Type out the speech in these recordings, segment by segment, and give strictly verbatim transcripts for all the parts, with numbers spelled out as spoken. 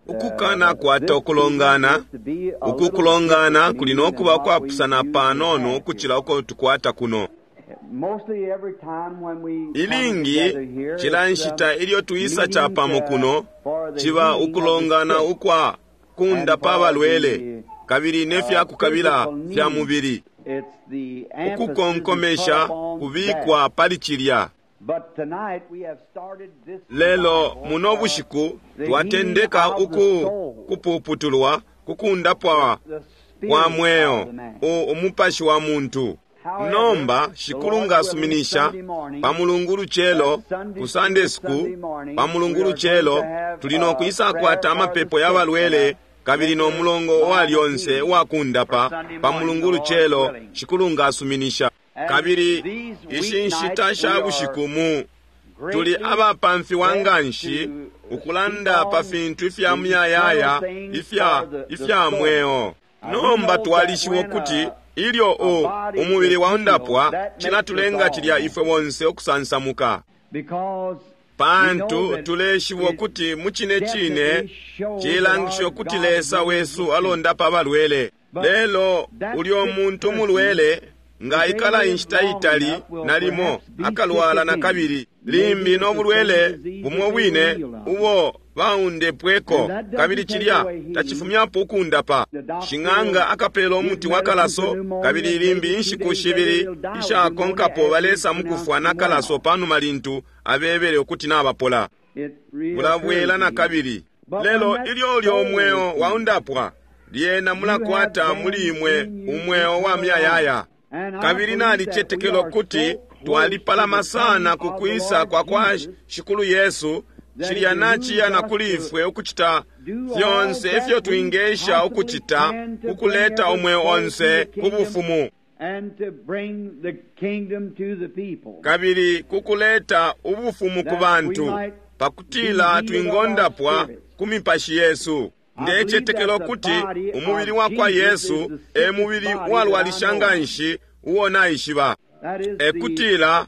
Ukukana kwata ukulongana, uku kulongana kuli no kuba kwapusana panono ukucila uko tukwata kuno. Ilingi cila nshita ilyo tuisa capamo kuno ciba ukulongana ukwa kundapa abalwele kabili ne fya kukabila fya mubili. Ukukonkomesha kubikwa pali cilya. Lelo muno bushiku twatendeka uku kupuputulwa kukundapwa kwa mweo umupashi wa muntu. Nomba Shikulu ngasuminisha pa Mulungu lucelo ku Sunday school, pa Mulungu lucelo tuli no kwisakwata amapepo ya balwele kabili no mulongo wa lyonse uwakundapa pa Mulungu lucelo, Shikulu ngasuminisha. Kabili ishi nshita sha bushiku mu tuli abapamfiwa nganshi ukulanda pa fintu ifya muyayaya ifya ifya mweo. Nomba twalishiba ukuti ilyo u umubili waundapwa cilatulenga cilya ifwe bonse ukusansamuka, pantu tuleshiba ukuti mu cine cine cilangisha ukuti Lesa wesu alondapa abalwele. Lelo ulyo muntu mulwele nga ikala inshita itali nalimo akalwala na kabili, limbi no bulwele bumo bwine ubo baundepweko, kabili cilya tacifumyapo ukundapa. Shing'anga akapela umuti wa kalaso, kabili limbi inshiku shibili ishakonkapo balesa mukufwa na kalaso panuma lintu abebele ukuti nabapola. Bulabwela na kabili. Lelo ilyo ulyo mweo waundapwa, lyena mulakwata muli imwe umweo wa muyayaya. Kabili nalicetekela ukuti twalipalama sana ku kwisa kwa kwa Shikulu Yesu, cilya naciya na kuli ifwe ukucita fyonse ifyo twingesha ukucita ukuleta umweo onse ku bufumu, kabili kukuleta ubufumu ku bantu, pakutila twingondapwa ku mipashi yesu. Ndecetekela ukuti umubili wa kwa Yesu e mubili uwalwalisha nganshi uo naishiba, ekutila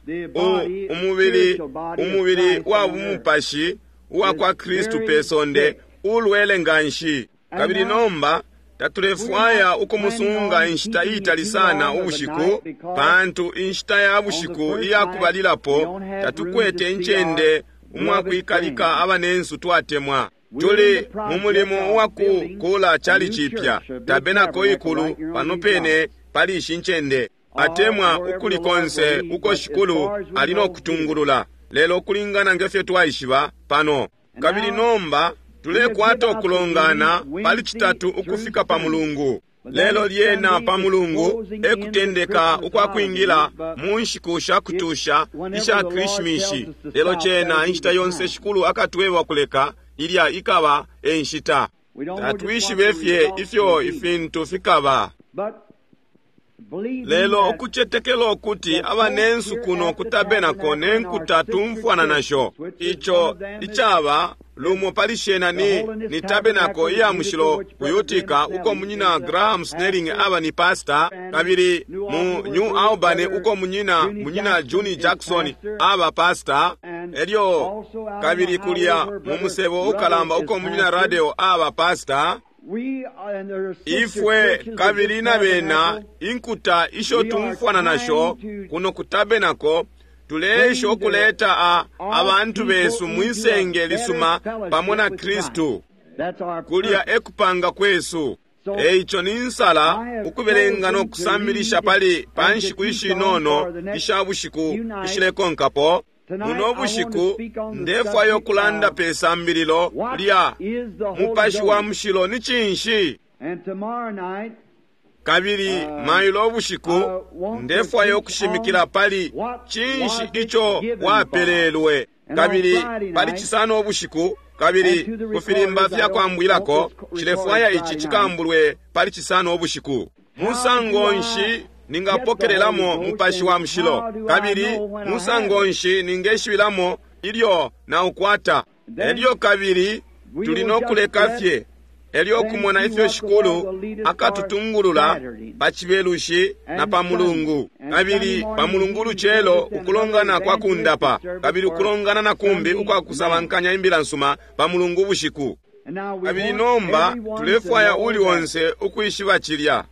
umubili umubili wa bumupashi uwa kwa Kristu pe sonde ulwele nganshi. Kabili nomba tatulefwaya ukumusunga inshita itali sana ubushiku, pantu inshita ya bushiku iya kubalilapo tatukwete incende umwakwikalika abanensu twatemwa. Tuli mu mulimo wa kukula chali chipya tabenako ikulu pano pene pali ishi ncende, atemwa ukuli konse uko Shikulu ali no kutungulula, lelo kulingana ngefyo twaishiba pano. Kabili nomba tulekwata ukulongana pali Citatu ukufika pa Mulungu. Lelo lyena pa Mulungu ekutendeka ukwa kwingila mu nshiku sha kutusha isha Krishimishi. Lelo cena inshita yonse Shikulu akatweba kuleka, ilya ikaba e nshita. Tatwishibe fye ifyo ifintu fikaba. Lelo ukucetekela ukuti abanensu kuno ku tabenako ne nkuta tumfwana nasho, ico icaba lumo pali shena ni, ni tabenako iya mushilo ku Utica, uko munyina Graham Snelling aba ni pastor, kabili mu New Albany uko munyina munyina Juni Jackson aba pastor, elyo kabili kulya mu musebo ukalamba uko munyina Radio aba pastor. Ifwe kabili na bena inkuta isho tumfwana nasho kuno ku tabenako tuleesha ukuleta a abantu besu mwisenge lisuma pamo na Kristu. Kulya ekupanga kwesu. Eico ni nsala ukubelenga no kusambilisha pali pa nshiku ishinono isha bushiku ishilekonkapo. Muno bushiku ndefwaya ukulanda pe sambililo lya Mupashi wa Mushilo ni cinshi. Kabili mailo ubushiku ndefwaya ukushimikila pali cinshi ico wapelelwe. Kabili pali Cisano ubushiku, kabili ku filimba fya kwambwilako, cilefwaya ici cikambulwe pali Cisano ubushiku. Musango nshi ningapokelelamo Mupashi wa Mushilo, kabili musango nshi ningeshibilamo ilyo naukwata? Elyo kabili tuli no kuleka fye, Elyo kumona ifyo Shikulu akatutungulula pa Cibelushi na pa Mulungu, kabili pa Mulungu lucelo ukulongana kwa kundapa, kabili ukulongana na kumbi ukwa kusabankanya imbila nsuma pa Mulungu bushiku. Kabili nomba tulefwaya uli onse ukwishiba cilya.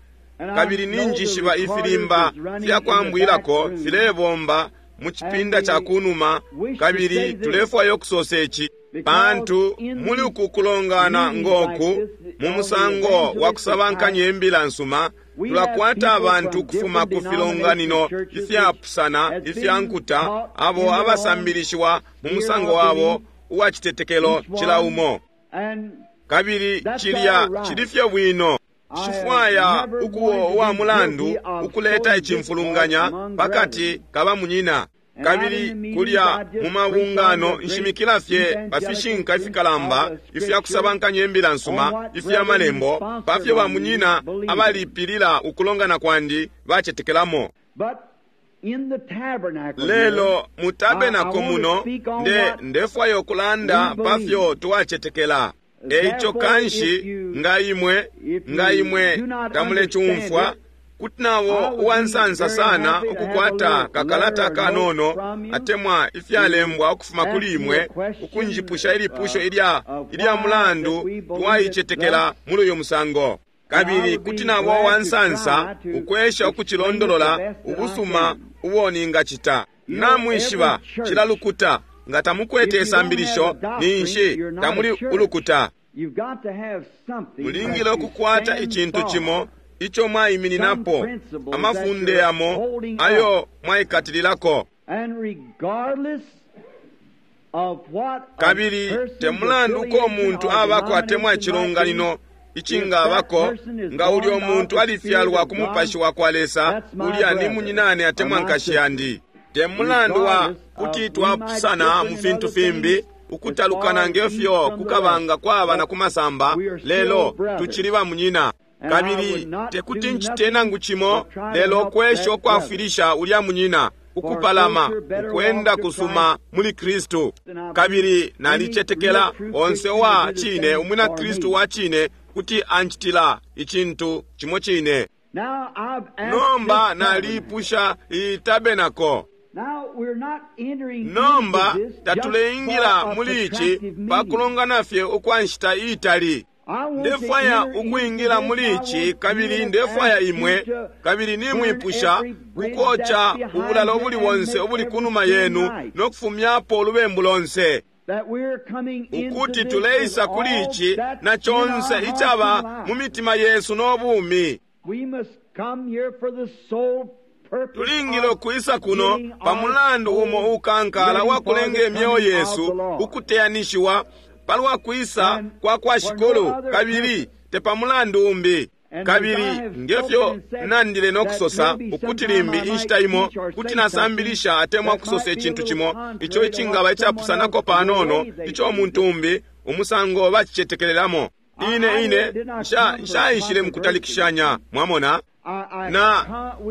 Kabili ninjishiba ifilimba fya kwambwilako filebomba mu cipinda ca kunuma, kabili tulefwaya ukusosa ici pantu muli uku kulongana ngoku mu musango wa kusabankanya imbila nsuma, tulakwata abantu ukufuma ku filonganino ifyapusana ifya nkuta abo abasambilishiwa mu musango wabo uwa citetekelo cila umo. Kabili cilya cili fye bwino. Nshifwaya ukuwo uwa mulandu ukuleta icimfulunganya pakati ka bamunyina. Kabili kulya mu mabungano nshimikila fye pa fishinka ifikalamba ifya kusabankanya imbila nsuma ifya malembo pa fyo bamunyina abalipilila ukulongana kwandi bacetekelamo. Lelo mu tabenako muno nde ndefwaya ukulanda pa fyo twacetekela. Eico kanshi nga imwe nga imwe tamulecumfwa, kuti nabo uwansansa sana ukukwata kakalata kanono atemwa ifyalembwa ukufuma kuli imwe ukunjipusha ilipusho ilya ilya mulandu twaicetekela muli uyu musango. Kabili kuti nabo uwansansa ukwesha ukucilondolola ubusuma ubo ningacita. Namwishiba cila lukuta, nga tamukwete isambilisho ninshi tamuli ulukuta. Mulingile ukukwata icintu cimo ico mwaimininapo, amafunde yamo ayo mwaikatililako. Kabili temulandu uko umuntu abako atemwa icilonganino icingabako, nga ulyo muntu alifyalwa ku mupashi wa kwa Lesa, ulya ni munyinane atemwa nkashi yandi. Temulandu wa kuti twapusana mu fintu fimbi, ukutalukana ngefyo kukabanga kwaba na kumasamba, lelo tucili bamunyina. Kabili tekuti ncite nangu cimo lelo kwesha ukwafwilisha ulya munyina ukupalama ukwenda kusuma muli Kristu. Kabili nalicetekela onse wa cine umwina Kristu wa cine kuti ancitila icintu cimo cine. Nomba nalipusha iyi tabenako. Nomba tatuleingila muli ici pakulongana fye ukwa nshita iitali. Ndefwaya ukwingila muli ici, kabili ndefwaya imwe, kabili nimwipusha kukoca ubulalo ubuli bonse ubuli kunuma yenu no kufumyapo ulubembu lonse, ukuti tuleisa kuli ici na conse icaba mu mitima yesu no bumi. Tulingile ukwisa kuno pa mulandu umo ukankala wa kulenga imyeo yesu ukuteyanishiwa palwa kwisa kwa kwa Shikulu, kabili te pa mulandu umbi. Kabili ngefyo nandile no kusosa ukuti limbi inshita imo kuti nasambilisha atemwa kusosa icintu cimo ico icingaba icapusanako panono ico umuntu umbi umusango bacicetekelelamo. Ine ine nshaishile mukutalikishanya, mwamona. Na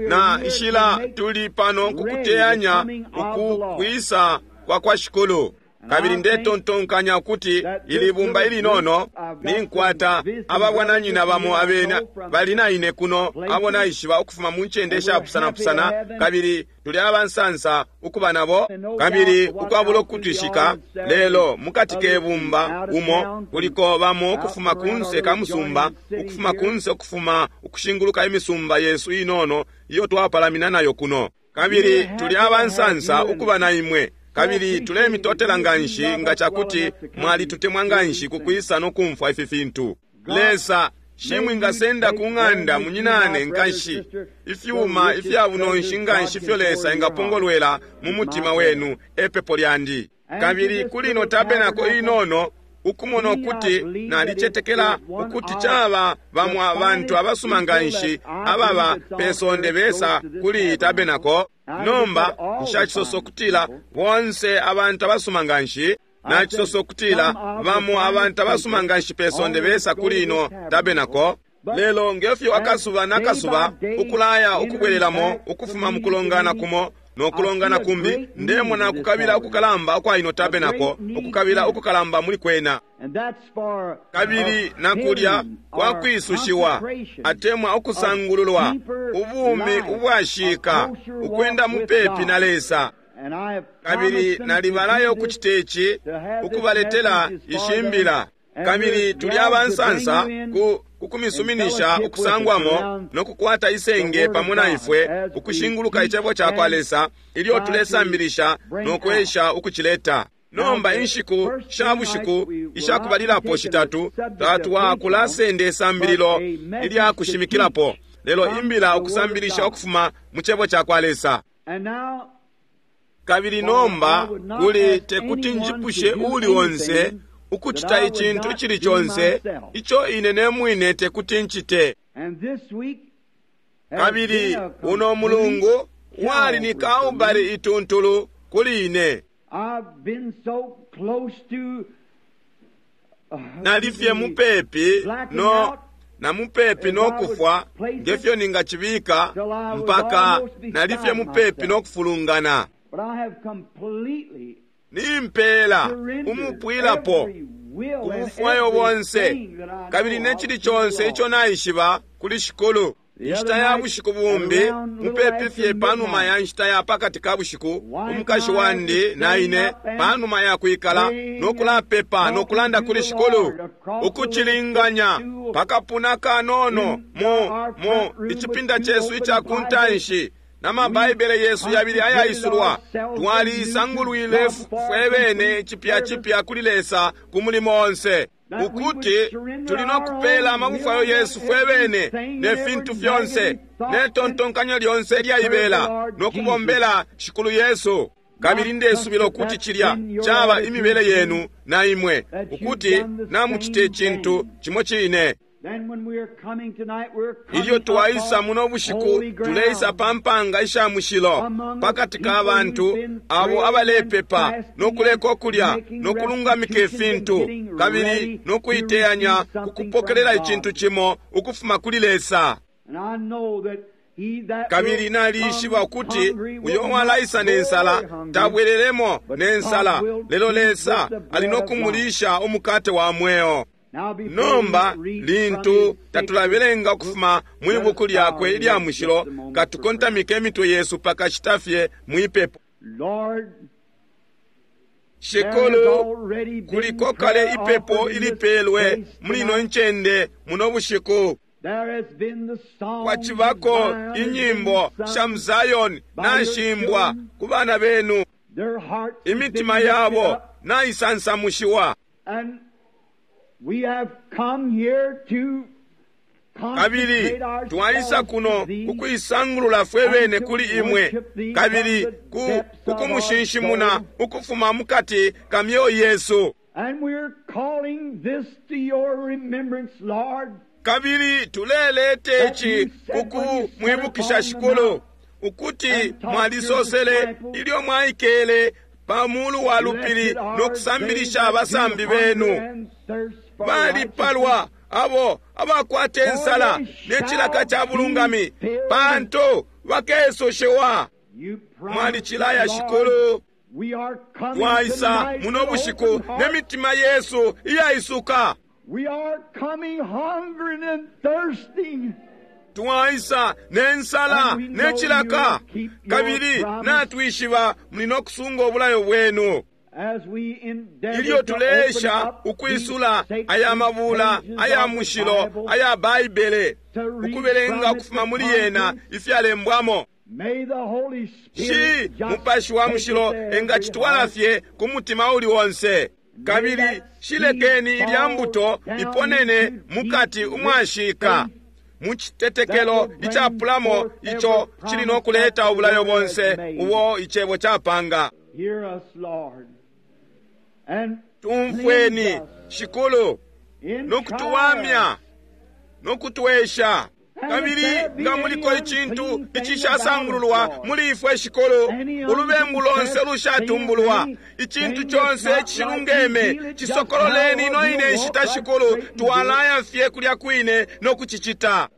na nshila tuli pano kukuteyanya uku kwisa kwa kwa Shikulu. Kabili ndetontonkanya ukuti ili bumba ilinono ninkwata ababwananyina bamo abena bali na ine kuno abo naishiba ukufuma mu ncende ishapusanapusana, kabili tuli abansansa ukuba nabo, kabili ukwabula ukutwishika. Lelo mukati ke bumba umo kuliko bamo ukufuma kunse ka musumba, ukufuma kunse, ukufuma ukushinguluka imisumba yesu inono iyo twapalamina nayo kuno, kabili tuli abansansa ukuba na imwe. Kabili tulemitotela nganshi nga cakuti mwalitutemwa nganshi kukwisa no kumfwa ifi fintu. Lesa shimwingasenda ku ng'anda munyinane nkanshi ifyuma ifya bunonshi nganshi ifyo Lesa engapongolwela mu mutima wenu, epepo lyandi. Kabili kuli ino tabenako inono ukumona ukuti nalicetekela ukuti caba bamwe abantu abasuma nganshi ababa pesonde besa kuli iyi tabenako. Nomba nshacisosa ukutila bonse abantu abasuma nganshi, nacisosa ukutila bamo abantu abasuma nganshi pesonde besa kuli ino tabenako. Lelo ngefyo akasuba nakasuba ukulaya ukubwelelamo ukufuma mukulongana kumo No kulongana kumbi, ndemona kukabila ukukalamba ukwa ino tabernacle, ukukabila ukukalamba muli kwena. Kabili nakulya kwa kwisushiwa atemwa ukusangululwa, ubumi ubwashika, ukwenda mupepi na Lesa. Kabili nalibalayo ukucita ici, ukubaletela ishimbila. Kabili tuli abansansa ku kukumisuminisha ukusangwamo no kukwata isenge pamo na ifwe ukushinguluka icebo ca kwa Lesa ilyo tulesambilisha no kwesha ukucileta. Nomba inshiku sha bushiku ishakubalilapo shitatu tatwakulasenda isambililo ilya kushimikilapo, lelo imbila ukusambilisha ukufuma mu cebo ca kwa Lesa. Kabili nomba kuli tekuti njipushe uuli onse ukucita icintu icili conse ico ine ne mwine tekuti ncite. Kabili uno mulungu wali ni Kalbale ituntulu kuli ine. Nalifye mupepi no na mupepi no kufwa ngefyo ningacibika, mpaka nalifye mupepi no kufulungana. Nimpela umupwilapo kubufwayo bonse kabili ne cili conse ico naishiba kuli Shikulu. Inshita ya bushiku bumbi, mupepi fye panuma ya nshita ya pakati ka bushiku, umukashi wandi na ine panuma ya kwikala no kulapepa no kulanda kuli Shikulu, ukucilinganya pakapuna kanono mu mu icipinda cesu ica kuntanshi na mabaibele yesu yabili ayaisulwa, twalisangulwile fwe bene cipya cipya kuli Lesa ku mulimo onse, ukuti tuli no kupela amabufwayo yesu fwe bene ne fintu fyonse ne tontonkanyo lyonse ilyaibela no kubombela Shikulu Yesu. Kabili ndesubila ukuti cilya caba imibele yenu na imwe, ukuti namucite icintu cimo cine. Ilyo twaisa muno bushiku, tuleisa pa mpanga isha mushilo pakati ka bantu abo abalepepa no kuleka ukulya no kulungamika ifintu kabili no kuiteyanya ku kupokelela icintu cimo ukufuma kuli Lesa. Kabili nalishiba ukuti uyo walaisa ne nsala tabwelelemo ne nsala, lelo Lesa ali no kumulisha umukate wa mweo. Nomba lintu tatulabelenga ukufuma mwi buku lyakwe ilya mushilo, katukontamike imitwe yesu pakashita fye mwipepo. Shikulu, kuliko kale ipepo ilipelwe muli ino ncende muno bushiku. Kwacibako inyimbo sha Mzayoni nashimbwa ku bana benu, imitima yabo naisansamushiwa. Kabili twaisa kuno kukuisangulula fwe bene kuli imwe, kabili ku kukumushinshimuna ukufuma mukati ka myoyo yesu. Kabili tulelete ici kukumwibukisha Shikulu, ukuti mwalisosele ilyo mwaikele pa mulu wa lupili no kusambilisha abasambi benu, balipalwa abo abakwata insala ne cilaka ca bulungami, pantu bakesushiwa. Mwalicilaya Shikulu. Twaisa muno bushiku ne mitima yesu iyaisuka. Twaisa ne nsala ne cilaka, kabili natwishiba muli no kusunga obulayo bwenu. Ilyo tuleesha ukwisula aya mabula aya mushilo aya Baibele, ukubelenga ukufuma muli yena ifyalembwamo, shi Mupashi wa Mushilo engacitwala fye ku mutima uli onse. Kabili shilekeni ilya mbuto iponene mukati umwashika mu citetekelo icapulamo ico cili no kuleta ubulayo bonse ubo icebo capanga. Tumfweni Shikulu, no kutuwamya no kutwesha. Kabili nga muliko icintu icishasangululwa muli ifwe Shikulu, ulubembu lonse lushatumbulwa, icintu conse icishilungeme, cisokololeni ino ine nshita Shikulu, twalaya fye kulya kwine no kucicita.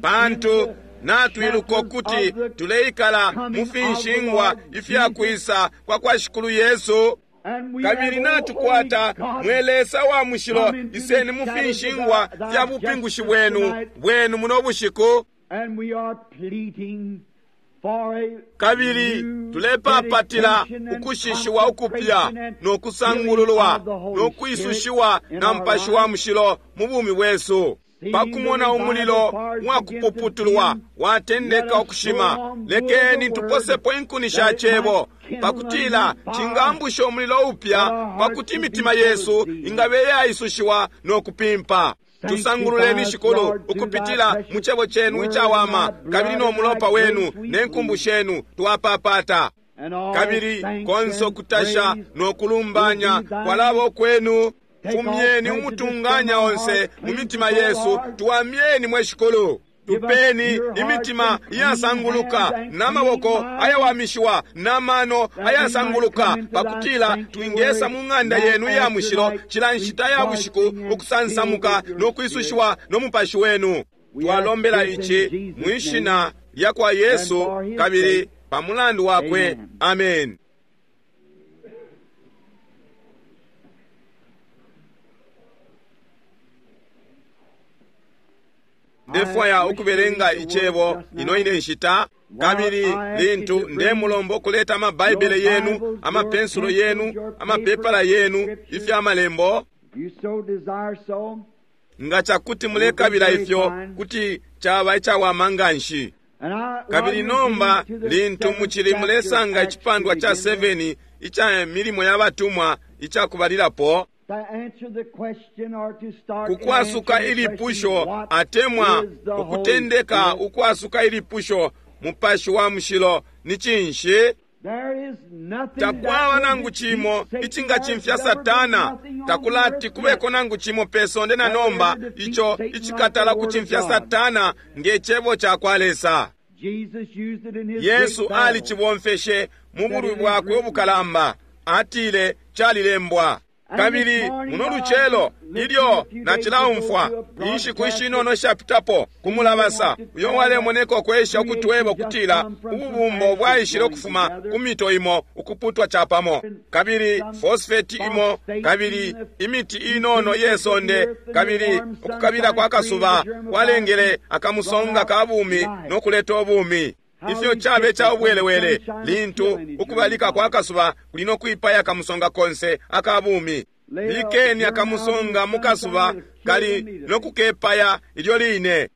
Pantu natwiluka ukuti tuleikala mu finshingwa ifyakwisa kwa kwa Shikulu Yesu, kabili natukwata mwe Lesa wa mushilo, iseni mu finshingwa fya bupingushi bwenu bwenu muno bushiku, kabili tulepapatila ukushishiwa ukupya no kusangululwa no kwisushiwa na Mupashi wa Mushilo mu bumi bwesu. Pakumona umulilo wakupuputulwa watendeka ukushima, lekeni tuposepo inkuni sha cebo pakutila cingambusha umulilo upya, pakuti imitima yesu ingabe yaisushiwa no kupimpa. Tusangululeni Shikulu ukupitila mu cebo chenu icawama, kabili no mulopa wenu ne nkumbu shenu twapapata. Kabili konse ukutasha no kulumbanya kwalaba kwenu. Fumyeni umutunganya onse mu mitima yesu, tuwamyeni mwe Shikulu. Tupeni imitima iyasanguluka n'amaboko ayawamishiwa n'amano ayasanguluka, pakutila twingesa mu ng'anda yenu iya mushilo cila nshita ya bushiku ukusansamuka no kwisushiwa no Mupashi wenu. Twalombela ici mwishina lya kwa Yesu kabili pa mulandu wakwe. Amen. Ndefwaya ukubelenga icebo ino ine nshita, kabili lintu ndemulomba ukuleta amabaibele yenu, amapensulo yenu, amapepala yenu, ifya malembo. Nga cakuti mulekabila ifyo, kuti caba icawama nganshi. Kabili nomba lintu mucili mulesanga icipandwa ca seven ica milimo ya batumwa icakubalilapo, kukwasuka ilipusho atemwa ukutendeka ukwasuka ilipusho, Mupashi wa Mushilo ni cinshi? Takwaba nangu cimo icingacimfya Satana, takulati kubeko nangu cimo pe sonde na nomba ico icikatala kucimfya Satana nge cebo ca kwa Lesa. Yesu alicibomfeshe mu bulwi bwakwe ubukalamba, atile calilembwa. Kabili muno lucelo ilyo nacilaumfwa inshiku ishinono ishapitapo kumulabasa uyo walemoneka ukwesha ukutweba ukutila ububumbo bwaishile ukufuma ku mito imo ukuputwa capamo, kabili fosfeti imo, kabili imiti inono iye sonde, kabili ukukabila kwa kasuba kwalengele akamusonga ka bumi no kuleta ubumi. Ifyo cabe ca ubwelewele lintu ukubalika kwa kasuba kuli no kwipaya akamusonga konse aka bumi. Bikeni akamusonga mu kasuba kali no kukepaya ilyo line.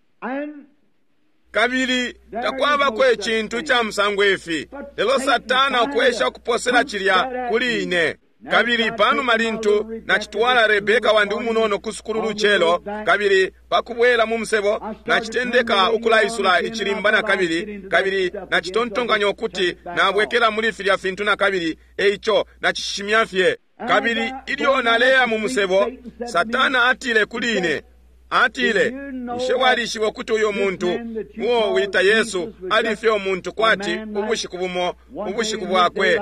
Kabili takwabako icintu ica musango ifi, lelo Satana ukwesha ukuposela cilya kuli ine. Kabili panuma lintu nacitwala Rebeka wandi umunono ku sukulu lucelo, kabili pakubwela mu musebo nacitendeka ukulaisula icilimba na kabili, kabili nacitontonkanya ukuti nabwekela muli filya fintu na kabili, eico nacishimya fye. Kabili ilyo naleya mu musebo, Satana atile kuli ine, atile, bushe walishiba ukuti uyo muntu uo wita Yesu alifye umuntu kwati ubushiku bumo ubushiku bwakwe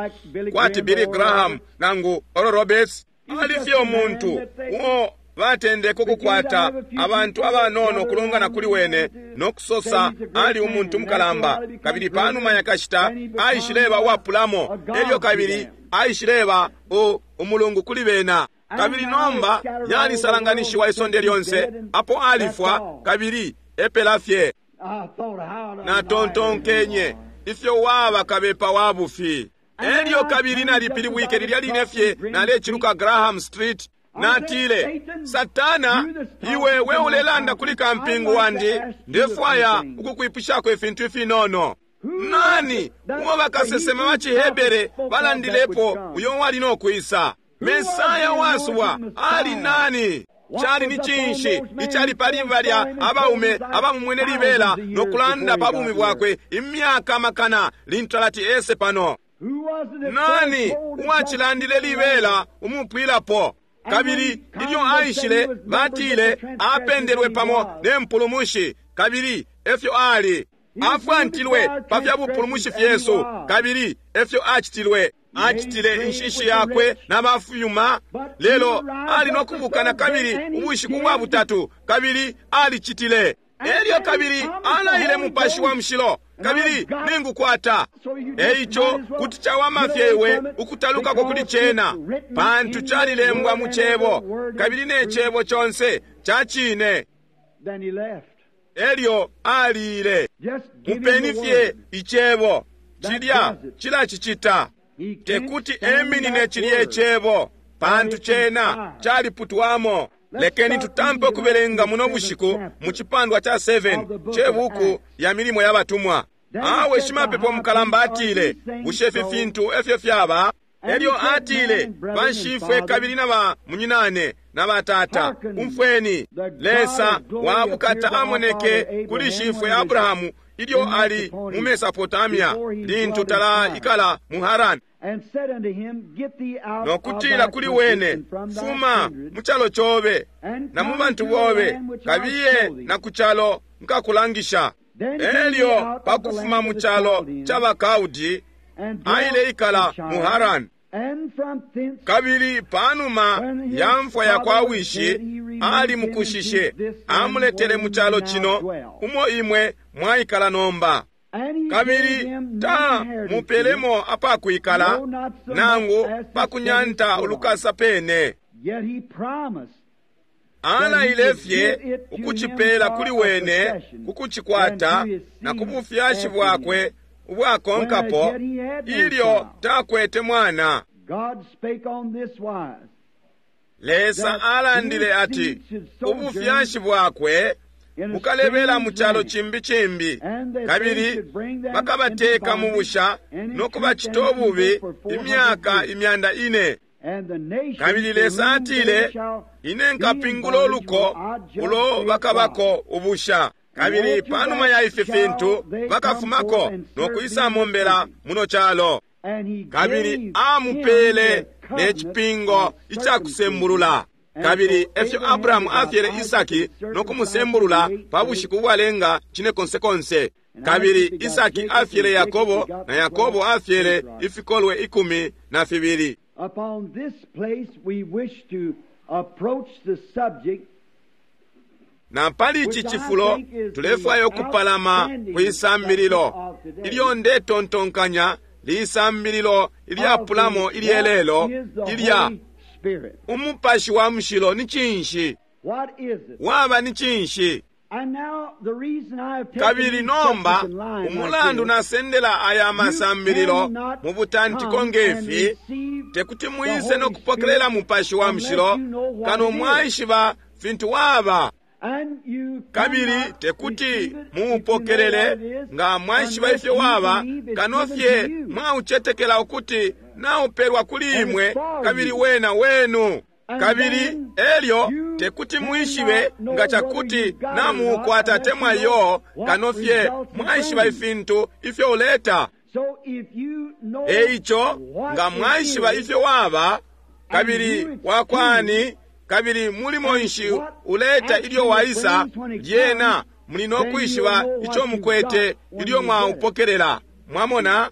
kwati Billy Graham nangu Oral Roberts? Alifye umuntu uo batendeka ukukwata abantu abanono kulongana kuli wene no kusosa ali umuntu mukalamba, kabili panuma yakashita aishileba uwapulamo, elyo kabili aishileba umulungu kuli bena. Kabili nomba yalisalanganishiwa isonde lyonse apo alifwa, kabili epela fye. Natontonkenye ifyo waba kabepa wa bufi. Elyo kabili nalipilibwike lilya line fye naleciluka Graham Street. Natile, Satana, iwe we ulelanda kuli kampingu wandi, ndefwaya ukukwipushako ifintu ifinono. Nani uo bakasesema ba ciHebere balandilepo uyo wali no kwisa? Mesaya wasubwa ali nani? Cali ni cinshi icali pali balya abaume abamumwene libela no kulanda pa bumi bwakwe imyaka makana lintu alati ese pano? Nani uwacilandile libela umupwilapo? Kabili ilyo aishile batile apendelwe pamo ne mpulumushi, kabili efyo ali afwantilwe pa fya bupulumushi fyesu, kabili efyo acitilwe. Acitile inshishi yakwe na bafuyuma, lelo ali no kubuka na kabili ubushiku bwa butatu, kabili alicitile. Elyo kabili alaile Mupashi wa Mushilo, kabili ningukwata. Eico kuti cawama fye iwe ukutalukako kuli cena, pantu calilembwa mu Cebo, kabili ne Cebo conse ca cine. Elyo aliile. Mupeni fye Icebo, cilya cilacicita. Tekuti eminine cilye Cebo, pantu cena caliputwamo. Lekeni tutampe ukubelenga muno bushiku mu cipandwa ca seven cebuku ya Milimo ya Batumwa. Awe shimapepo mukalamba atile, bushe ifi fintu efyo fyaba? Elyo atile, banshifwe kabili na ba munyinane na batata, umfweni, Lesa wa bukata amoneke kuli shifwe Abrahamu ilyo ali mu Mesopotamia, lintu talaikala mu Harani, no kutila kuli wene, fuma mu calo cobe na mu bantu bobe, kabiye na ku calo nkakulangisha. Elyo pakufuma mu calo ca baKaudi, aile ikala mu Harani. Kabili panuma ya mfwa ya kwa wishi, ali mukushishe, amuletele mu calo cino umo imwe mwaikala nomba. Kabili ta mupelemo apakwikala, nangu pakunyanta ulukasa pene. Alaile fye ukucipela kuli wene kukucikwata na kubufyashi bwakwe ubwakonkapo, ilyo takwete mwana. Lesa alandile ati ubufyashi bwakwe bukalebela mu calo cimbi cimbi, kabili bakabateka mu busha no kubacita ububi imyaka imyanda ine. Kabili Lesa atile, ine nkapingula uluko ulo bakabako ubusha, kabili panuma ya ifi fintu bakafumako no kwisamombela muno calo. Kabili amupele ne cipingo icakusembulula. Kabili efyo Abrahamu afyele Isaki no kumusembulula pa bushiku bwalenga cine konse konse. Kabili Isaki afyele Yakobo, na Yakobo afyele ifikolwe ikumi na fibili. Upon this place we wish to approach the subject. Na pali ici cifulo tulefwaya ukupalama kwisambililo ilyo ndetontonkanya lisambililo ilyapulamo ilyelelo ilya Umupashi wa Mushilo ni cinshi? Waba ni cinshi? Kabili nomba umulandu nasendela aya masambililo mu butantiko ngefi, tekuti mwise no kupokelela Mupashi wa Mushilo kano mwaishiba fintu waba. Kabili tekuti muupokelele nga mwaishiba ifyo waba, kano fye mwaucetekela ukuti naupelwa kuli imwe kabili wena wenu. Kabili elyo tekuti mwishibe nga cakuti namuukwata temwa yo, kano fye mwaishiba ifintu ifyo uleta. Eico nga mwaishiba ifyo waba, kabili wakwani, kabili mulimo nshi uleta ilyo waisa, lyena muli no kwishiba ico mukwete ilyo mwaupokelela. Mwamona,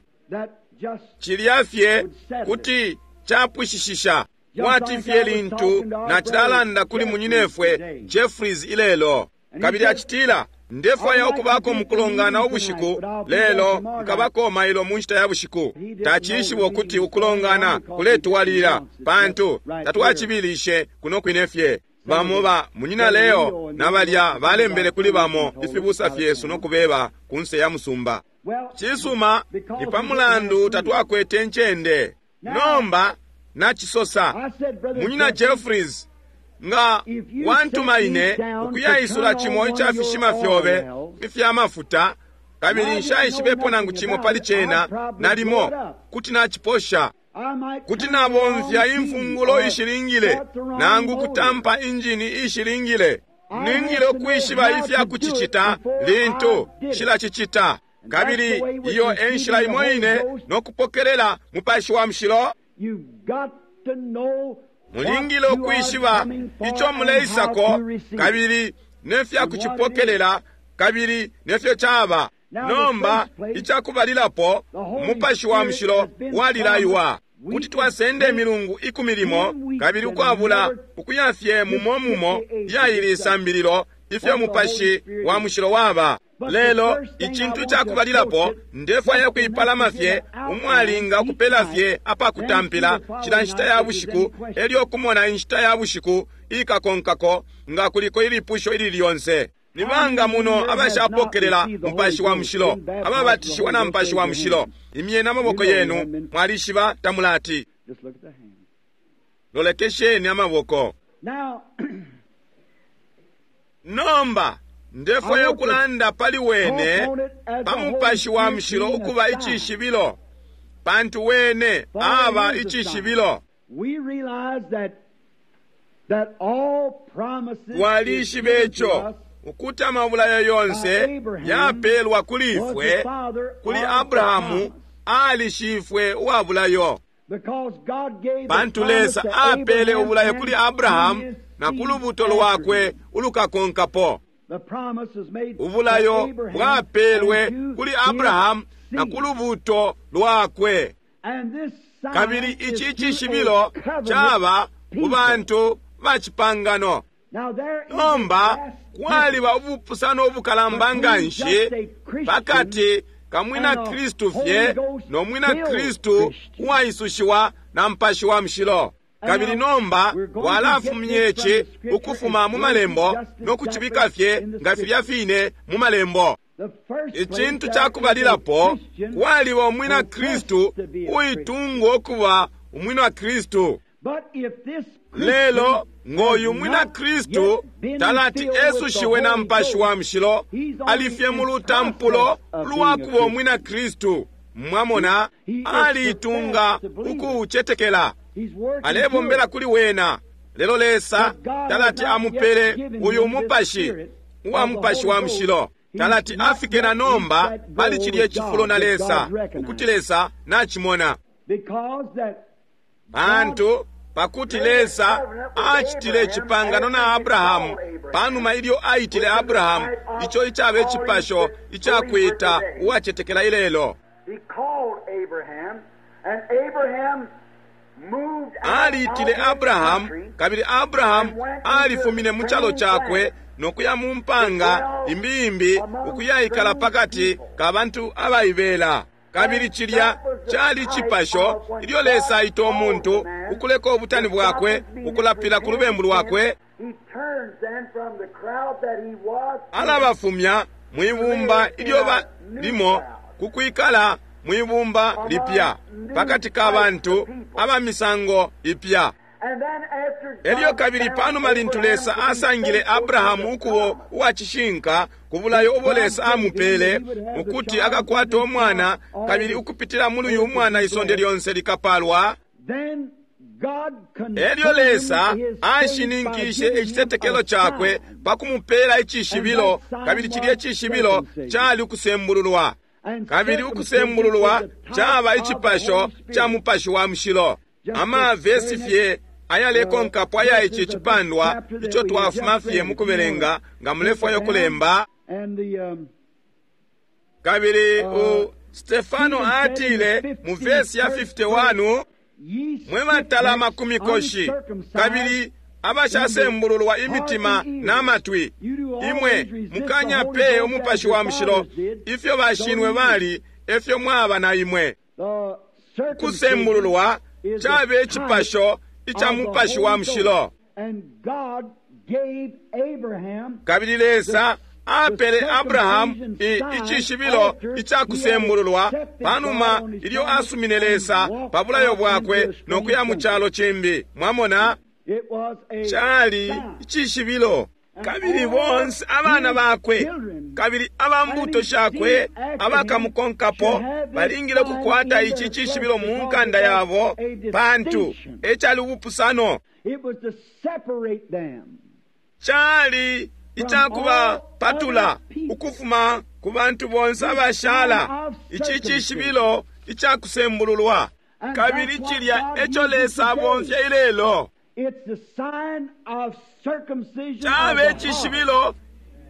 cilya fye kuti capwishishisha. Kwati fye lintu nacilalanda kuli munyinefwe Jeffries ilelo, kabili acitila, ndefwaya ukubako mukulongana ubushiku lelo nkabako mailo mu nshita ya bushiku. Tacishiba ukuti ukulongana kuletwalilila, pantu tatwacibilishe kuno kwine fye. Bamo ba munyina Leo na balya balembele kuli bamo ifibusa fyesu no kubeba kunse ya musumba. Cisuma, ni pa mulandu tatwakwete ncende. Nomba nacisosa, munyina Jeffries, nga wantuma ine ukuyaisula cimo ica fishima fyobe ifya mafuta, kabili nshaishibepo nangu cimo pali cena, nalimo kuti naciposha. Kuti nabomfya imfungulo ishilingile, nangu kutampa injini ishilingile. Ningile ukwishiba ifya kucicita lintu nshilacicita. Kabili iyo e nshila imo ine no kupokelela Mupashi wa Mushilo. Mulingile ukwishiba ico muleisako, kabili nefya kucipokelela, kabili nefyo caba. Nomba icakubalilapo, Umupashi wa Mushilo walilaiwa. Kuti twasenda imilungu ikumi limo kabili ukwabula ukuya fye mumo mumo ya ili sambililo ifyo Mupashi wa Mushilo waba. Lelo icintu cakubalilapo ndefwaya kuipalama fye umwalinga ukupela fye apakutampila cila nshita ya bushiku, elyo kumona inshita ya bushiku ikakonkako nga kuliko ilipusho ili lyonse. Ni banga muno abashapokelela Mupashi wa Mushilo, ababatishiwa na Mupashi wa Mushilo? Imyeni amaboko yenu, mwalishiba tamulati. Lolekesheni amaboko. Nomba ndefwaya ukulanda pali wene pa Mupashi wa Mushilo ukuba icishibilo, pantu wene aba icishibilo. Twalishiba ico ukuti amabulayo yonse yapelwa kuli ifwe kuli Abrahamu alishifwe uwa bulayo, pantu Lesa apele ubulayo kuli Abrahamu na ku lubuto lwakwe ulukakonkapo. Ubulayo bwapelwe kuli Abrahamu na ku lubuto lwakwe, kabili ici cishibilo caba ku bantu ba cipangano. Nomba kwaliba ubupusano ubukalamba nganshi pakati ka mwina Kristu fye no mwina Kristu uwaisushiwa na Mupashi wa Mushilo. Kabili nomba walafumye ici ukufuma mu malembo no kucibika fye nga filya fine mu malembo. Icintu cakubalilapo, kwaliba umwina Kristu uitunga ukuba umwina Kristu. Lelo ngoyu mwina Kristu talati esushiwe na Mupashi wa Mushilo, alifye mu lutampulo lwakuba umwina Kristu. Mwamona, aliitunga ukuucetekela, alebombela kuli wena. Lelo Lesa talati amupele uyu mupashi uwa Mupashi wa Mushilo, talati afike na nomba pali cilye cifulo na Lesa, ukuti Lesa nachimona. Pantu pakuti Lesa acitile icipangano na Abrahamu panuma ilyo aitile Abrahamu, ico icaba icipasho icakwita uwacetekela ilelo. Aliitile Abrahamu, kabili Abrahamu alifumine mu calo cakwe nokuya mu mpanga imbiimbi ukuyaikala pakati ka bantu abaibela. Kabili cilya cali cipasho ilyo Lesa aita umuntu ukuleka ubutani bwakwe, ukulapila ku lubembu lwakwe, alabafumya mwibumba ilyo balimo kukwikala mwibumba lipya pakati ka bantu aba misango ipya. Elyo kabili panuma lintu Lesa asangile Abrahamu ukubo uwacishinka ku bulayo ubo Lesa amupele ukuti akakwata umwana, kabili ukupitila muli uyu mwana isonde lyonse likapalwa, elyo Lesa ashininkishe icitetekelo cakwe pa kumupela icishibilo, kabili cilye cishibilo cali ukusembululwa. Kabili ukusembululwa caba icipasho ca Mupashi wa Mushilo. Amavesi fye ayalekonkapo aya ici cipandwa ico twafuma fye mukubelenga nga mulefwaya ukulemba. Kabili u Stefano atile mu vesi ya fifty one, mwe batalama ku mikoshi kabili abashasembululwa imitima na matwi, imwe mukanya pe Umupashi wa Mushilo, ifyo bashinwe bali efyo mwaba na imwe. Kusembululwa cabe icipasho ica Mupashi wa Mushilo. Kabili Lesa apele Abrahamu icishibilo ica kusembululwa panuma ilyo asumine Lesa pa bulayo bwakwe no kuya mu calo cimbi. Mwamona, cali icishibilo. Kabili bonse abana bakwe kabili aba mbuto shakwe abakamukonkapo balingile kukwata ici cishibilo mu nkanda yabo, pantu ecali ubupusano. Cali icakubapatula ukufuma ku bantu bonse abashala, ici cishibilo icakusembululwa. Kabili cilya eco Lesa abomfya ilelo. Cabe icishibilo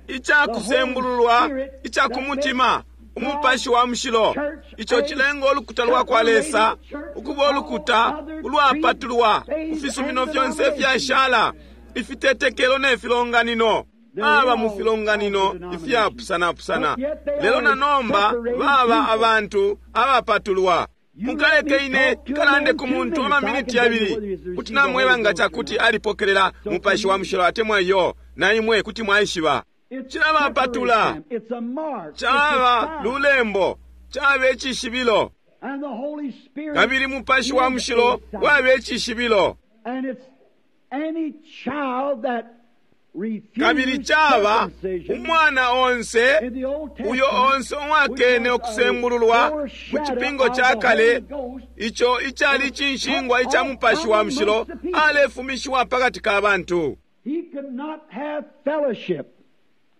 icakusembululwa icakumutima, Umupashi wa Mushilo. Ico cilenga ulukuta lwa kwa Lesa ukuba ulukuta ulwapatulwa ku fisumino fyonse ifyashala, ifitetekelo ne filonganino. Baba mu filonganino ifyapusanapusana, lelo na nomba baba abantu abapatulwa. Mukaleke ine kalande ku muntu amaminiti yabili, kuti namweba nga cakuti alipokelela Mupashi wa Mushilo atemwa iyo, na imwe kuti mwaishiba. Cilabapatula, caba lulembo, caba icishibilo, kabili Mupashi wa Mushilo waba icishibilo. Kabili caba umwana onse uyo onse uwakene ukusembululwa mu cipingo ca kale, ico icali cinshingwa ica Mupashi wa Mushilo, alefumishiwa pakati ka bantu.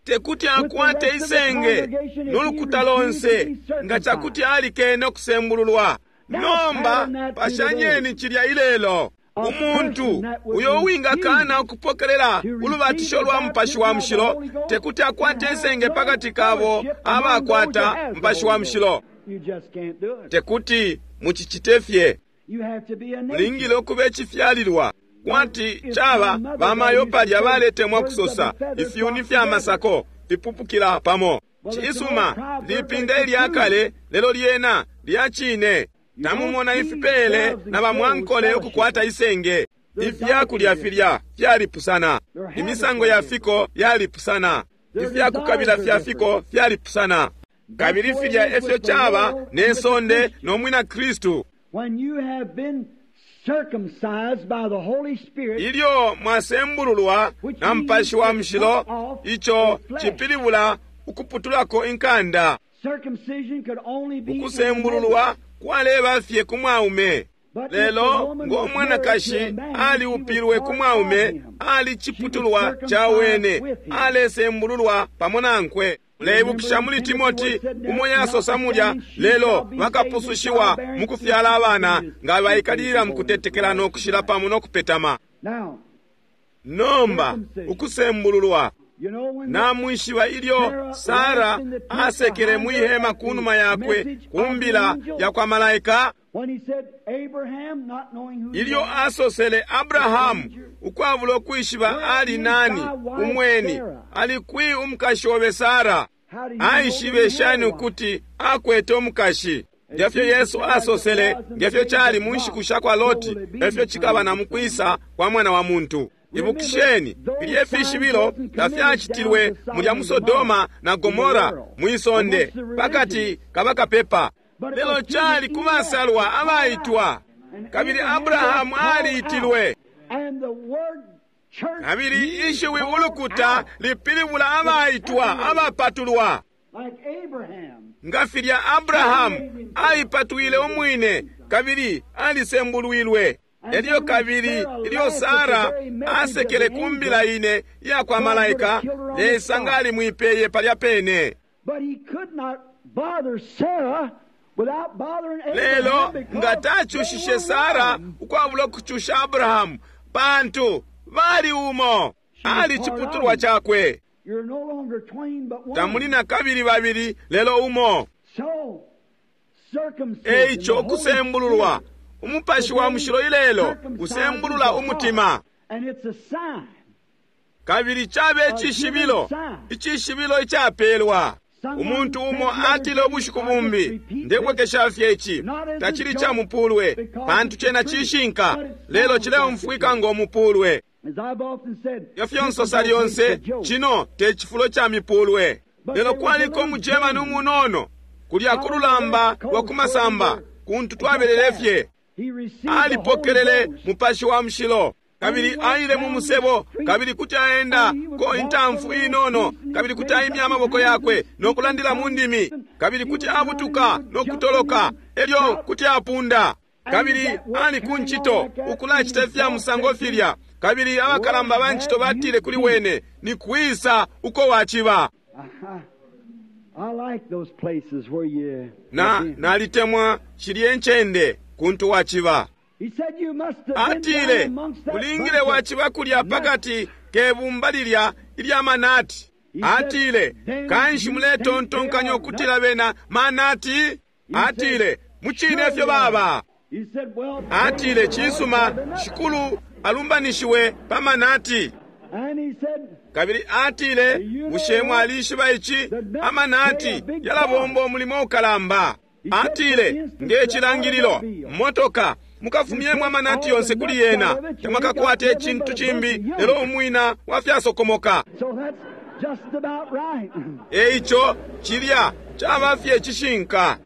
Tekuti akwate isenge nolukuta lonse nga cakuti alikene ukusembululwa. Nomba pashanyeni cilya ilelo. Umuntu uyo uwingakana ukupokelela ulubatisho lwa Mupashi wa Mushilo tekuti akwate isenge pakati kabo abakwata Mupashi wa Mushilo. Tekuti mucicite fye. Mulingile ukuba icifyalilwa. Kwati caba bamayo palya baletemwa kusosa ifyuni fya masako fipupukila pamo. Cisuma, lipinda ilya kale, lelo lyena lya cine. Tamumona ifipele na bamwankole ukukwata isenge. Ifyakulya filya fyalipusana, imisango ya fiko yalipusana, ifyakukabila fya fiko fyalipusana. Kabili filya efyo caba ne sonde no mwina Kristu. Ilyo mwasembululwa na Mupashi wa Mushilo, ico cipilibula ukuputulako inkanda. Ukusembululwa kwaleba fye ku mwaume, lelo ngo mwanakashi aliupilwe ku mwaume, ali ciputulwa ca wene, alesembululwa pamo nankwe. Muleibukisha muli Timoti umo yasosa mulya, lelo bakapusushiwa mu kufyala abana nga baikalilila mu kutetekela no kushila pamo no kupetama. Nomba ukusembululwa, namwishiba ilyo Sara asekele mwi hema kunuma yakwe kumbila ya kwa malaika, ilyo asosele Abrahamu ukwabula ukwishiba ali nani umweni, ali kwi umukashi obe Sara? Aishibe shani ukuti akwete umukashi? Ngefyo Yesu asosele, ngefyo cali mu nshiku sha kwa Loti, efyo cikaba na mukwisa kwa Mwana wa Muntu. Ibukisheni, filye fishibilo tafyacitilwe mulya mu Sodoma na Gomora mwisonde pakati kabakapepa, lelo cali kubasalwa abaitwa. Kabili Abrahamu aliitilwe. Kabili ishiwi ulukuta lipilibula abaitwa, abapatulwa. Nga filya Abrahamu aipatwile umwine kabili alisembulwilwe. Elyo kabili ilyo Sara asekele kumbila ine iya kwa malaika, Lesa nga alimwipeye palya pene. Lelo nga tacushishe Sara ukwabula ukucusha Abrahamu, pantu bali umo, ali ciputulwa cakwe. Tamuli na kabili babili, lelo umo. Eico ukusembululwa, Umupashi wa Mushilo ilelo usembulula umutima, kabili cabe icishibilo, icishibilo icapelwa. Umuntu umo atile ubushiku bumbi, ndebwekesha fye ici, tacili ca mupulwe, pantu cena cishinka, lelo cileumfwika ngo mupulwe. Ifyo nsosa lyonse, cino te cifulo ca mipulwe. Lelo kwaliko umugermani umunono kulya ku lulamba lwa ku masamba, kuntu twabelele fye. Alipokelele Mupashi wa Mushilo, kabili aile mu musebo, kabili kuti aenda ko intamfu inono, kabili kuti aimya amaboko yakwe no kulandila mu ndimi, kabili kuti abutuka no kutoloka, elyo kuti apunda. Kabili ali ku ncito ukulacita ifya musango filya, kabili abakalamba ba ncito batile kuli wene, ni kwisa uko waciba? Na nalitemwa shilye ncende kuntu waciba. Atile, ulingile waciba kulya pakati ke bumba lilya ilya manati. Atile, kanshi muletontonkanya ukutila bena manati? Atile, mucine ifyo baba. Atile, cisuma, Shikulu alumbanishiwe pa manati. Kabili atile, bushe mwalishiba ici? Amanati yalabomba umulimo ukalamba. Atile, nge cilangililo, motoka mukafumyemo amanati yonse kuli yena, tamwakakwate icintu cimbi lelo umwina wa fyasokomoka. Eico cilya caba fye cishinka.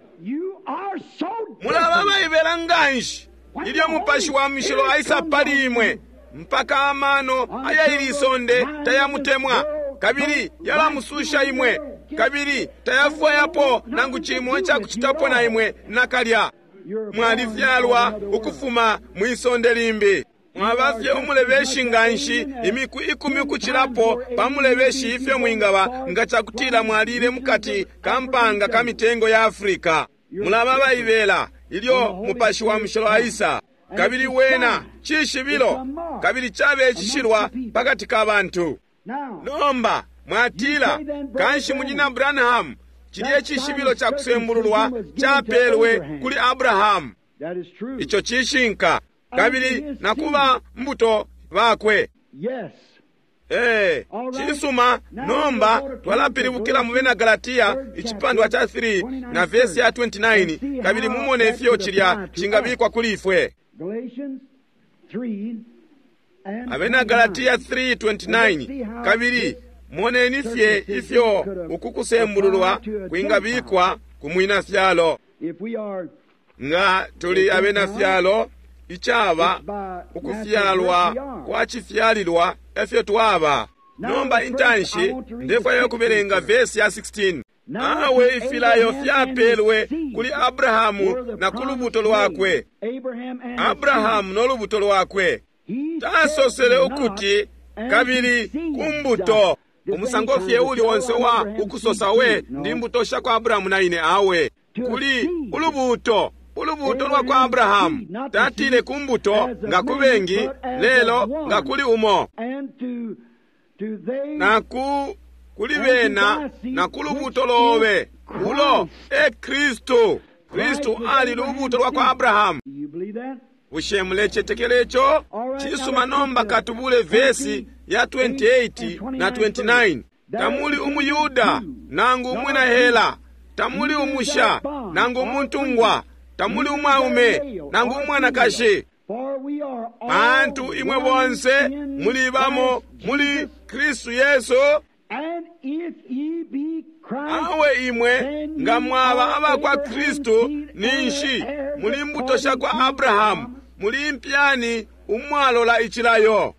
Mulaba abaibela nganshi ilyo Mupashi wa Mushilo aisa pali imwe, mpaka amano aya ili isonde tayamutemwa, kabili yalamususha imwe, kabili tayafwayapo nangu cimo icakucitapo na imwe nakalya. Mwalifyalwa ukufuma mwisonde limbi. Mwaba fye umulebeshi nganshi imiku ikumi ukucilapo pa mulebeshi ifyo mwingaba nga cakutila mwalile mukati ka mpanga ka mitengo ya Afrika. Mulaba abaibela ilyo Mupashi wa Mushilo aisa, kabili wena cishibilo, kabili cabe cishilwa pakati ka bantu. Nomba mwatila, kanshi Munyina Branham, cilye cishibilo ca kusembululwa capelwe kuli Abrahamu. Ico cishinka, kabili nakuba mbuto bakwe. Eh, cisuma. Nomba twalapilibukila mu Bena Galatia icipandwa ca three na vesi ya twenty-nine, kabili mumone ifyo cilya cingabikwa kuli ifwe. Abena Galatia three twenty-nine, kabili moneni fye ifyo uku kusembululwa kwingabikwa ku mwina fyalo. Nga tuli abena fyalo, icaba ukufyalwa kwa cifyalilwa efyo twaba. Nomba intanshi ndefwaya kubelenga vesi ya sixteen. Awe ifilayo fyapelwe kuli Abrahamu na ku lubuto lwakwe. Abrahamu no lubuto lwakwe. Tasosele ukuti kabili kumbuto. Umusango fye uli onse wa ukusosa we ndi mbuto sha kwa Abrahamu na ine awe. Kuli ulubuto, ulubuto lwa kwa Abrahamu. Tatile kumbuto nga kubengi, lelo nga kuli umo. Na ku kuli bena na ku lubuto lobe, ulo e Kristu. Kristu ali lubuto lwa kwa Abrahamu. Bushe mulecetekela ico? Cisuma. Nomba katubule vesi ya twenty-eight na twenty-nine. Tamuli umuyuda nangu umwina Hela, tamuli umusha nangu umuntungwa, tamuli umwaume nangu umwanakashi, pantu imwe bonse muli bamo muli Kristu Yesu. Awe imwe nga mwaba abakwa Kristu, ninshi muli mbuto sha kwa Abrahamu, muli impyani umwalola icilayo.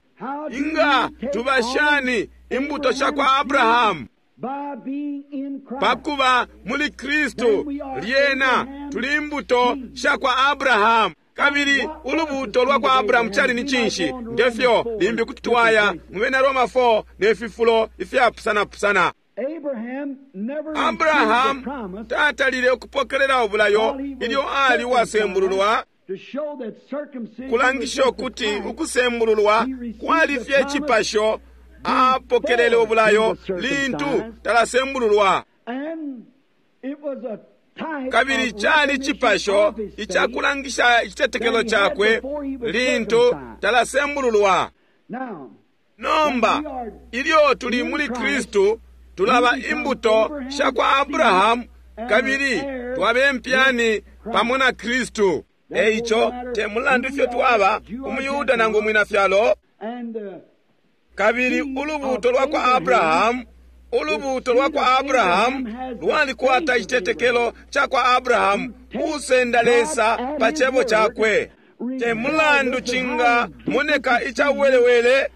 Inga tubashani imbuto sha kwa Abrahamu? Pakuba muli Kristu, lyena tuli imbuto sha kwa Abrahamu. Kabili ulubuto lwa kwa Abrahamu cali ni cinshi? Ngefyo limbi kuti twaya mu Bena Roma four ne fifulo ifyapusanapusana. Abrahamu tatalile ukupokelela ubulayo ilyo ali uwasembululwa, kulangisha ukuti ukusembululwa kwali fye cipasho. Apokelele ubulayo lintu talasembululwa, kabili cali cipasho icakulangisha icitetekelo cakwe lintu talasembululwa. Nomba ilyo tuli muli Kristu, tulaba imbuto sha kwa Abrahamu, kabili twabe mpyani pamo na Kristu. Eico te mulandu ifyo twaba umuyuda nangu umwina fyalo, kabili ulubuto lwa kwa Abrahamu, ulubuto lwa kwa Abrahamu lwalikwata icitetekelo ca kwa Abrahamu usenda Lesa pa cebo cakwe. Te mulandu cinga moneka icawelewele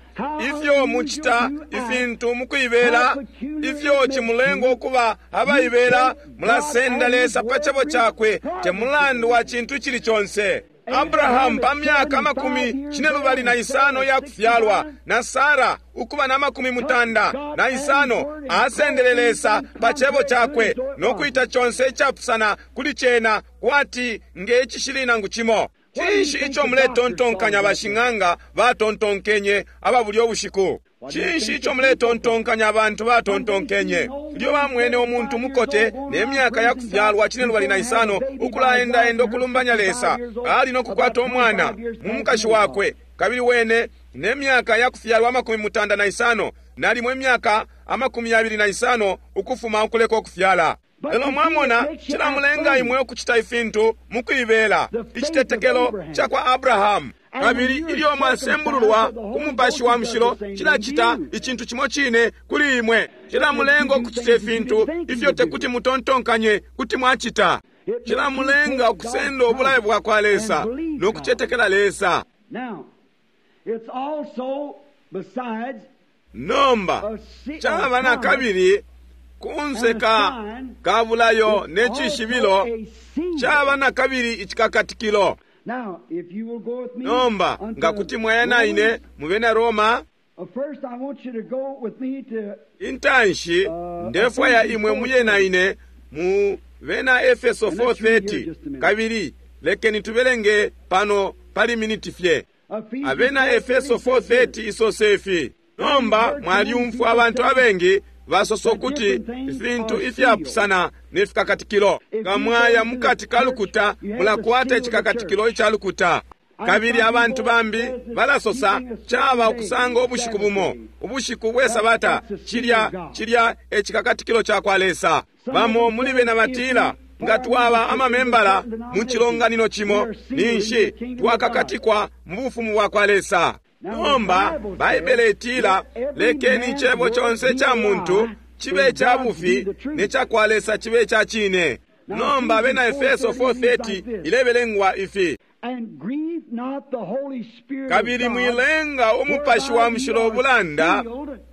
ifyo mucita ifintu mukuibela, ifyo cimulenga ukuba abaibela, mulasenda Lesa pa cebo cakwe, te mulandu wa cintu icili conse. Abrahamu pa myaka amakumi cinelubali na isano ya kufyalwa, na Sara ukuba na makumi mutanda na isano, asendele Lesa pa cebo cakwe no kuita conse icapusana kuli cena kwati nge cishili nangu cimo. Cinshi ico muletontonkanya bashing'anga batontonkenye aba bulyo bushiku? Cinshi ico muletontonkanya abantu batontonkenye ilyo bamwene umuntu mukote ne myaka ya kufyalwa cinelubali na isano ukulaendaenda ukulumbanya Lesa, ali no kukwata umwana mu mukashi wakwe, kabili wene ne myaka ya kufyalwa amakumi mutanda na isano, nalimo imyaka amakumi yabili na isano ukufuma ukuleka ukufyala. Lelo mwamona, cilamulenga imwe ukucita ifintu mukuibela, icitetekelo ca kwa Abrahamu. Kabili ilyo mwasembululwa ku Mupashi wa Mushilo, cilacita icintu cimo cine kuli imwe. Cilamulenga ukucita ifintu ifyo tekuti mutontonkanye kuti mwacita. Cilamulenga ukusenda ubulayo bwa kwa Lesa no kucetekela Lesa. Nomba caba na kabili kunseka ka bulayo ne cishibilo, caba na kabili icikakatikilo. Nomba nga kuti mwaya na ine mu bena Roma, intanshi ndefwaya imwe muye na ine mu bena Efeso four thirty, kabili lekeni tubelenge pano pali miniti fye. Abena Efeso four thirty isose ifi. Nomba mwalyumfwa abantu abengi basosa ukuti ifintu ifyapusana ne fikakatikilo. Nga mwaya mukati ka lukuta, mulakwata icikakatikilo ica lukuta. Kabili abantu bambi balasosa caba ukusanga ubushiku bumo, ubushiku bwe Sabata, cilya cilya ecikakatikilo ca kwa Lesa. Bamo muli bena batila nga twaba amamembala mu cilonganino cimo, ninshi twakakatikwa mu bufumu bwa kwa Lesa. Nomba Baibele itila lekeni icebo conse ca muntu cibe ca bufi ne ca kwa Lesa cibe ca cine. Nomba abena Efeso four thirty ilebelengwa ifi: kabili mwilenga umupashi wa mushilo ubulanda,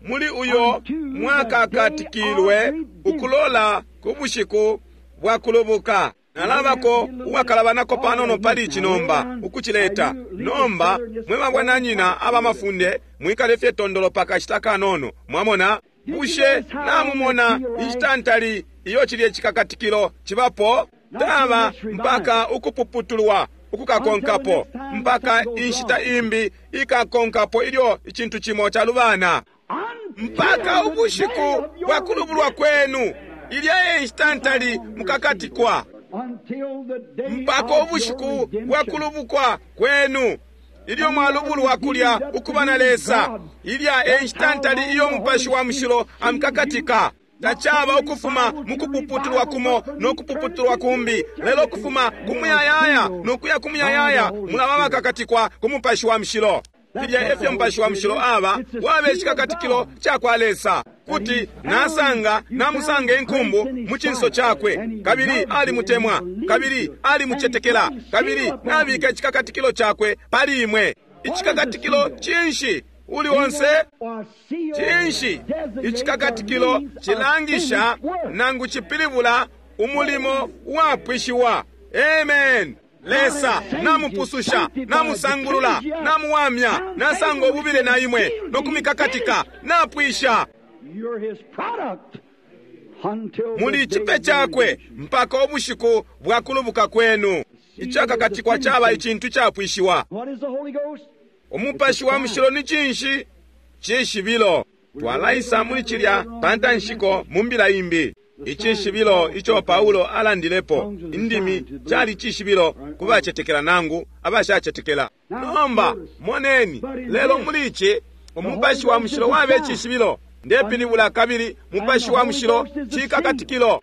muli uyo mwakakatikilwe ukulola ku bushiku bwa kulubuka. Nalabako uwakalabanako panono pali ici nomba ukucileta. Nomba mwe babwananyina abamafunde mwikale fye tondolo pakashita kanono. Mwamona, bushe namumona inshita ntali iyo cilye cikakatikilo cibapo? Taba mpaka ukupuputulwa ukukakonkapo, mpaka inshita imbi ikakonkapo ilyo icintu cimo calubana, mpaka ubushiku bwa kulubulwa kwenu, ilya inshita ntali mukakatikwa, mpaka ubushiku bwa kulubukwa kwenu, ilyo mwalubulwa kulya ukuba na Lesa, ilya inshita ntali iyo Mupashi wa Mushilo amukakatika. Tacaba ukufuma mukupuputulwa kumo no kupuputulwa kumbi, lelo kufuma kumuyayaya no kuya kumuyayaya, mulaba bakakatikwa ku Mupashi wa Mushilo. Filya efyo Mupashi wa Mushilo aba, wabe icikakatikilo ca kwa Lesa, kuti nasanga namusanga inkumbu mu cinso cakwe, kabili alimutemwa, kabili alimucetekela, kabili nabika icikakatikilo cakwe pali imwe. Icikakatikilo cinshi? Uli onse cinshi? Icikakatikilo cilangisha nangu cipilibula umulimo wapwishiwa. Amen. Lesa namupususha, namusangulula, namuwamya, nasanga ububile na imwe no kumikakatika, napwisha. Muli cipe cakwe mpaka ubushiku bwa kulubuka kwenu. Icakakatikwa caba icintu capwishiwa. Umupashi wa Mushilo ni cinshi? Cishibilo. Twalaisa muli cilya pantanshiko mu mbila imbi. Icishibilo ico Paulo alandilepo indimi cali cishibilo ku bacetekela nangu abashacetekela. Nomba moneni, lelo muli ici Umupashi wa Mushilo wabe cishibilo. Ndepilibula kabili Mupashi wa Mushilo cikakatikilo.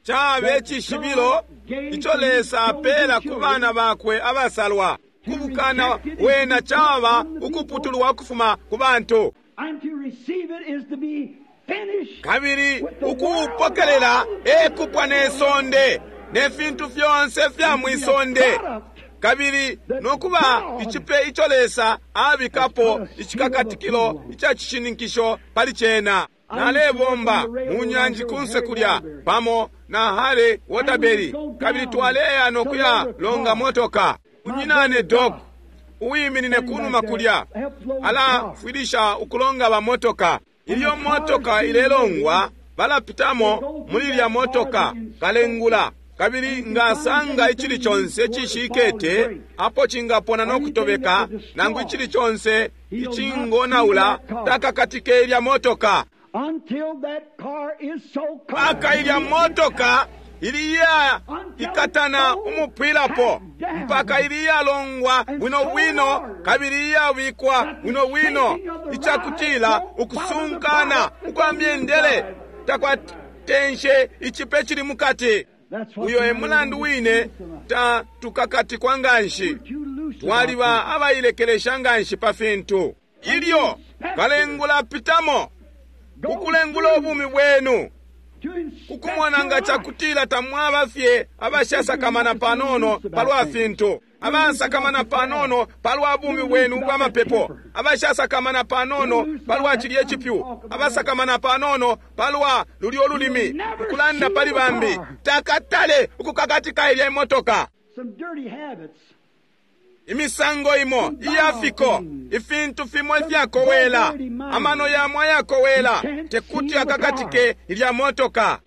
Cabe cishibilo ico Lesa apela ku bana bakwe abasalwa. Kubukana wena caba ukuputulwa ukufuma ku bantu, kabili ukuupokelela ekupwa ne sonde ne fintu fyonse fya mwisonde, kabili nokuba icipe ico Lesa abikapo icikakatikilo ica cishininkisho pali cena. Nalebomba mu nyanji kunse kulya pamo na Harry Waterbury, kabili twaleya nokuya longa motoka. Munyinane Dog uwiminine kunuma kulya alafwilisha ukulonga ba motoka. Ilyo motoka ilelongwa balapitamo muli lya motoka kalengula, Kabili nga asanga icili conse icishikete apo cingapona no kutobeka, nangu icili conse icingonaula, takakatike ilya motoka. Mpaka ilya motoka iliya ikatana umupwilapo, mpaka iliyalongwa bwino bwino kabili iyabikwa bwino bwino, icakutila ukusunkana ukwa myendele takwatenshe icipe cili mukati. Uyo e mulandu wine ta tukakatikwa nganshi, twaliba abailekelesha nganshi pa fintu. Ilyo kalengula pitamo kukulengula ubumi bwenu, kukumona nga cakutila tamwaba fye abashasakamana panono palwa fintu, abasakamana panono palwa bumi bwenu ubwa mapepo, abashasakamana panono palwa cilye cipyu, abasakamana panono palwa lulyo lulimi, ukulanda pali bambi, takatale ukukakatika ilya imotoka. Imisango imo iyafiko, ifintu fimo ifyakowela, amano yamo ayakowela, tekuti akakatike ilya motoka.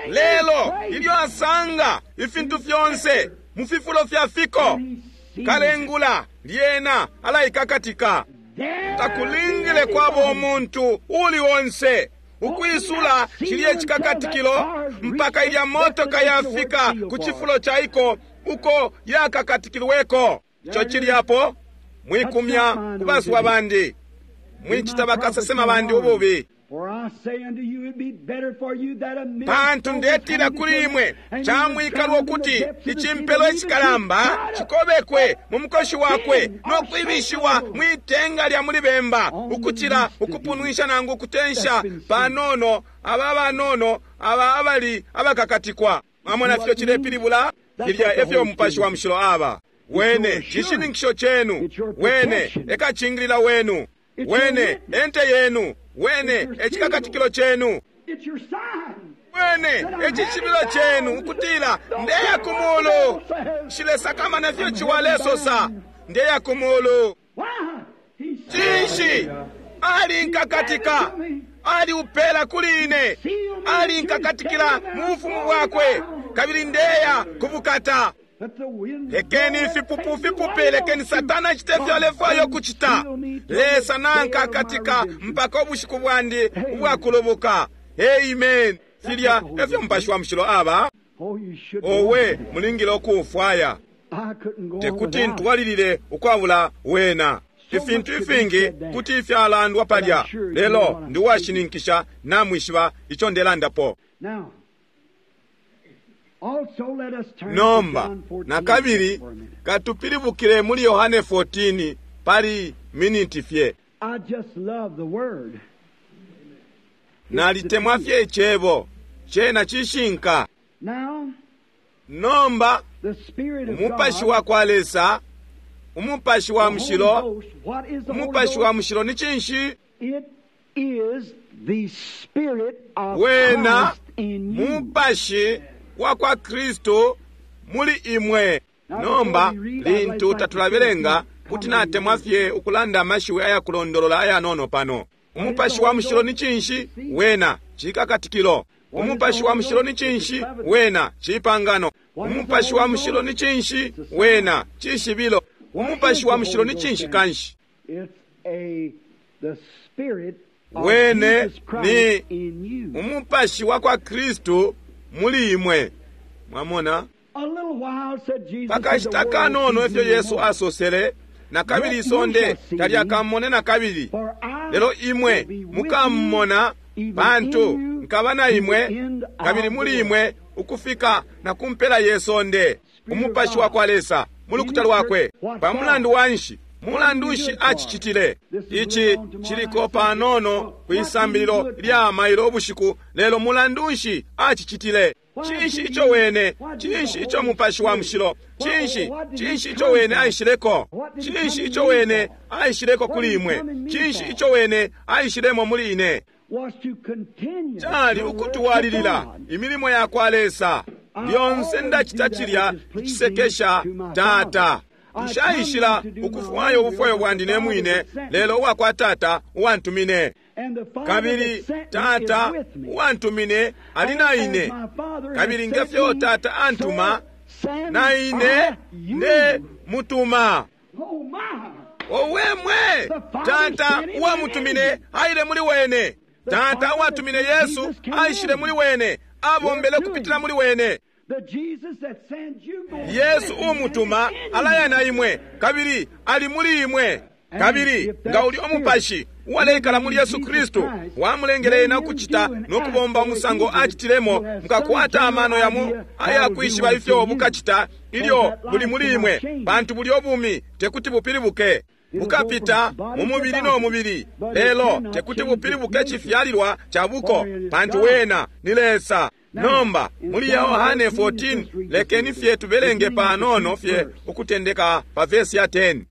Lelo ilyo asanga ifintu fyonse mu fifulo fya fiko, kalengula lyena alaikakatika. Takulingile kwaba umuntu uli onse ukwisula cilye cikakatikilo mpaka ilya motoka yafika ku cifulo caiko uko yakakatikilweko. Ico cili apo, mwikumya kubaswa bandi, mwicita bakasesema bandi ububi. Pantu ndetila kuli imwe, camwikalwa ukuti icimpelo icikalamba cikobekwe mu mukoshi wakwe no kwibishiwa mwitenga lya muli bemba, ukucila ukupunwisha nangu ukutensha panono aba banono aba abali abakakatikwa. Mwamona fyo cilepilibula? Filya efyo Mupashi wa Mushilo aba. Wene cishininkisho cenu, wene ekacingilila wenu, wene ente yenu, wene ecikakatikilo cenu, wene ecishibilo cenu ukutila ndeya ku mulu. Nshilesakamana fyo ciwalesosa, ndeya ku mulu. Cinshi? Alinkakatika, aliupela kuli ine, alinkakatikila mu bufumu bwakwe, kabili ndeya kubukata. Lekeni ifipupu fipupe, lekeni Satana acite ifyo alefwaya ukucita. Lesa nankakatika mpaka ubushiku bwandi ubwakulubuka. Amen. Filya efyo Mupashi wa Mushilo aba. Owe, mulingile ukuufwaya. Tekuti ntwalilile ukwabula wena. Ifintu ifingi kuti ifyalandwa palya, lelo ndi uwashininkisha namwishiba ico ndelandapo. Nomba nakabili katupilibukile muli Yohane fourteen pali miniti fye. Nalitemwa fye icebo, cena cishinka. Nomba Umupashi wa kwa Lesa, Umupashi wa Mushilo, Umupashi wa Mushilo ni cinshi? Wena Mupashi wa kwa Kristu muli imwe. Nomba lintu tatulabelenga, kuti natemwa fye ukulanda amashiwi ayakulondolola ayanono pano. Umupashi wa Mushilo ni cinshi? Wena cikakatikilo. Umupashi wa Mushilo ni cinshi? Wena cipangano. Umupashi wa Mushilo ni cinshi? Wena cishibilo. Umupashi wa Mushilo ni cinshi kanshi? Wene ni Umupashi wa kwa Kristu muli imwe. Mwamona? Pakashita kanono efyo Yesu asosele, na kabili isonde talyakamone na kabili, lelo imwe mukamona, pantu nkaba na imwe kabili muli imwe ukufika na kumpela yesonde. Umupashi wa kwa Lesa mu lukuta lwakwe. Pa mulandu wanshi? Mulandu nshi acicitile? Ici ciliko panono kwisambililo lya mailo ubushiku, lelo mulandu nshi acicitile? Cinshi ico wene? Cinshi ico Mupashi wa Mushilo? Cinshi? Cinshi ico wene aishileko? Cinshi ico wene aishileko kuli imwe? Cinshi ico wene aishilemo muli ine? Cali ukutwalilila imilimo ya kwa Lesa. Lyonse ndacita cilya icisekesha Tata. Nshaishila ukufwaya ubufwayo bwandi ne mwine, lelo uwakwa Tata uwantumine. Kabili Tata uwantumine ali na ine, kabili ngefyo Tata antuma, na ine ne mutuma. Owe mwe! Tata uwamutumine aile muli wene. Tata uwatumine Yesu aishile muli wene, abombele kupitila muli wene. Yesu umutuma alaya na imwe, kabili ali muli imwe. Kabili nga uli umupashi uwaleikala muli Yesu Kristu wamulengele ena ukucita no kubomba umusango acitilemo, mukakwata amano yamo ayakwishiba ifyo bukacita ilyo buli muli imwe, pantu bulyo bumi tekuti bupilibuke. Bukapita mu mubili no mubili, lelo tekuti bupilibuke cifyalilwa ca buko, pantu wena ni Lesa. Nomba muli Yohane fourteen, lekeni fye tubelenge panono fye ukutendeka pa vesi ya ten.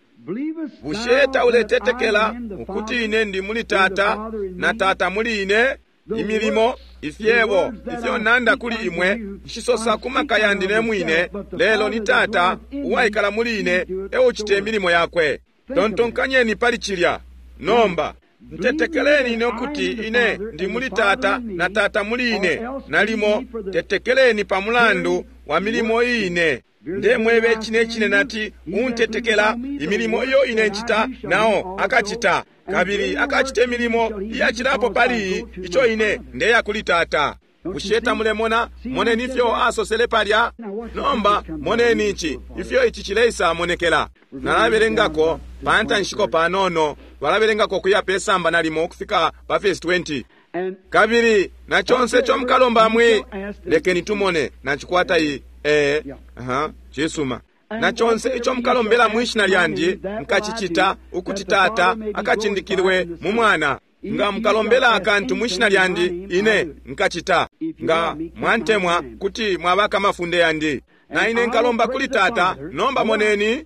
Bushe tauletetekela ukuti ine ndi muli Tata na Tata muli ine? Imilimo, ifyebo ifyo nanda kuli imwe nshisosa ku maka yandi ne mwine, lelo ni Tata uwaikala muli ine eucita imilimo yakwe. Tontonkanyeni pali cilya. Nomba ntetekeleni ine ukuti ine ndi muli Tata na Tata muli ine, nalimo tetekeleni pa mulandu wa milimo ine. Ndemwebe cine cine nati untetekela, imilimo iyo ine ncita nao akacita, kabili akacita imilimo iyacilapo pali iyi, ico ine ndeya kuli Tata. Bushe tamulemona? Moneni ifyo asosele palya. Nomba moneni ici, ifyo ici cileisa monekela. Nalabelengako pa ntanshiko panono, balabelengako kuya pe samba nalimo ukufika pa verse twenty. Kabili na chonse ico mukalomba mwi, lekeni tumone nacikwata iyi. Eh, aha, cisuma. Na chonse ico mukalombela mwishina lyandi nkacicita, ukuti Tata akacindikilwe mu Mwana. Nga mukalombela akantu mwishina lyandi, ine nkacita. Nga mwantemwa, kuti mwabaka amafunde yandi. Na ine nkalomba kuli Tata. Nomba moneni,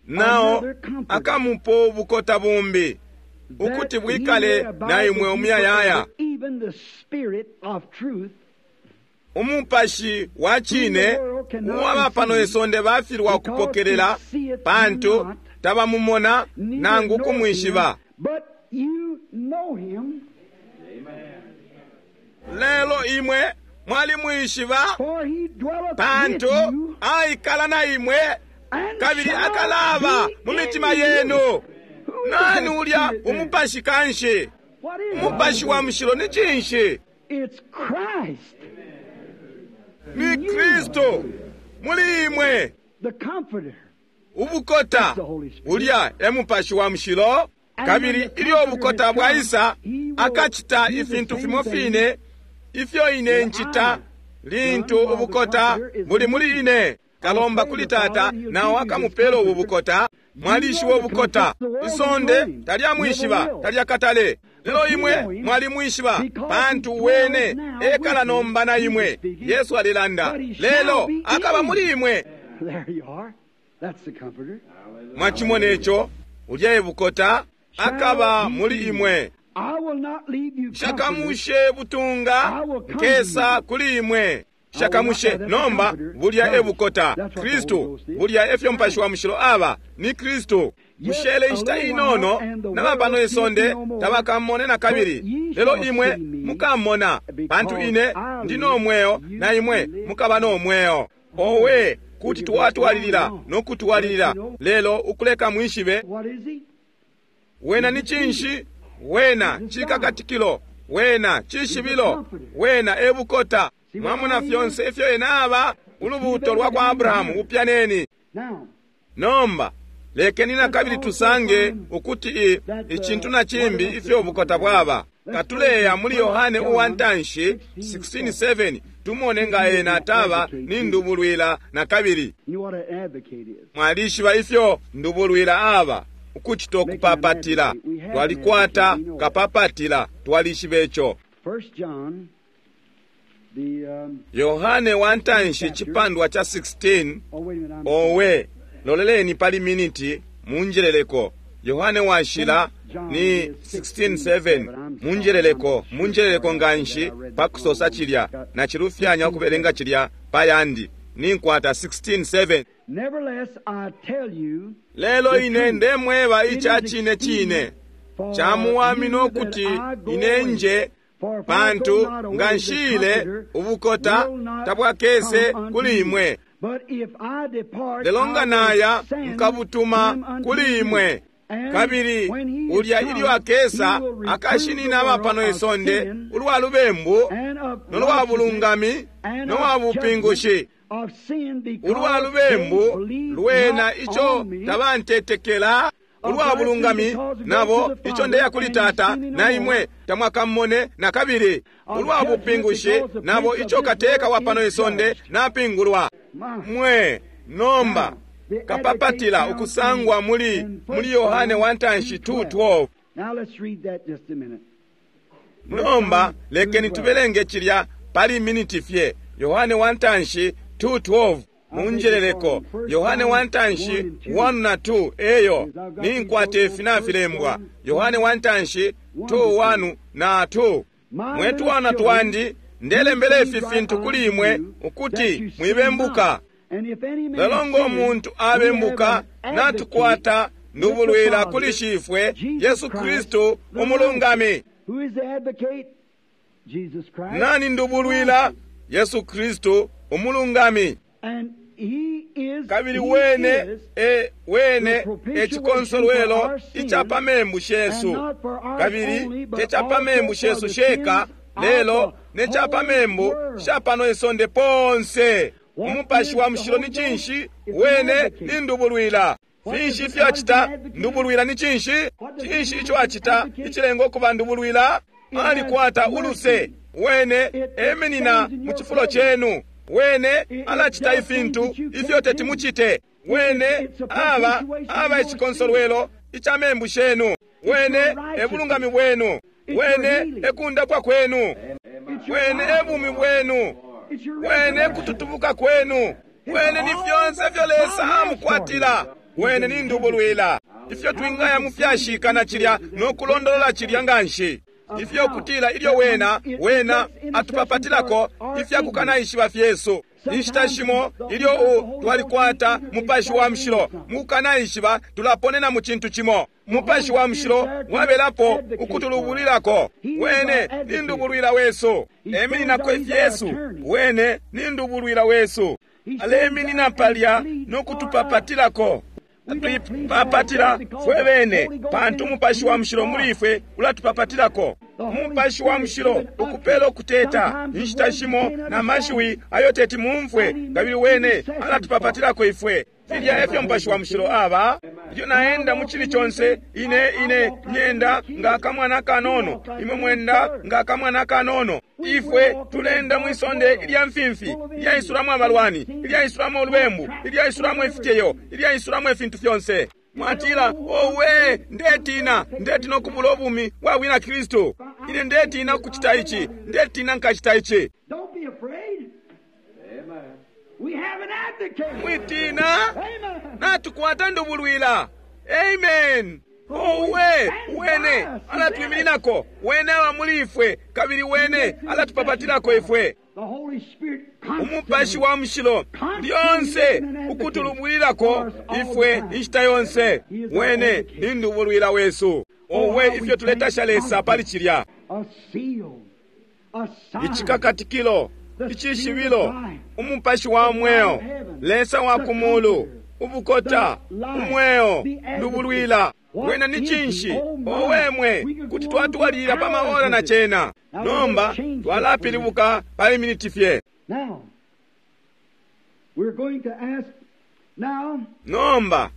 nao akamupo ubukota bumbi, ukuti bwikale na imwe umuyayaya. Umupashi wa cine uwaba pano isonde bafilwa ukupokelela, pantu tabamumona nangu kumwishiba. Lelo imwe mwalimwishiba, pantu aikala na imwe kabili akalaba mu mitima yenu. Nani ulya umupashi kanshi? Umupashi wa mushilo ni cinshi? Ni Kristo muli imwe. Ubukota ulya e mupashi wa mushilo, kabili ilyo ubukota bwaisa akacita ifintu fimo fine ifyo ine ncita lintu ubukota buli muli ine. Kalomba kuli Tata, nao akamupela ubu bukota. Mwalishiba ubukota, isonde talyamwishiba, talyakatale. Lelo imwe mwalimwishiba, pantu wene ekala nomba na imwe. Yesu alilanda, lelo akaba muli imwe. Mwachimona ico, ulya ebukota akaba muli imwe. Shakamushe butunga nkesa kuli imwe. Shakamushe nomba bulya ebukota Kristu, bulya efyo mupashi wa mushilo aba ni Kristu. Mushele inshita inono nabapano isonde tabakamone na kabili, lelo imwe mukamona, pantu ine ndi no mweo na imwe mukaba no mweo. Owe, kuti twatwalilila no kutwalilila, lelo ukuleka mwishibe wena ni cinshi. Wena cikakatikilo, wena cishibilo, wena ebukota. Mwamona fyonse ifyo ena aba, ulubuto lwa kwa Abrahamu upyaneni. Nomba lekeni na kabili tusange ukuti icintu na cimbi ifyo ubukota bwaba. Katuleya muli Yohane uwa ntanshi sixteen seven, tumone nga ena taba ni ndubulwila na kabili. Mwalishiba ifyo ndubulwila aba, ukucita ukupapatila. Twalikwata kapapatila, twalishiba ico. Yohane wa ntanshi cipandwa cha sixteen. Owe, loleleni pali miniti munjeleleko. Yohane washila ni sixteen seven. Munjeleleko, munjeleleko nganshi pa kusosa cilya, na cilufyanya ukubelenga cilya pa yandi. Ninkwata sixteen seven. Nevertheless, I tell you, Lelo ine ndemweba ica cine cine, camuwamina ukuti ine nje, pantu nga nshile ubukota tabwakese kuli imwe. But if I depart, Lelo nga I will naya send nkabutuma him unto kuli you. imwe. And Kabili when he is ulya come, ilyo akesa he will reprove akashinina the aba world pano of isonde sin ulwa lubembu and of no lwa bulungami and no lwa of bupingushi. judgment of sin because Ulwa they lubembu believe lwena not ico on me. tabantetekela, ulwa bulungami nabo ico ndeya kuli Tata na imwe tamwakamone na kabili, ulwa bupingushi nabo ico kateka wa pano isonde napingulwa. Mwe nomba kapapatila ukusangwa muli muli Yohane wa ntanshi two twelve. Now let's read that just a minute. Nomba lekeni tubelenge cilya pali miniti fye. Yohane wa ntanshi two twelve. Munjeleleko Yohane wa ntanshi one na two eyo ninkwate ifi nafilembwa. Yohane wa ntanshi two one na two. Mwe twana twandi ndelembele ifi fintu kuli imwe ukuti mwibembuka. And if any man Lelo ngo sin, muntu we have abembuka an advocate natukwata ndubulwila kuli Shifwe Jesus Yesu Christ, Kristu the umulungami. righteous. Who is the advocate? Jesus Christ. Nani ndubulwila? Yesu Kristu umulungami. And he is, Kabili he wene is e wene ecikonsolwelo ica pa membu shesu, kabili te ca pa membu shesu sheka, lelo ne ca pa membu sha pano isonde ponse. Umupashi wa mushilo ni cinshi? Wene ni ndubulwila. Finshi ifyo acita? Ndubulwila ni cinshi? Cinshi ico acita icilenga ukuba ndubulwila? Alikwata uluse. Wene eminina mu cifulo cenu. Wene alacita ifintu ifyo teti mucite. Wene aba aba icikonsolwelo ica membu shenu. Wene ebulungami bwenu. Wene ekundapwa kwenu. It's your Wene life. ebumi bwenu. It's your Wene resurrection. kututubuka kwenu. Wene ni fyonse ifyo Lesa amukwatila. Wene ni ndubulwila. Ifyo twingaya mufyashika na cilya no kulondolola cilya nganshi. Ifyo kutila ilyo wena wena atupapatilako ifya kukanaishiba fyesu. Inshita shimo ilyo u twalikwata mupashi wa mushilo mukukanaishiba tulaponena mu cintu cimo. Mupashi wa mushilo wabelapo ukutulubulilako. Wene ni ndubulwila wesu. Emininako ifyesu. Wene ni ndubulwila wesu. Aleminina palya no kutupapatilako. Tuipapatila fwe bene pantu umupashi wa mushilo muli ifwe ulatupapatilako. Umupashi wa mushilo ukupela ukuteta inshita shimo na mashiwi ayo teti mumfwe, kabili wene alatupapatilako ifwe. Filya efyo mupashi wa mushilo aba. Ilyo naenda mu cili conse, ine ine nyenda nga akamwana kanono, imwe mwenda nga akamwana kanono. Ifwe tulenda mwisonde ilya mfimfi, ilyaisulamo abalwani, ilyaisulamo ulubembu, ilyaisulamo ifiteyo, ilyaisulamo ifintu fyonse. Mwatila, owe, ndetina, ndetina ukubula ubumi bwa bwina Kristu. Ine ndetina kucita ici, ndetina nkacita ici. Don't be afraid. We have an advocate. Mwitina, Amen. natukwata ndubulwila. Amen. Owe, wene alatwimininako, wene aba muli ifwe, kabili wene alatupapatilako ifwe. The Holy Spirit Umupashi wa mushilo lyonse ukutulubwilako ifwe inshita yonse. Wene ni ndubulwila wesu. Owe, ifyo tuletasha Lesa pali cilya. A seal, a sign, Icikakatikilo, icishibilo, umupashi wa mweo, Lesa wa kumulu, ubukota, umweo, ndubulwila. Wena ni cinshi? Owe mwe, kuti twatwalilila pa maora na cena. Nomba twalapilibuka pali miniti fye. Now, we're going to ask now Nomba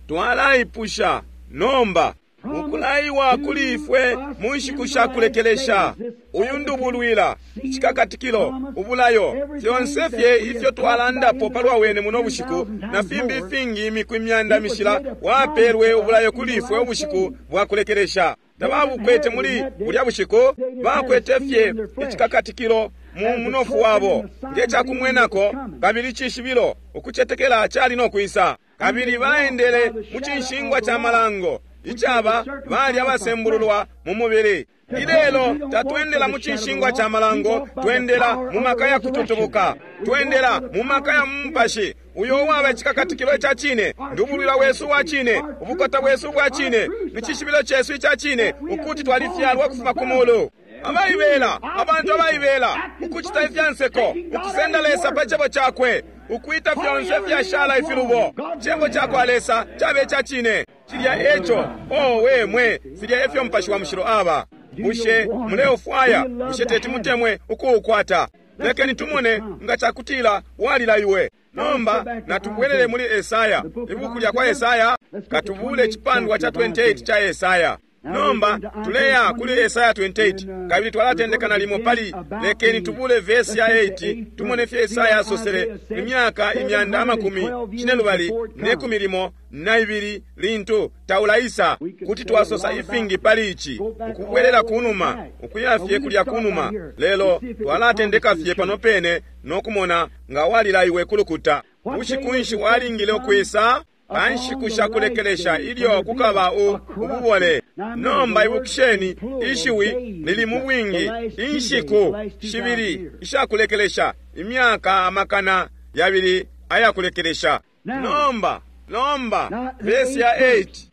twalaipusha nomba ukulaiwa kuli ifwe mu nshiku sha kulekelesha uyu ndubulwila, icikakatikilo, ubulayo, fyonse fye ifyo twalandapo palwa wene muno bushiku na fimbi ifingi imiku imyanda mishila wapelwe ubulayo kuli ifwe ubushiku bwa kulekelesha. Tababukwete muli bulya bushiku, bakwete fye icikakatikilo mu munofu wabo nge cakumwenako, kabili icishibilo ukucetekela cali no kwisa. Kabili baendele mu cinshingwa ca malango Icaba bali abasembululwa mu mubili. Ilelo tatwendela mu cinshingwa ca malango, twendela mu maka ya kututubuka, twendela mu maka ya mupashi uyo uwaba icikakatikilo ica cine, ndubulwila wesu wa cine, ubukota bwesu bwa cine, icishibilo cesu ica cine, ukuti twalifyalwa kufuma ku mulu. Abaibela, abantu abaibela, ukucita ifyanseko, ukusenda Lesa pa cebo cakwe, ukwita fyonse fyashala ifilubo. Cebo cakwa Lesa cabe ca cine. Cilya eco, oh we mwe, filya efyo Mupashi wa Mushilo aba. Bushe muleufwaya? Bushe teti mutemwe ukuukwata? Lekeni tumone nga cakutila walilaiwe. Nomba natubwelele muli Esaya, ibuku lya kwa Esaya, katubule icipandwa cha twenty-eight cha Esaya. Nomba tuleya kuli Esaya twenty-eight, kabili twalatendeka nalimo pali lekeni tubule vesi ya eight, tumone fye Esaya asosele imyaka imyanda amakumi cinelubali ne kumi limo na ibili lintu taulaisa. Kuti twasosa ifingi pali ici, ukubwelela kunuma, ukuya fye kulya kunuma, lelo twalatendeka fye pano pene no kumona nga walilaiwe kulukuta. Bushiku nshi walingile ukwisa? Pa nshiku shakulekelesha ilyo kukaba ububole. Nomba ibukisheni, ishiwi lili mu bwingi, inshiku shibili ishakulekelesha, imyaka amakana yabili ayakulekelesha. Nomba, nomba, vesi ya eight.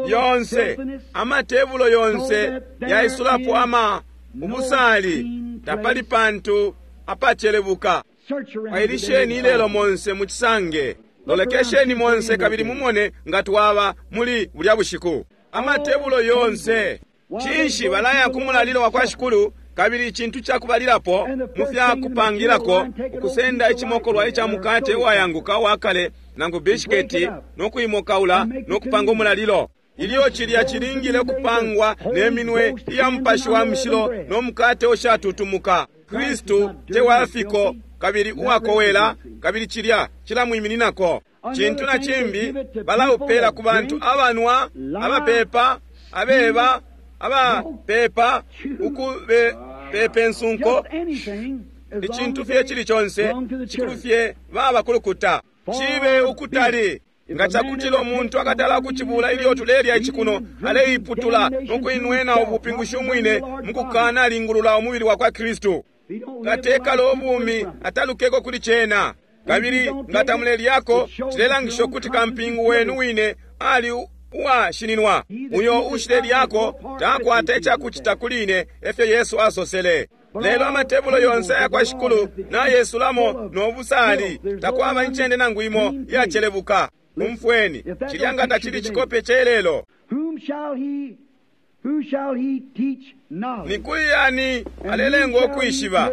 Yonse, amatebulo yonse yaisulapo ama ubusali, tapali pantu apacelebuka. Wailisheni ilelo monse muchisange, lolekesheni monse kabili mumone nga twaba muli bulya bushiku. Amatebulo yonse cinshi balaya ku mulalilo wa kwa Shikulu, kabili icintu cakubalilapo mu fya kupangilako ukusenda icimokolwa ica mukate uwayanguka uwakale nangu bishiketi no kuimokaula no kupanga umulalilo. Ilyo cilya cilingile kupangwa ne minwe iya Mupashi wa Mushilo no mukate ushatutumuka. Kristu te wafiko kabili uwakowela, kabili cilya cilamwimininako. Cintu na cimbi balaupela ku bantu abanwa, abapepa, abeba, abapepa, ukubepepa ensunko, icintu fye cili conse, cikulu fye baba kulukuta. Cibe ukutali. Nga cakutila umuntu akatala kucibula ilyo tulelya icikuno, aleiputula no kuinwena ubupingushi umwine mukukana alingulula umubili wa kwa Kristu. Katekalo ubumi atalukeko kuli cena. Kabili nga tamulelyako, cilelangisha ukuti kampingu wenu wine ali uwashininwa. Uyo ushilelyako takwata icakucita kuli ine, efyo Yesu asosele. Lelo amatebulo yonse aya Shikulu na yesulamo no busali, takwaba incende nangu imo iyacelebuka. Umfweni, cilya nga tacili cikope celelo. Ni kuli yani alelenga ukwishiba?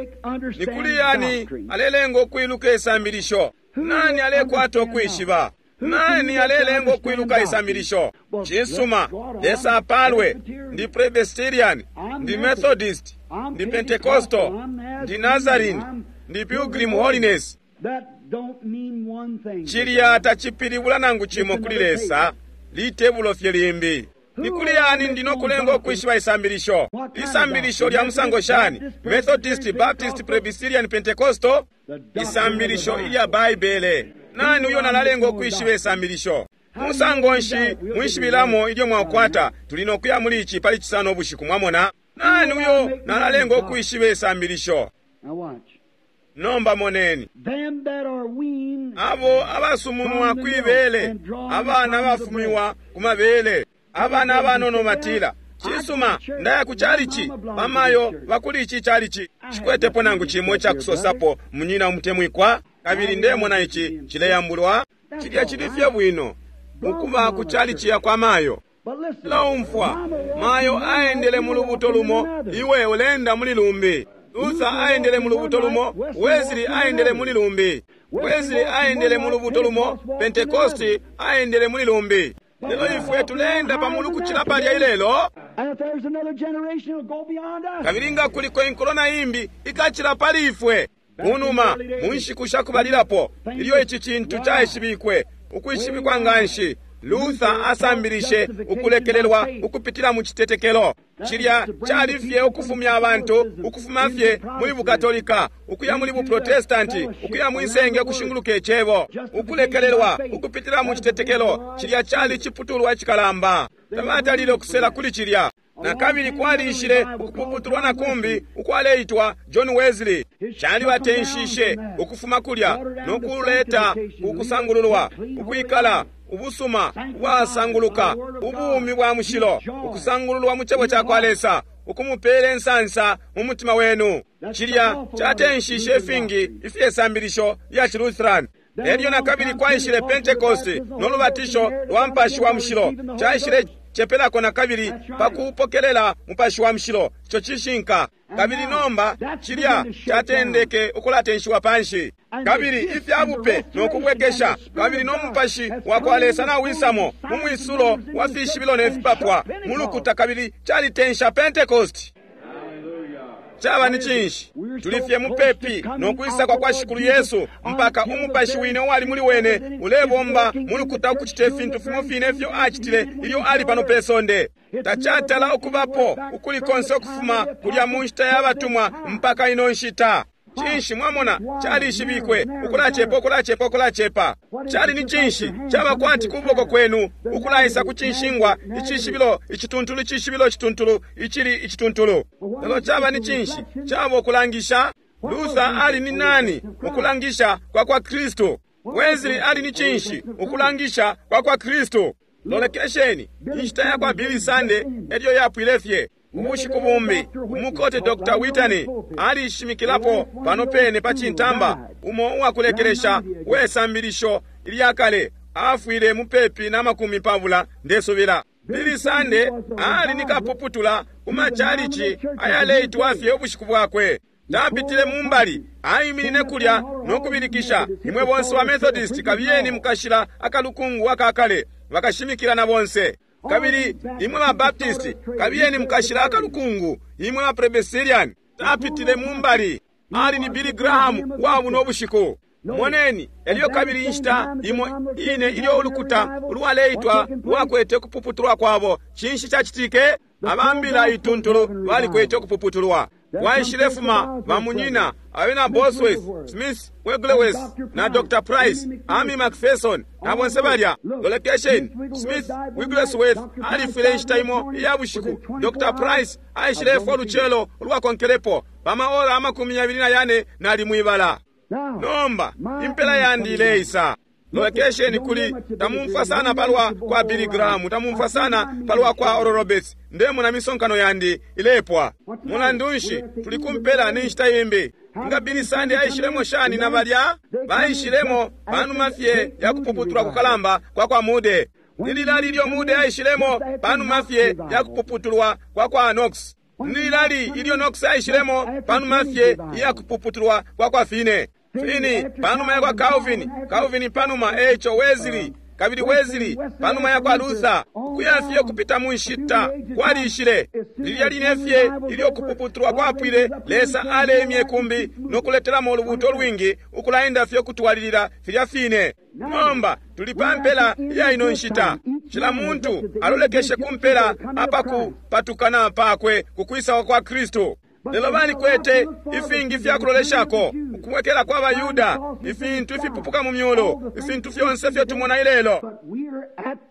Ni kuli yani alelenga ukwiluka isambilisho? Nani alekwata ukwishiba? Nani alelenga ukwiluka isambilisho? Cisuma, Lesa apalwe. Ndi Presbyterian, ndi Methodist, ndi Pentecostal, ndi Nazarene, ndi Pilgrim Holiness. Cilya tacipilibula nangu cimo kuli Lesa, litebulo fye limbi. Ni kuli yani ndino kulenga ukwishiba isambilisho? Isambilisho lya musango shani? Methodist, Baptist, Presbyterian, Pentecostal? Isambilisho ilya Baibele. Nani uyo nalalenga ukwishiba isambilisho? Musango nshi mwishibilamo ilyo mwakwata? Tuli nokuya muli ici pali cisano ubushiku, mwamona? Nani uyo nalalenga ukwishiba isambilisho? Nomba moneni. Abo abasumunwa kwibele, abana abafumiwa ku mabele, abana abanono batila, cisuma, ndaya ku chalichi, bamayo bakuli ici chalichi. Cikwetepo nangu cimo icakusosapo, munyina umutemwikwa, kabili ndemona ici cileyambulwa. Cilya cili fye bwino ukuba ku chalichi ya kwa mayo. Laumfwa, mayo aendele mu lubuto lumo, iwe ulenda muli lumbi. Luther aendele mu lubuto lumo, Wesley aendele muli lumbi. Wesley aendele mu lubuto lumo, Pentecost aendele muli lumbi. Lelo ifwe tulenda pamulu kucila palya ilelo. Kabili nga kuliko inkulo na imbi ikacila pali ifwe. Kunuma mu nshiku shakubalilapo ilyo ici cintu caishibikwe, ukwishibikwa nganshi, Luther asambilishe ukulekelelwa ukupitila mu citetekelo. Cilya cali fye ukufumya abantu ukufuma fye muli bukatolika ukuya muli buprotestanti, ukuya mwisenge ukushinguluka icebo, ukulekelelwa ukupitila mu citetekelo. Cilya cali ciputulwa icikalamba. Tabatalile ukusela kuli cilya. Na kabili kwalishile ukupuputulwa na kumbi ukwaleitwa John Wesley. Calibatenshishe ukufuma kulya no kuleta ukusangululwa, ukwikala ubusuma ubwasanguluka, ubumi bwa mushilo, ukusangululwa mu cebo ca kwa Lesa, ukumupela insansa mu mutima wenu. Cilya catenshishe ifingi ifyesambilisho lya Lutheran. Elyo na kabili kwaishile Pentecost no lubatisho lwa Mupashi wa Mushilo. Caishile cepelako na kabili pa kupokelela Mupashi wa Mushilo. Ico cishinka. Kabili nomba cilya catendeke ukulatenshiwa panshi, kabili ifyabupe no kubwekesha, kabili no Mupashi wa kwa Lesa nawisamo mu mwisulo wa fishibilo ne fipapwa mu lukuta, kabili calitensha Pentecost. Caba ni cinshi? Tuli fye mupepi no kwisa kwa kwa Shikulu Yesu, mpaka umupashi wine uwali muli wene ulebomba mu lukuta ukucita ifintu fimo fine ifyo acitile ilyo ali pano pe sonde. Tacatala ukubapo ukuli konse ukufuma kulya mu nshita ya batumwa mpaka ino nshita. Cinshi mwamona calishibikwe ukulacepa, ukulacepa, ukulacepa. Cali ni cinshi? Caba kwati kuboko kwenu ukulaisa ku cinshingwa, icishibilo icituntulu, icishibilo icituntulu, icili icituntulu. Lelo caba ni cinshi? Caba ukulangisha. Luther ali ni nani? Ukulangisha kwa kwa Kristu. Wesley ali ni cinshi? Ukulangisha kwa kwa Kristu. Lolekesheni, inshita ya kwa Billy Sunday elyo yapwile fye. Ubushiku bumbi umukote Doctor Whitney alishimikilapo pano pene pa cintamba, umo uwakulekelesha wesambilisho ilyakale, afwile mupepi na makumi pabula ndesubila. Billy Sunday ali ni kapuputula ku machalichi ayaleitwa fye ubushiku bwakwe. Tapitile mumbali, aiminine kulya no kubilikisha, imwe bonse wa Methodist kabiyeni mukashila akalukungu akakale, bakashimikila na bonse. Kabili imwe ba Baptist kabiyeni mukashila akalukungu, imwe ba Presbyterian. Tapitile mumbali, ali ni Billy Graham wa buno bushiku. Moneni, elyo kabili inshita imo ine ilyo ulukuta ulwaleitwa lwakwete kupuputulwa kwabo. Cinshi cacitike? Abambila ituntulu balikwete kupuputulwa. Waishilefuma bamunyina abena Bosworth, Smith, Wigglesworth na Doctor Price, Amy McPherson na bonse balya. Lolekesheni, Smith Wigglesworth alifwile inshita imo iya bushiku. Doctor Price aishilefwa ulucelo ulwakonkelepo pamaora amakumi yabili na yane nali mwibala. Nomba impela yandi ileisa. Lolekesheni kuli tamumfwa sana palwa kwa Billy Graham, tamumfwa sana palwa kwa Oral Roberts. Ndemona misonkano yandi ilepwa. Mulandu nshi tuli kumpela ni nshita imbi. Nga Billy Sunday aishilemo shani na balya baishilemo panuma fye ya kupuputulwa kukalamba kwa kwa Mude. Nililali ilyo Mude aishilemo panuma fye ya kupuputulwa kwa kwa Knox. Nililali ilyo Knox aishilemo panuma fye ya kupuputulwa kwa kwa Finney. Finney panuma ya kwa Calvin, Calvin panuma echo Wesley, kabili Wesley panuma ya kwa Luther. Kuya fye kupita mu nshita kwalishile. Lilya line fye ilyo kupuputulwa kwapwile, Lesa alemye kumbi no kuletelamo ulubuto lwingi ukulaenda fye kutwalilila filya fine. Nomba tuli pa mpela ya ino nshita. Cila muntu alolekeshe kumpela apakupatukana pakwe kukwisa kwa Kristu. Lelo balikwete ifingi fya kuloleshako, ukubwekela kwa Bayuda, ifintu ifipupuka mu myulu, ifintu fyonse fyo tumona ilelo.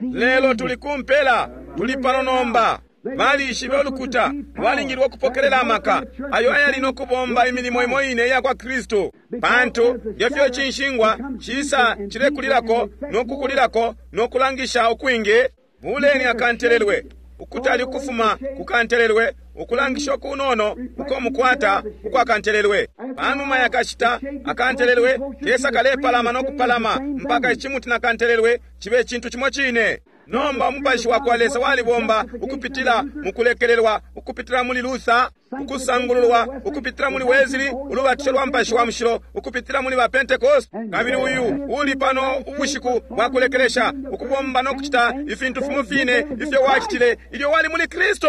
Lelo tuli kumpela, tuli pano nomba. Balishibe ulukuta lwalingilwe ukupokelela amaka ayo ayali no kubomba imilimo imo ine iya kwa Kristu, pantu ngefyo cinshingwa cisa cilekulilako no kukulilako no kulangisha ukwingi. Buleni akantelelwe ukutali ukufuma kukantelelwe, ukulangisha kunono uko mukwata ukwakantelelwe. Panuma yakashita akantelelwe kesa kalepalama no kupalama mpaka ichimuti na kantelelwe chibe chintu chimo chine. Nomba umupashi wa kwa Lesa walibomba ukupitila mukulekelelwa, ukupitila muli Luther, ukusangululwa, ukupitila muli Wesley, ulubatisho lwa mupashi wa mushilo, ukupitila muli ba Pentecost. Kabili uyu uli pano ubushiku bwa kulekelesha, ukubomba no kuchita ifintu fimo fine ifyo wachitile ilyo wali muli Kristo.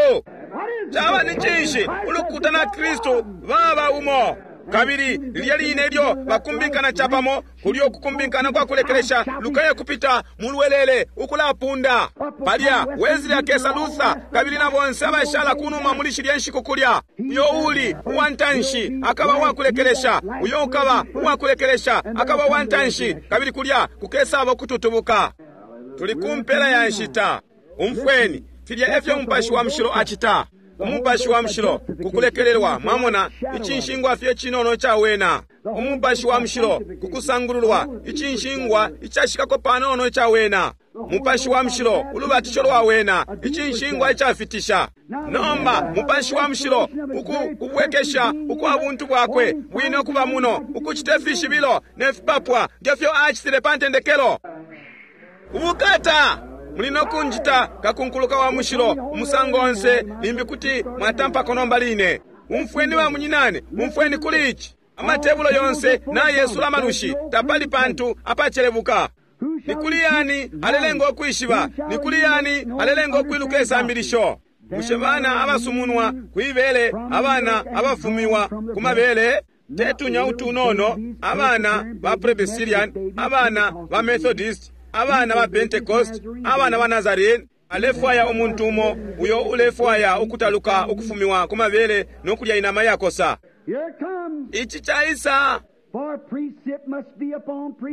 Chaba ni chinshi? Ulukuta na Kristo baba umo. Kabili lilya line ilyo bakumbinkana capamo, kulyo kukumbinkana kwa kulekelesha lukaya kupita mulwelele ukulapunda. Palya Wesley akesa, Luther kabili na bonse abashala kunuma muli shilya nshiku kulya. Uyo uli uwantanshi akaba uwakulekelesha, uyo ukaba uwakulekelesha akaba uwantanshi, kabili kulya kukesaba ukututubuka. Tuli kumpela ya nshita. Umfweni, filya efyo Umupashi wa Mushilo acita. Umupashi wa Mushilo kukulekelelwa, mwamona, icinshingwa fye cinono cawena. Umupashi wa Mushilo kukusangululwa, icinshingwa icashikako panono cawena. Mupashi wa Mushilo ulubatisho lwa wena, icinshingwa icafitisha. Nomba Mupashi wa Mushilo uku kubwekesha ukwa buntu bwakwe bwine ukuba muno, ukucita ifishibilo ne fipapwa ngefyo acitile pa ntendekelo. Ubukata! Muli no kunjita kakunkuluka wa mushilo umusango onse, limbi kuti mwatampako nomba line. Umfweni ba munyinane, umfweni kuli ici. Amatebulo yonse nayesula amalushi, tapali pantu apacelebuka. Ni kuli yani alelenga ukwishiba? Ni kuli yani alelenga ukwiluka isambilisho? Bushe bana abasumunwa kwibele, abana abafumiwa ku mabele? Tetunya utunono, abana ba Presbyterian, abana ba Methodist, abana ba Pentecost, abana ba Nazarene. Alefwaya umuntu umo uyo ulefwaya ukutaluka ukufumiwa ku mabele no kulya inama yakosa. Ici caisa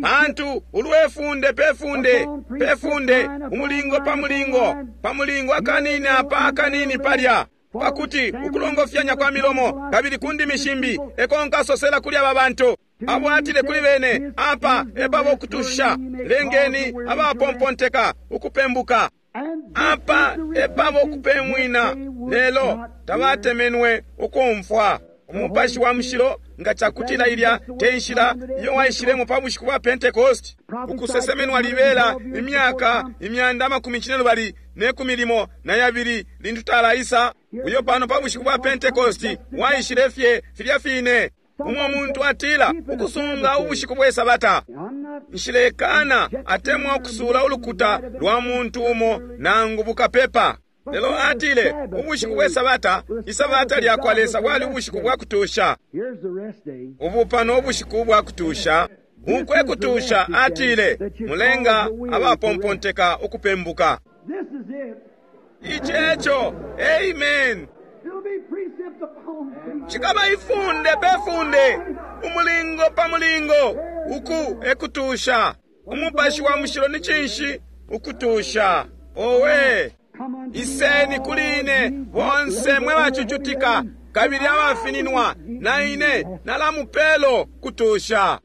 pantu ulwefunde pefunde pefunde, umulingo pa mulingo pa mulingo, akanini apa akanini palya, pakuti ukulongofyanya kwa milomo kabili ku ndimi shimbi eko nkasosela kuli aba bantu. Abo atile kuli bene, apa epabo kutusha, lengeni abapomponteka ukupembuka. Apa epabo kupemwina, lelo tabatemenwe ukumfwa. Umupashi wa Mushilo nga cakutila ilya te nshila iyo waishilemo pa bushiku bwa Pentecost, ukusesemenwa libela imyaka imyanda amakumi cinelubali ne kumi limo na yabili lintu talaisa, uyo pano pa bushiku bwa Pentecost waishile fye filya fine. Umo muntu atila ukusunga ubushiku bwe Sabata. Nshilekana atemwa ukusula ulukuta lwa muntu umo nangu bukapepa. Lelo atile ubushiku bwe Sabata, Isabata lya kwa Lesa bwali ubushiku bwa kutusha. Ubu pano ubushiku bwa kutusha. Ukwe kutusha atile mulenga abapomponteka ukupembuka. Ici eco. Amen. Cikaba ifunde pe funde, umulingo pa mulingo, uku ekutusha. Umupashi wa Mushilo ni cinshi? Ukutusha. Owe, iseni kuli ine bonse mwe bacucutika kabili abafininwa, na ine nalamupelo kutusha.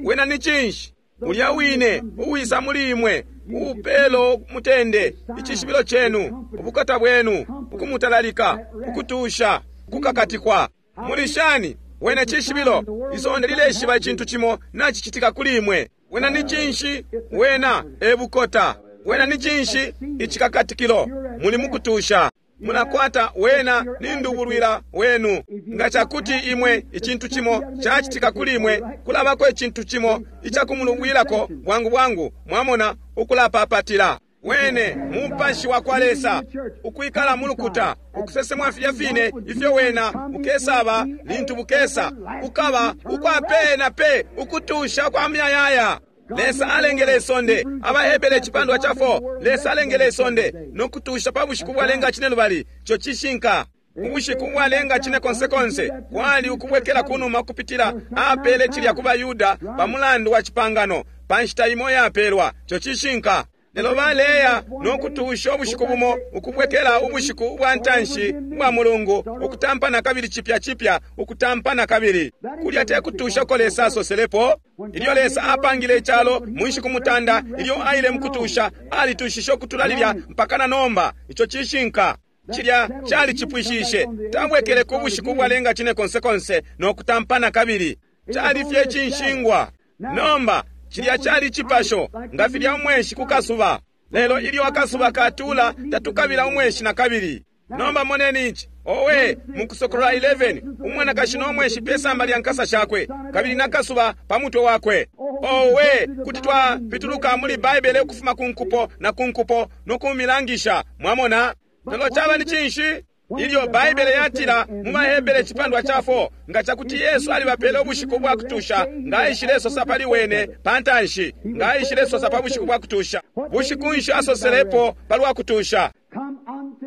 Wena ni cinshi? Ulya wine uwisa muli imwe uupelo mutende, icishibilo chenu, ubukata bwenu, ukumutalalika, ukutusha, ukukakatikwa. Muli shani? Wena cishibilo, isonde lileshiba icintu cimo nacicitika kuli imwe. Wena ni cinshi? Wena ebukota. Wena ni cinshi? Icikakatikilo. Muli mukutusha. Munakwata wena ni ndubulwila wenu. Nga cakuti imwe icintu cimo cacitika kuli imwe, kulabako icintu cimo icakumulubwilako bwangu bwangu, mwamona, ukulapapatila. Wene Mupashi wa kwa Lesa ukwikala mulukuta, ukusesemwa filya fine ifyo wena bukesaba lintu bukesa, kukaba ukwa pe na pe, ukutusha kwa muyayaya. Lesa alengele isonde, AbaHebere icipandwa ca four, Lesa alengele isonde no kutusha pa bushiku bwalenga cinelubali. Ico cishinka. Ubushiku bwalenga cine konse konse kwali ukubwekela kunuma kupitila apele cilya ku baYuda pa mulandu wa cipangano pa nshita imo yapelwa. Ico cishinka. Lelo baleya no kutusha ubushiku bumo, ukubwekela ubushiku ubwa ntanshi ubwa mulungu, ukutampana kabili cipya cipya, ukutampana kabili. Kulya te kutusha ko Lesa asoselepo. Ilyo Lesa apangile icalo mu nshiku mutanda, ilyo aile mukutusha, alitushishe ukutula lilya mpaka na nomba. Ico cishinka. Cilya cali cipwishishe. Tabwekele ku bushiku bwalenga cine konse konse no kutampana kabili. Cali fye cinshingwa. Nomba cilya cali cipasho nga filya umweshi ku kasuba. Lelo ilyo akasuba katula, tatukabila umweshi na kabili. Nomba moneni ici. Owe, mu Kusokolola eleven, umwanakashi no mweshi pe samba lya nkasa shakwe, kabili na kasuba pa mutwe wakwe. Owe, kuti twapituluka muli Baibele ukufuma ku nkupo na ku nkupo no kumilangisha, mwamona. Lelo caba ni cinshi? Ilyo Baibele yatila mu baHebere icipandwa ca four, nga cakuti Yesu alibapele ubushiku bwa kutusha, nga aishilesosa pali wene pa ntanshi, nga aishilesosa pa bushiku bwa kutusha. Bushiku nshi asoselepo palwa kutusha?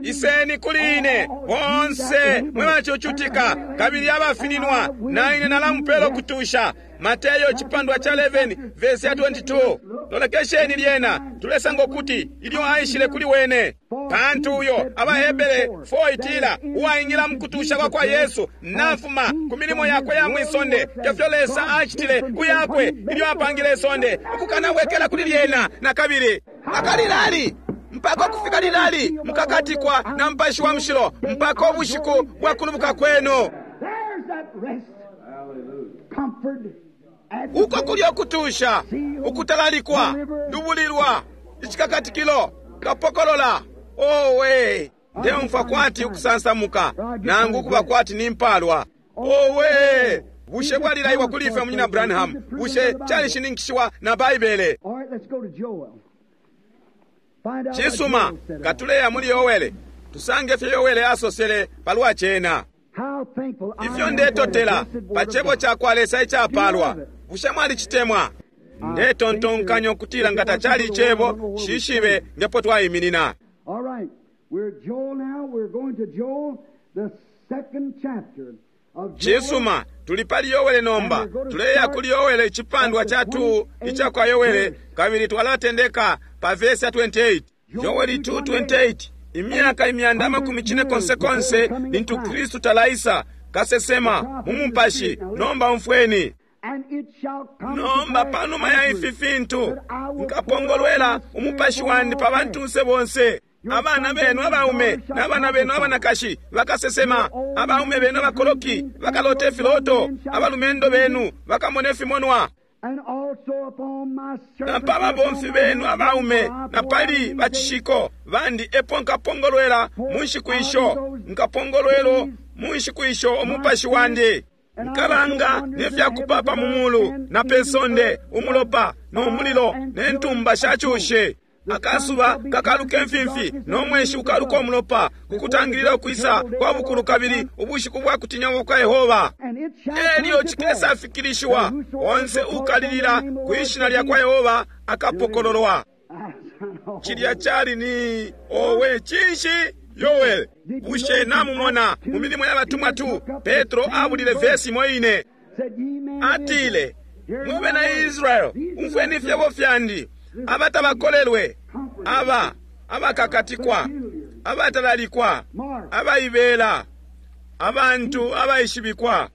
Iseni kuli ine bonse mwe bacucutika kabili abafininwa, na ine nalamupela ukutusha. Mateyo icipandwa ca eleven verse ya twenty-two. Lolekesheni lyena, tulesanga ukuti ilyo aishile kuli wene, pantu uyo abaHebere four itila uwaingila mukutusha kwa kwa Yesu nafuma ku milimo yakwe ya mwisonde, ngefyo Lesa acitile ku yakwe ilyo apangile isonde, ukukanabwekela kuli lyena na kabili. Akalilali mpaka kufika lilali mukakatikwa na Mupashi wa Mushilo mpaka ubushiku bwa kulubuka kwenu. Uko kulyo kutusha, ukutalalikwa, lubulilwa, icikakatikilo, kapokolola. Owe, ndeumfwa kwati ukusansamuka nangu kuba kwati nimpalwa. Owe, bushe bwalilaiwa kuli ifwe Munyina Branham? Bushe calishininkishiwa na Baibele? Cisuma, katuleya muli Yowele, tusange fye Yowele asosele palwa cena. Ifyo ndetotela pa cebo ca kwa Lesa icapalwa. Bushe mwalicitemwa? Ndetontonkanya ukutila nga tacali icebo, shishibe ngepo twaiminina. Cisuma, tuli pali Yowele nomba. Tuleya kuli Yowele icipandwa ca two ica kwa Yowele, kabili twalatendeka pa verse ya twenty-eight. Yoweli two twenty-eight. Imyaka imyanda amakumi cine konse konse lintu Kristu talaisa kasesema mu mupashi. Nomba umfweni. Nomba panuma ya ifi fintu nkapongolwela umupashi wandi pa bantunse bonse. Abana benu abaume n'abana benu abanakashi bakasesema, abaume benu abakoloki bakalota ifiloto, abalumendo benu bakamona ifimonwa. Na pa babomfi benu abaume na pali bacishiko bandi epo nkapongolwela mu nshiku isho, nkapongolwelo mu nshiku isho umupashi wandi. Nkalanga nefyakupapa mu mulu na pe sonde, umulopa no mulilo ne ntumba sha cushe. Akasuba kakaluka imfimfi no mweshi ukaluka umulopa, kukutangilila ukwisa kwa bukulu kabili ubushiku bwa kutinya kwa Yehova. Elyo cikesa fikilishiwa, onse ukalilila kwishina lya kwa Yehova akapokololwa. Cilya cali ni owe cinshi Yoel. Bushe namumona mu milimo ya batumwa tu, Petro abulile vesi imo ine. Atile, mwe bena Israel, umfweni ifyebo fyandi. Abatabakolelwe, aba abakakatikwa, abatalalikwa, abaibela, abantu abaishibikwa.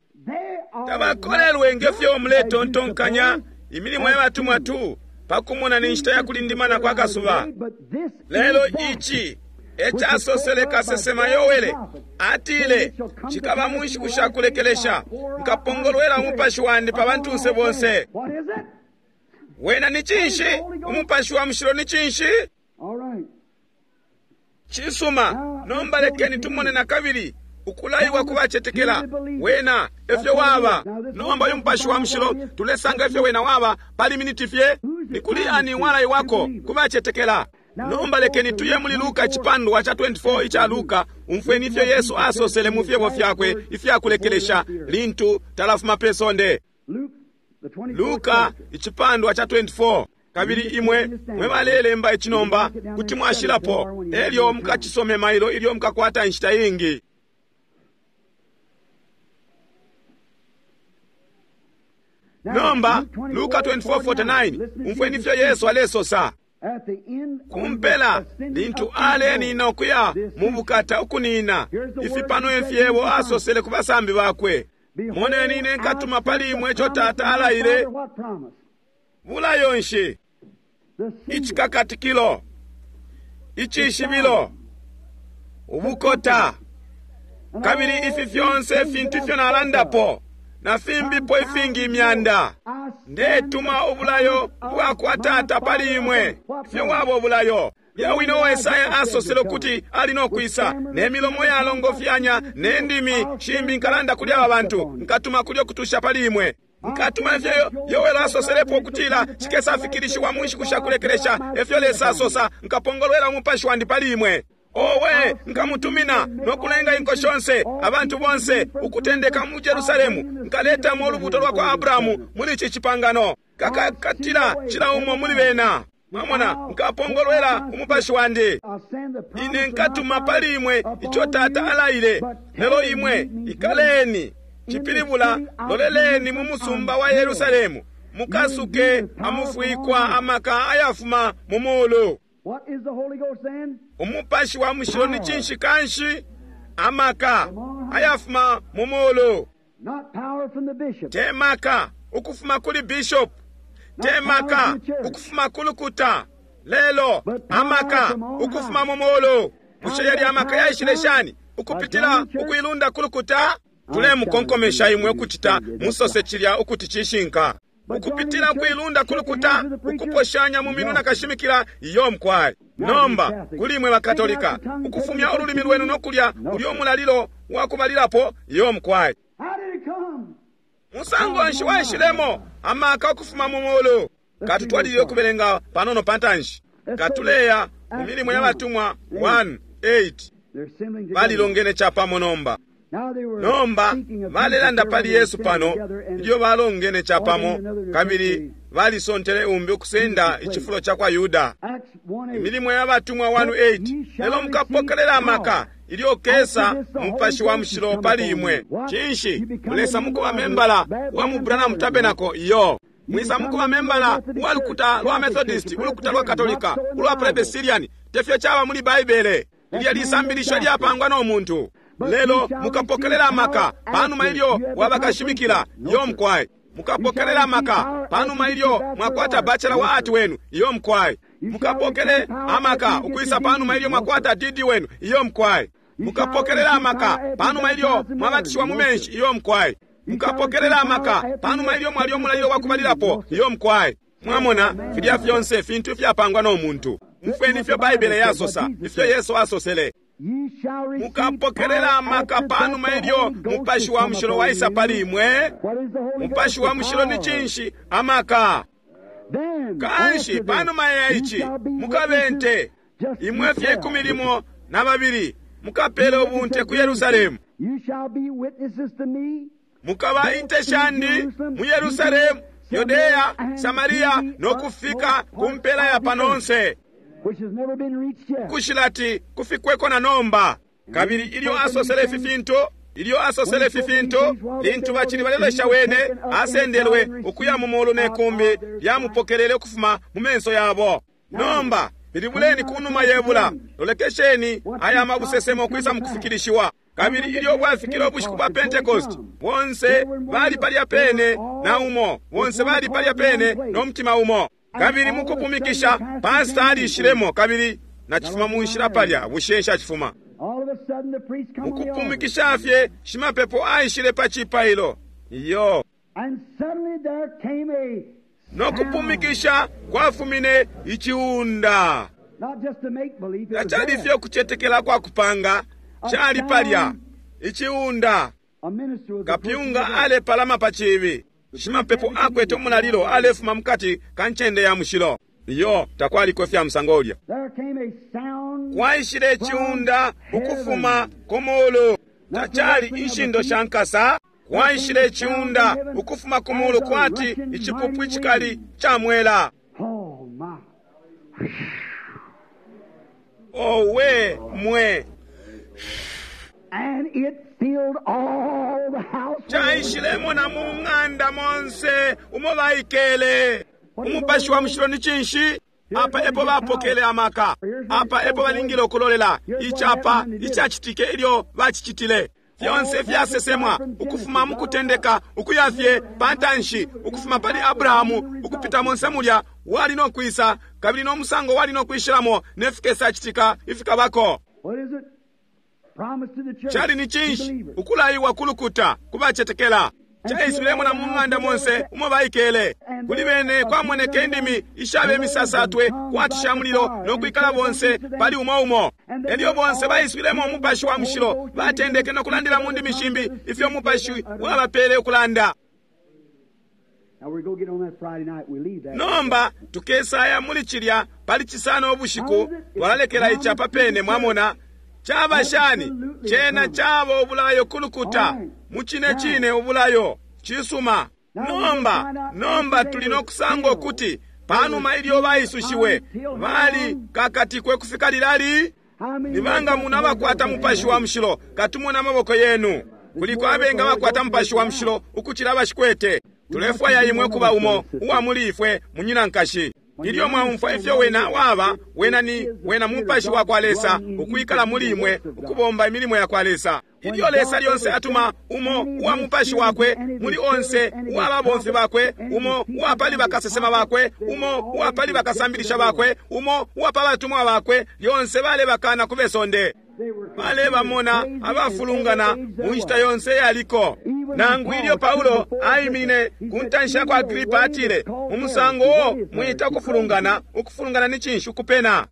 Tabakolelwe ngefyo muletontonkanya imilimo ya batumwa tu, pakumona ni nshita ya kulindimana kwa kasuba. Lelo ici ecasosele kasesema Yowele, atile, cikaba mu nshiku sha kulekelesha, nkapongolwela umupashi wandi pa bantunse bonse. Wena ni cinshi? Umupashi wa Mushilo ni cinshi? Cisuma, nomba lekeni tumone na kabili ukulaiwa kubacetekela. Wena efyo waba. Nomba uyu Mupashi wa Mushilo tulesanga efyo wena waba pali miniti fye. Ni kuli ani walaiwako kubacetekela. Nomba lekeni tuye muli Luka icipandwa ca twenty-four ica Luka, umfweni ifyo Yesu asosele mu fyebo fyakwe ifyakulekelesha lintu talafuma pe sonde. Luka icipandwa ca twenty-four. Kabili imwe mwe balelemba icinomba kuti mwashilapo, elyo mukacisome mailo ilyo mukakwata inshita ingi. Nomba Luka twenty-four forty-nine, umfweni ifyo Yesu alesosa. Kumpela lintu alenina ukuya mu bukata ukunina, ifi pano ifyebo asosele ku basambi bakwe. Moneni ine nkatuma pali imwe ico Tata alaile. Bulayo nshi? Icikakatikilo, icishibilo, ubukota, kabili ifi fyonse ifintu ifyo nalandapo na fimbipo ifingi imyanda. Ndetuma ubulayo bwa kwa Tata pali imwe. Ifyo wabo ubulayo. Yawino wa Esaya asosele ukuti ali no kwisa, ne milomo yalongofyanya ne ndimi shimbi nkalanda kuli aba bantu, nkatuma kulyo kutusha pali imwe. Nkatuma ifyo Yoweli asoselepo ukutila cikesafikilishiwa mu nshiku sha kulekelesha, efyo Lesa asosa, nkapongolwela umupashi wandi pali imwe. Owe, nkamutumina nokulenga inko shonse, abantu bonse, ukutendeka mu Jerusalemu, nkaletamo ulubuto lwa kwa Abrahamu muli ici cipangano. Kakakatila cila umo muli bena. Mwamona, nkapongolwela umupashi wandi. Ine nkatuma pali imwe ico Tata alaile, lelo imwe ikaleni, cipilibula loleleni mu musumba wa Yerusalemu, mukasuke amufwikwa amaka ayafuma mu mulu. Umupashi wa mushilo ni cinshi kanshi? Amaka ayafuma mu mulu. Te maka ukufuma kuli bishop, te maka ukufuma kulukuta, lelo amaka ukufuma mu mulu. Bushe yali amaka yaishile shani? Ukupitila ukuilunda kulukuta? Tulemukonkomesha imwe ukucita musose cilya ukuti cishinka. Ukupitila kuilunda kulukuta, ukuposhanya mu minwe na kashimikila, iyo mkwai. Nomba kuli imwe bakatolika, ukufumya ululimi lwenu nokulya ulyo mulalilo wakubalilapo, iyo mkwai. Musango nshi waishilemo amaka ukufuma mu mulu? Katutwalilile ukubelenga panono pantanshi. Katuleya mu milimo ya batumwa one eight. Balilongene chapamo nomba. Nomba balelanda pali Yesu pano ilyo balongene chapamo, kabili balisontele umbi ukusenda ichifulo cha kwa Yuda. Imilimo ya batumwa one eight. Lelo mukapokelela amaka ilyo kesa mupashi wa mushilo pali imwe. Cinshi mulesa mukuba membala wa mu Branham Tabernacle? Iyo. Mwisa mukuba membala wa lukuta lwa Methodist, ulukuta lwa Katolika, ulwa Presbyterian. Tefyo chaba muli Baibele. Lilya lisambilisho lyapangwa no muntu. Lelo mukapokelela amaka panuma ilyo wabakashimikila, iyo mkwai. Mukapokelela amaka panuma ilyo mwakwata bachelor wa art wenu, iyo mkwai. Mukapokele amaka ukwisa panuma ilyo mwakwata D D wenu, iyo mkwai. Mukapokelela amaka panuma ilyo mwabatishiwa mu menshi, iyo mkwai. Mukapokelela amaka panuma ilyo mwalyo mulalilo wakubalilapo, iyo mkwai. Mwamona filya fyonse fintu fyapangwa no muntu. Mfweni ifyo Baibele yasosa, ifyo Yesu asosele. Mukapokelela amaka panuma ilyo mupashi wa mushilo waisa pali imwe. Mupashi wa mushilo ni cinshi? Amaka. Kanshi panuma ya ici mukabente imwe fye ikumi limo na babili mukapele ubunte ku Yerusalemu. Mukaba inte shandi mu Yerusalemu, Yudea, Samaria nokufika ku mpela ya panonse, kushilati kufikweko na nomba. Kabili ilyo asosele ifi fintu, ilyo asosele ifi fintu, lintu bacili balelesha wene, asendelwe ukuya mu mulu ne kumbi lyamupokelele ukufuma mu menso yabo. Nomba pilibuleni kunuma yebula, lolekesheni aya mabusesemo kwisa mukufikilishiwa. Kabili ilyo bwafikile ubushiku bwa Pentecost, bonse bali palya pene na umo, bonse bali palya pene no mutima umo. Kabili mukupumikisha pastor alishilemo, kabili nachifuma munshila palya, bushe nshachifuma. Mukupumikisha fye shimapepo aishile pa chipailo, iyo. Nokupumikisha kwafumine ichiunda. Tachali fye kuchetekela kwa kupanga, chali palya ichiunda. Kapyunga alepalama pa chibi. Shimapepo akwete umulalilo alefuma mukati ka ncende ya mushilo. Iyo takwaliko fya musango ulya. Kwaishile chiunda ukufuma ku mulu. Tachali inshindo sha nkasa. Kwaishile chiunda ukufuma ku mulu kwati ichipupu ichikali cha mwela. Owe mwe. And it filled all the house. Chaishilemo na mu ng'anda monse umo baikele. Umupashi wa mushilo ni cinshi? Apa epo bapokele amaka. Apa epo balingile ukulolela. Ichapa ichachitike ilyo bachichitile. Fyonse fyasesemwa ukufuma mukutendeka ukuya fye pantanshi, ukufuma pali Abrahamu ukupita monse mulya wali no kwisa, kabili no musango wali no kwishilamo nefikesa chitika ifikabako. What is it? Chali ni cinshi? Ukulaiwa kulukuta kubachetekela. Chaiswilemo na mu ng'anda monse umo baikele. Kuli bene kwamoneke indimi ishabe misasatwe kwatisha mulilo nokwikala bonse pali umo umo. Elyo bonse baiswilemo umupashi wa mushilo, batendeke nokulandila mu ndimi shimbi ifyo umupashi wabapele ukulanda. Nomba tukesaya muli cilya pali Cisano ubushiku, twalalekela ica papene, mwamona. Caba shani? Cena caba ubulayo kulukuta, mucine cine ubulayo. Cisuma. Nomba, nomba tuli nokusanga ukuti panuma ilyo baisushiwe bali kakatikwe kufika lilali. Nibanga muno abakwata Mupashi wa Mushilo? Katumona amaboko yenu. Kuliko abenga bakwata Mupashi wa Mushilo ukucila abashikwete. Tulefwaya imwe kuba umo uwa muli ifwe, munyina nkashi. Ilyo mwaumfwa ifyo wena waba, wena ni wena Mupashi wa kwa Lesa ukwikala muli imwe, ukubomba imilimo ya kwa Lesa. Ilyo Lesa lyonse atuma umo uwa Mupashi wakwe muli onse uwa babomfi bakwe, umo uwa pali bakasesema bakwe, umo uwa pali bakasambilisha bakwe, umo uwa pa batumwa bakwe, lyonse balebakana ku besonde. Balebamona abafulungana mu nshita yonse yaliko. Nangu ilyo Paulo aimine ku ntanshi ya kwa Agripa, atile, mu musango uo mwita ukufulungana, ukufulungana ni cinshi? Ukupena.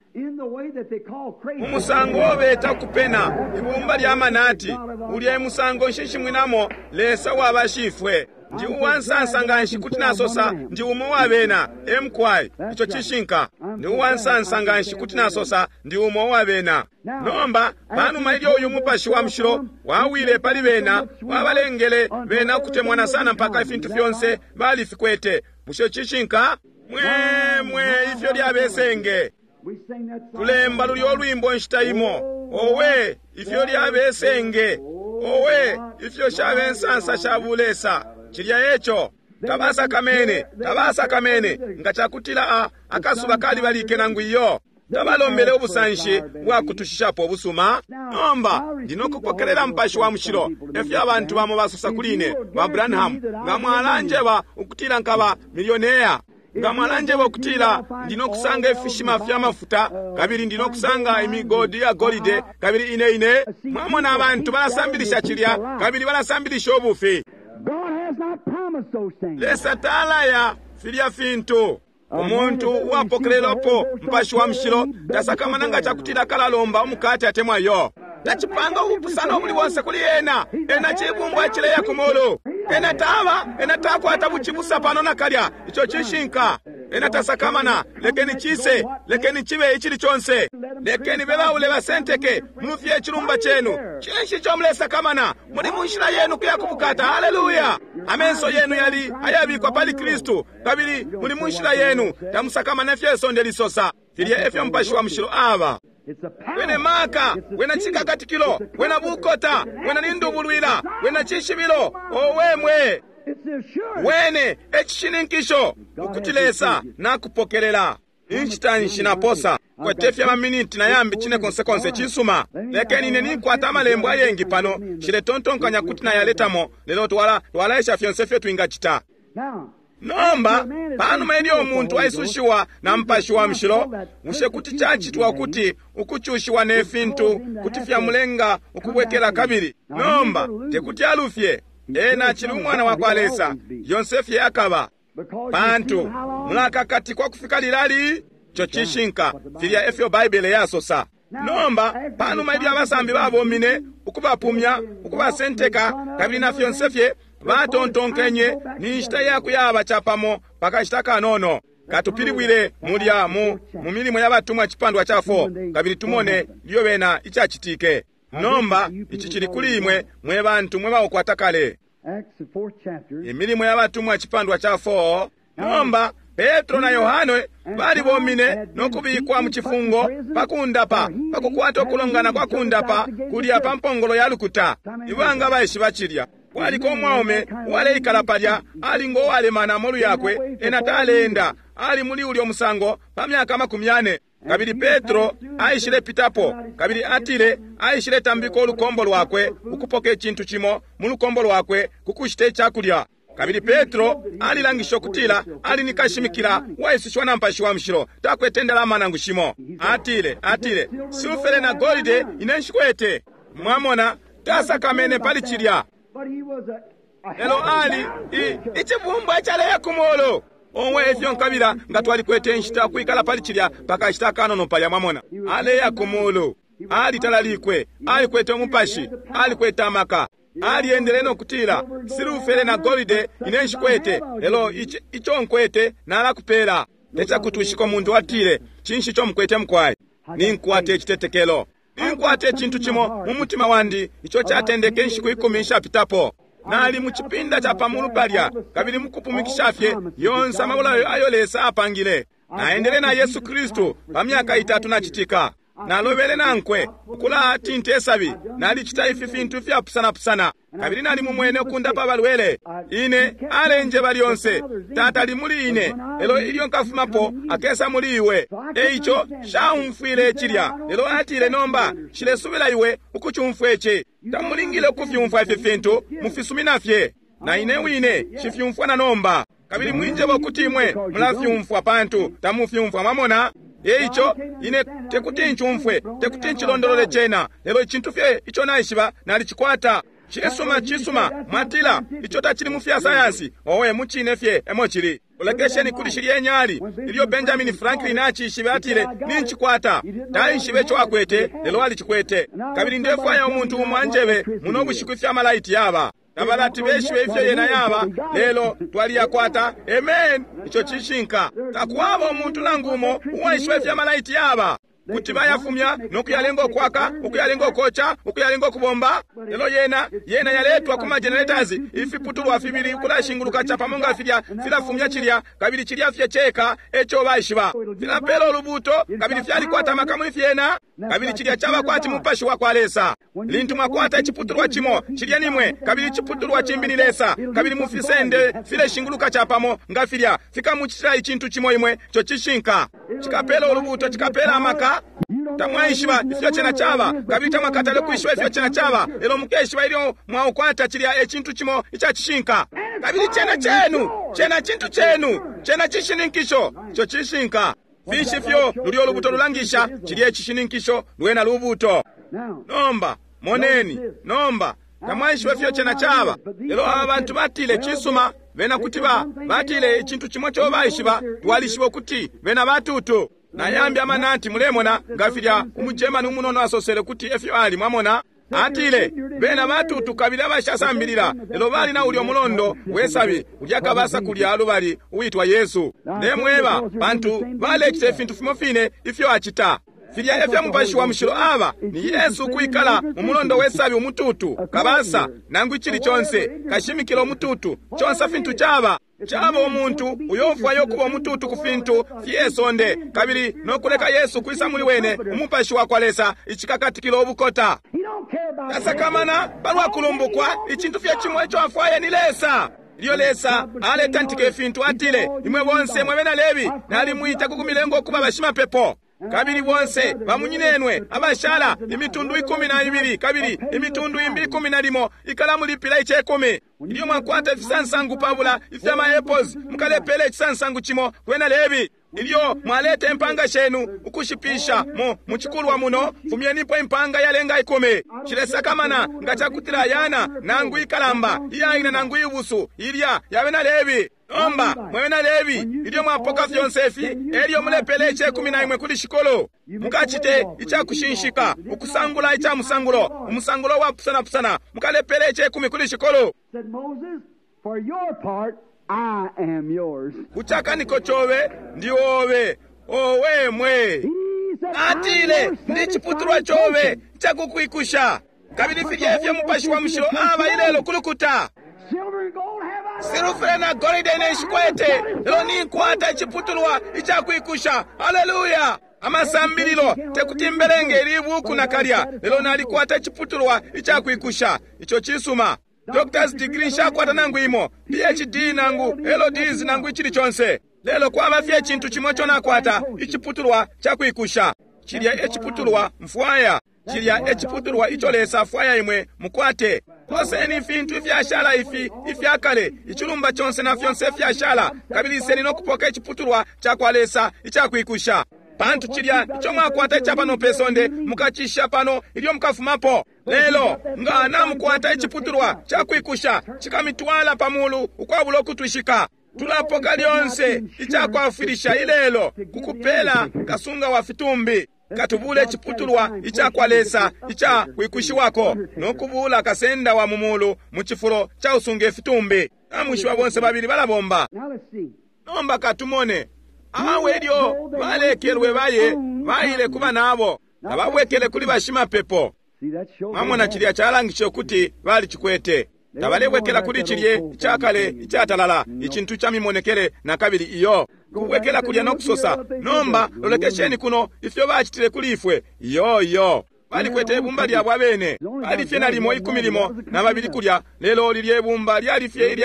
Mu musango uo beta ukupena, ibumba lya manati, ulya musango nshishimwinamo Lesa wabashifwe. Ndi uwansansa nganshi kuti nasosa ndi umo wabena emkwai. Ico cishinka. Ndi uwansansa nganshi kuti nasosa ndi umo wabena. Nomba panuma ilyo uyu Mupashi wa Mushilo wawile pali bena, wabalengele bena ukutemwana sana mpaka ifintu fyonse balifikwete. Bushe cishinka? Mwe mwe ifyo lyabesenge. Tulemba lulyo lwimbo nshita imo. Owe ifyo lyabesenge. Owe ifyo shabensansa sha bulesa. Cilya eco. Tabasakamene, tabasakamene nga cakutila a akasuba kalibalike nangu iyo. Tabalombele ubusanshi bwakutushishapo ubusuma. Nomba ndinokupokelela Mupashi wa Mushilo. Efyo abantu bamo basosa kuli ine, ba Branham, nga mwalanjeba ukutila nkaba milioneya, nga mwalanjeba ukutila ndinokusanga ifishima fya mafuta, kabili ndinokusanga imigodi ya golide, kabili ine ine. Mwamona abantu balasambilisha cilya, kabili balasambilisha ubufi. Lesa talaya filya fintu. Umuntu uwapokelelwapo Mupashi wa Mushilo tasakamana nga cakutila kalalomba umukate atemwa yo. Tacipanga ubupusano ubuli bonse kuli ena. Ena cibumbwa cileya ku mulu. Ena taba, ena takwata bucibusa pano nakalya. Ico cishinka. Ena tasakamana. Lekeni cise, lekeni chibe ichili chonse. Lekeni bebaule basenteke mulufye icilumba chenu. Cinshi ico mulesakamana? Muli munshila yenu kuya kubukata. Haleluya! Amenso yenu yali ayabikwa pali Kristu, kabili muli munshila yenu. Tamusakamana ifyo isonde lisosa. Filya efyo Mupashi wa Mushilo aba. Wene maka, wena chikakatikilo, wena bukota, wena nindubulwila, wena chishibilo. Owe mwe! Wene ecishininkisho ukuti Lesa nakupokelela. Inshita nshi naposa kwete fya maminiti na yambi cine konse konse. Cisuma. Lekeni ine ninkwata amalembo ayengi pano, nshiletontonkanya kuti nayaletamo, lelo twala twalaesha fyonse fyo twingacita. Nomba panuma ilyo umuntu aisushiwa na Mupashi wa Mushilo, bushe kuti cacitwa kuti ukucushiwa ne fintu kuti fyamulenga ukubwekela kabili? Nomba tekuti alufye. Ena acili umwana wa kwa Lesa, yonse fye akaba. Pantu mulakakatikwa kufika lilali. Ico cishinka. Filya efyo Baibele yasosa. Nomba panuma ilyo abasambi babomine ukubapumya, ukubasenteka, kabili na fyonse fye batontonkenye ni nshita yakuyaba capamo pakashita kanono. Katupilibwile mulya mu mu milimo ya batumwa cipandwa ca four, kabili tumone ilyo bena icacitike. Nomba ici cili kuli imwe mwe bantu mwe baukwata kale. Imilimo ya batumwa cipandwa ca four. Nomba Petro na Yohane balibomine no kubikwa mu cifungo pakundapa, pakukwata ukulongana kwa kundapa kulya pa mpongolo ya lukuta. Ibanga baishiba cilya. Kwaliko umwaume uwaleikala palya, ali ngo walemana amolu yakwe, ena taleenda, ali muli ulyo musango pa myaka makumi yane. Kabili Petro aishile pitapo, kabili atile aishile tambika ulukombo lwakwe ukupoka icintu cimo mu lukombo lwakwe kukushita icakulya. Kabili Petro alilangisha ukutila ali ni kashimikila waisushiwa na Mupashi wa Mushilo, takwete ndalama nangu shimo. Atile, atile, silfere na golide ine nshikwete. Mwamona, tasakamene pali cilya. Lelo ali icibumbwa icaleya ku mulu. Omwe ifyo nkabila nga twalikwete inshita kwikala pali cilya pakashita kanono palya. Mwamona, aleya ku mulu, alitalalikwe, alikwete umupashi, alikwete amaka. Aliendele no kutila, silufele na golide ine nshikwete, lelo ico nkwete nalakupela. Tecakutwishika umuntu atile, cinshi ico mukwete mukwai? Ninkwata icitetekelo. Ninkwata icintu cimo mu mutima wandi ico catendeke inshiku ikumi nshapitapo. Nali mu cipinda ca pamulu palya, kabili mukupumikisha fye yonse amabulayo ayo Lesa apangile. Naendele na Yesu Kristu pa myaka itatu nacitika. Nalobele nankwe ukulatinta isabi. Nalicita ifi fintu ifyapusanapusana, kabili nali mumwene ukundapa abalwele. Ine alenjeba lyonse, Tata ali muli ine, lelo ilyo nkafumapo akesa muli iwe. Eico shaumfwile cilya, lelo atile, nomba nshilesubila iwe ukucumfwa ici. Tamulingile ukufyumfwa ifi fintu, mufisumina fye. Na ine wine nshifyumfwa na nomba. Kabili mwinjeba ukuti imwe mulafyumfwa, pantu tamufyumfwa, mwamona? Eico ine tekuti ncumfwe, tekuti ncilondolole cena, lelo icintu fye ico naishiba nalicikwata. Cisuma, cisuma, mwatila ico tacili mu fya sayansi. Owe, mucine fye emo cili. Ulekesheni kuli shilye nyali. Ilyo Benjamin Franklin acishibe, atile, nincikwata. Taishibe ico akwete, lelo alicikwete. Kabili ndefwaya umuntu umo anjebe muno bushiku ifya malaiti yaba. Tabalati beshibe ifyo yena yaba, lelo twaliyakwata. Amen. Ico cishinka. Takwaba umuntu nangu umo uwaishiba ifya malaiti yaba. Kuti bayafumya nokuyalenga ukwaka, ukuyalenga ukoca, ukuyalenga ukubomba. Lelo yena yena yaletwa ku magenerators, ifiputulwa fibili ukulashinguluka capamo nga filya filafumya cilya, kabili cilya fye ceka eco baishiba. Filapela ulubuto, kabili fyalikwata amaka muli fyena, kabili cilya caba kwati mupashi wa kwa Lesa. Lintu mwakwata iciputulwa cimo, cilya nimwe, kabili iciputulwa cimbi ni Lesa, kabili mufisende fileshinguluka capamo nga filya, fikamucitila icintu cimo imwe, ico cishinka. Cikapela ulubuto, cikapela amaka. Tamwaishiba ifyo cena caba, kabili tamwakatale kwishiba ifyo cena caba, lelo mukeshiba ilyo mwaukwata cilya ecintu cimo ica cishinka. Kabili cena cenu, cena cintu cenu, cena cishininkisho, ico cishinka. Finshi fyo lulyo lubuto lulangisha? Cilya ecishininkisho, lwena lubuto. Nomba moneni, nomba tamwaishiba ifyo cena caba, lelo aba bantu batile cisuma. Bena kuti ba batile icintu cimo co baishiba, twalishiba ukuti bena batutu. Nayambi amanati, mulemona nga filya umugermani umunono asosele kuti efyo ali, mwamona? Atile bena batutu kabili abashasambilila, lelo bali na ulyo mulondo wesabi ulya kabasa kulya lubali uitwa Yesu. Ndemweba, pantu balecita ifintu fimo fine ifyo acita. Filya efyo mupashi wa mushilo aba ni Yesu kwikala mu mulondo wesabi umututu kabasa nangu icili conse kashimikila umututu conse fintu caba. Caba umuntu uyo ufwayo kuba umututu ku fintu fye sonde, kabili nokuleka Yesu kwisa muli wene umupashi wa kwa Lesa icikakatikilo ubukota. Tasakamana palwa kulumbukwa, icintu fye cimo ico afwaye ni Lesa. Ilyo Lesa aletantika ifintu atile, imwe bonse mwe bena Lebi nalimwita ku kumilengo kuba bashimapepo. Kabili bonse bamunyinenwe abashala imitundu ikumi na ibili kabili imitundu imbi ikumi na limo ikalamulipila icekumi. Ilyo mwakwata ifisansangu pabula ifya ma apples mukalepela icisansangu cimo kwena Lebi. Ilyo mwaleta impanga shenu ukushipisha mu mucikulwa muno, fumyenipo impanga yalenga ikumi. Cilesakamana nga cakutila yana nangu ikalamba iyaina nangu ibusu ilya yabena Lebi. Nomba mwebena Lebi, ilyo mwapoka fyonse ifi, elyo mulepele icekumi na imwe kuli shikolo. Mukacite icakushinshika, ukusangula ica musangulo, umusangulo wapusanapusana, mukalepele icekumi kuli shikolo. Kuchakaniko chobe ndi obe owe mwe. Atile ndi chiputulwa chobe chakukwikusha. Kabili filya ifyo mupashi wa mushilo aba ilelo kulukuta. Silufere na golide neshikwete, lelo ninkwata iciputulwa icakwikusha. Haleluya! Amasambililo tekuti mbelenge ili buku na kalya, lelo nalikwata iciputulwa icakwikusha. Ico cisuma. Doctor's degree nshakwata nangu imo, P H D nangu L Ds nangu ichili chonse. Lelo kwaba fye icintu chimo ico nakwata, iciputulwa cakwikusha. Cilya eciputulwa mfwaya. Cilya eciputulwa ico Lesa afwaya imwe mukwate. Koseni ifintu ifyashala ifi ifyakale, icilumba chonse na fyonse ifyashala, kabili iseni no kupoka iciputulwa cakwa Lesa icakwikusha. Pantu cilya ico mwakwata ica pano pe sonde mukacisha pano ilyo mukafumapo. Lelo nga namukwata iciputulwa cakwikusha cikamitwala pamulu ukwabula ukutwishika. Tulapoka lyonse icakwafwilisha ilelo kukupela kasunga wa fitumbi. Katubule iciputulwa icakwa Lesa ica kwikushiwako no kubula kasenda wa mu mulu mu cifulo ca usunga ifitumbi. Namwishiba bonse babili balabomba. Nomba katumone. Awe lyo balekelwe baye baile kuba nabo tababwekele kuli bashimapepo. Mwamona cilya calangishe ukuti balicikwete. Tabalebwekela kuli cilye icakale icatalala icintu ca mimonekele na kabili iyo kubwekela kulya no kusosa nomba lolekesheni kuno ifyo bacitile kuli ifwe iyo iyo balikwete ibumba lyabo abene bali fye nalimo ikumi limo na babili kulya lelo lilye ibumba lyali fye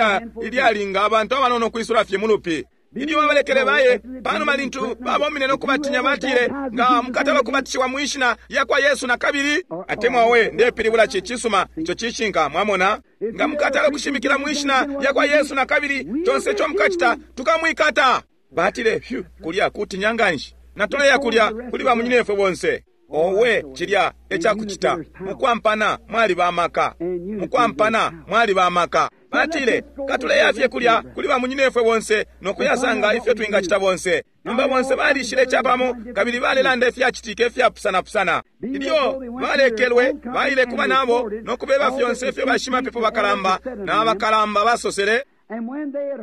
ilyalinga abantu abanono kwisula fye mulupi. Ilyo babalekele baye panuma lintu babomine no kubatinya batile nga mukatala kubatishiwa mwishina yakwa Yesu na kabili atemwa we ndepilibula ci cisuma ico cishinka mwamona nga mukatala kushimikila mwishina yakwa Yesu na kabili tonse ico mukacita tukamwikata. Batile fyu kulya kutinya nganshi natoleya kulya kuli bamunyinefwe bonse. Owe cilya ecakucita mukwampana mwali bamaka mukwampana mwali bamaka. Batile katuleya fye kulya kuli bamunyinefwe bonse nokuyasanga ifyo twingacita bonse. Nomba bonse balishile capamo kabili balelanda ifyacitike ifyapusanapusana. Ilyo balekelwe baile kuba nabo nokubeba fyonse ifyo bashimapepo bakalamba na bakalamba basosele.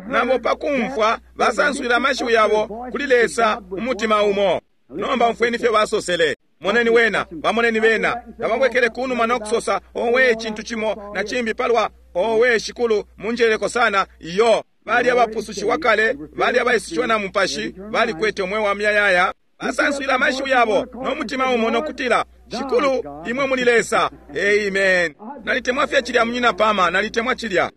Nabo pakumfwa basanswila amashiwi yabo kuli Lesa umutima umo. Nomba umfweni ifyo basosele. Moneni wena bamoneni bena tababwekele kunuma nokusosa owe icintu cimo na cimbi palwa owe shikulu munjeleko sana iyo. Bali abapusushiwa kale bali abaisishiwa na mupashi balikwete umwe wa myayaya. Basanswila amashiwi yabo nomutima umo nokutila shikulu imwe muli Lesa. Amen. Nalitemwa fye cilya munyina pama nalitemwa cilya.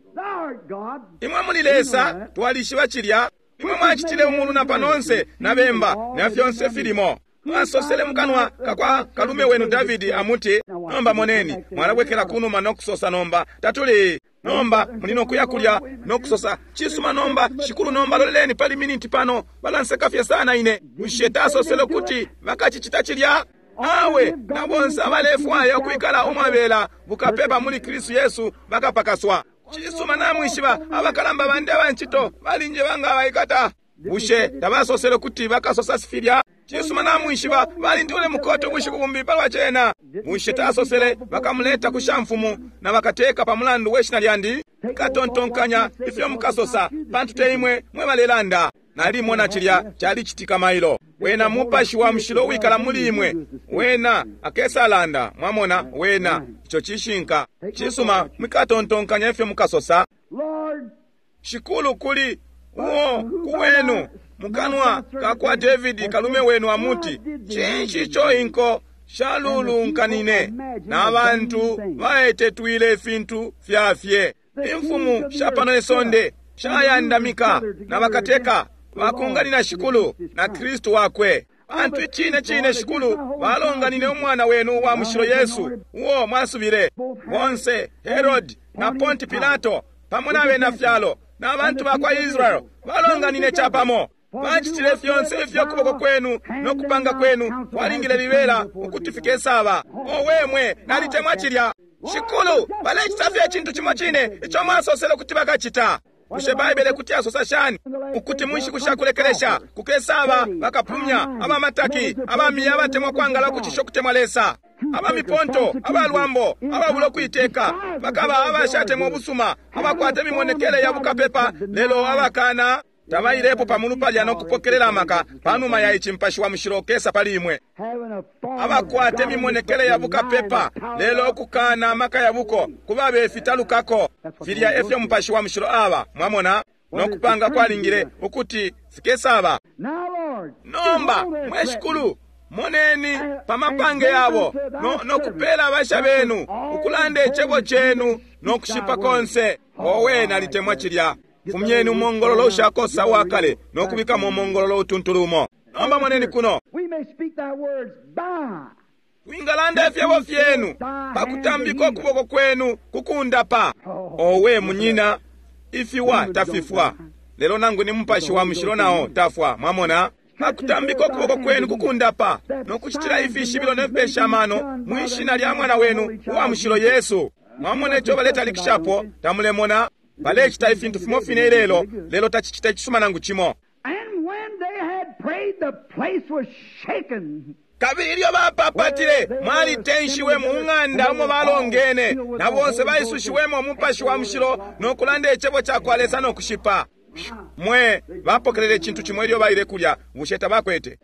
Imwe muli Lesa twalishiba cilya. Imwe mwacitile umulu na panonse na bemba na fyonse filimo. Mwasosele mukanwa kakwa kalume wenu Davidi amuti nomba moneni mwalabwekela kunuma nokusosa nomba tatuli nomba muli nokuya kulya nokusosa cisuma nomba shikulu nomba loleleni pali miniti pano balanseka fye sana ine. Bushe tasosele kuti bakacicita cilya? Awe na bonse abalefwaya ukwikala umwabela bukapepa muli Kristu Yesu bakapakaswa. Cisuma namwishiba abakalamba bandi abancito balinje banga baikata. Bushe tabasosele kuti bakasosa sifilya? Cisuma namwishiba balindule mukoto bushiku bumbi palwa cena. Bushe tasosele bakamuleta ku shamfumu na bakateka pa mulandu weshina lyandi? Katontonkanya ifyo mukasosa pantu te imwe mwe balelanda. Nalimona cilya calicitika mailo. Wena mupashi wa mushilo wikala muli imwe wena akesalanda mwamona wena ico cishinka. Cisuma mwikatontonkanya ifyo mukasosa. Shikulu kuli uo kuwenu mukanwa kakwa Davidi kalume wenu amuti cinshi ico inko shalulunkanine na bantu baetetwile ifintu fyafye. Imfumu sha pano isonde shayandamika na bakateka bakunganina shikulu na Kristu wakwe. Bantu icine cine shikulu balonganine umwana wenu wa mushilo Yesu uo mwasubile. Bonse Herod na Ponti Pilato pamo na bena fyalo na bantu bakwa Israel balonganine capamo. Bacitile fyonse ifyo kuboko kwenu no kupanga kwenu kwalingile libela ukuti fikesaba. Owe mwe nalitemwa cilya. Shikulu balecita fye icintu cimo cine ico mwasosele kuti bakacita. Bushe Baibele kuti asosa shani ukuti mu nshiku shakulekelesha kukesaba bakapumya abamataki abamiya abatemwa kwangala ukucisha ukutemwa Lesa abamiponto abalwambo ababula ukuiteka bakaba abashatemwa ubusuma abakwata imimonekele ya bukapepa lelo abakana tabailepo pamulu palya nokupokelela amaka panuma ya ici mpashi wa mushilo kesa pali imwe. Abakwata imimonekele ya bukapepa lelo okukana amaka ya buko kubabe fitalukako. Filya efyo mupashi wa mushilo aba mwamona nokupanga kwalingile ukuti fikesaba. Nomba mwe shikulu moneni pamapange yabo nokupela abasha benu ukulanda icebo cenu nokushipa konse. Owe nalitemwa cilya. Fumyeni umongololo ushakosa wakale nokubikamo umongololo utuntulumo. Nomba moneni kuno twingalanda ifyebo fyenu pakutambika ukuboko kwenu kukundapa. Owe munyina ifiwa tafifwa lelo nangu ni mupashi wa mushilo nao tafwa mwamona. Pakutambika ukuboko kwenu kukundapa nokucitila ifishibilo nefipesha amano mwishina lya mwana wenu uwa mushilo Yesu. Mwamona ico baletalikishapo tamulemona. Balecita ifintu fimo fine ilelo lelo tacicita icisuma nangu cimo. had prayed, the place was shaken. Kabili ilyo bapapatile, mwalitenshiwe mu ng'anda umo balongene, na bonse baisushiwemo Umupashi wa Mushilo no kulanda icebo ca kwa Lesa no kushipa. Mwe bapokelele icintu cimo ilyo baile kulya, bushe tabakwete?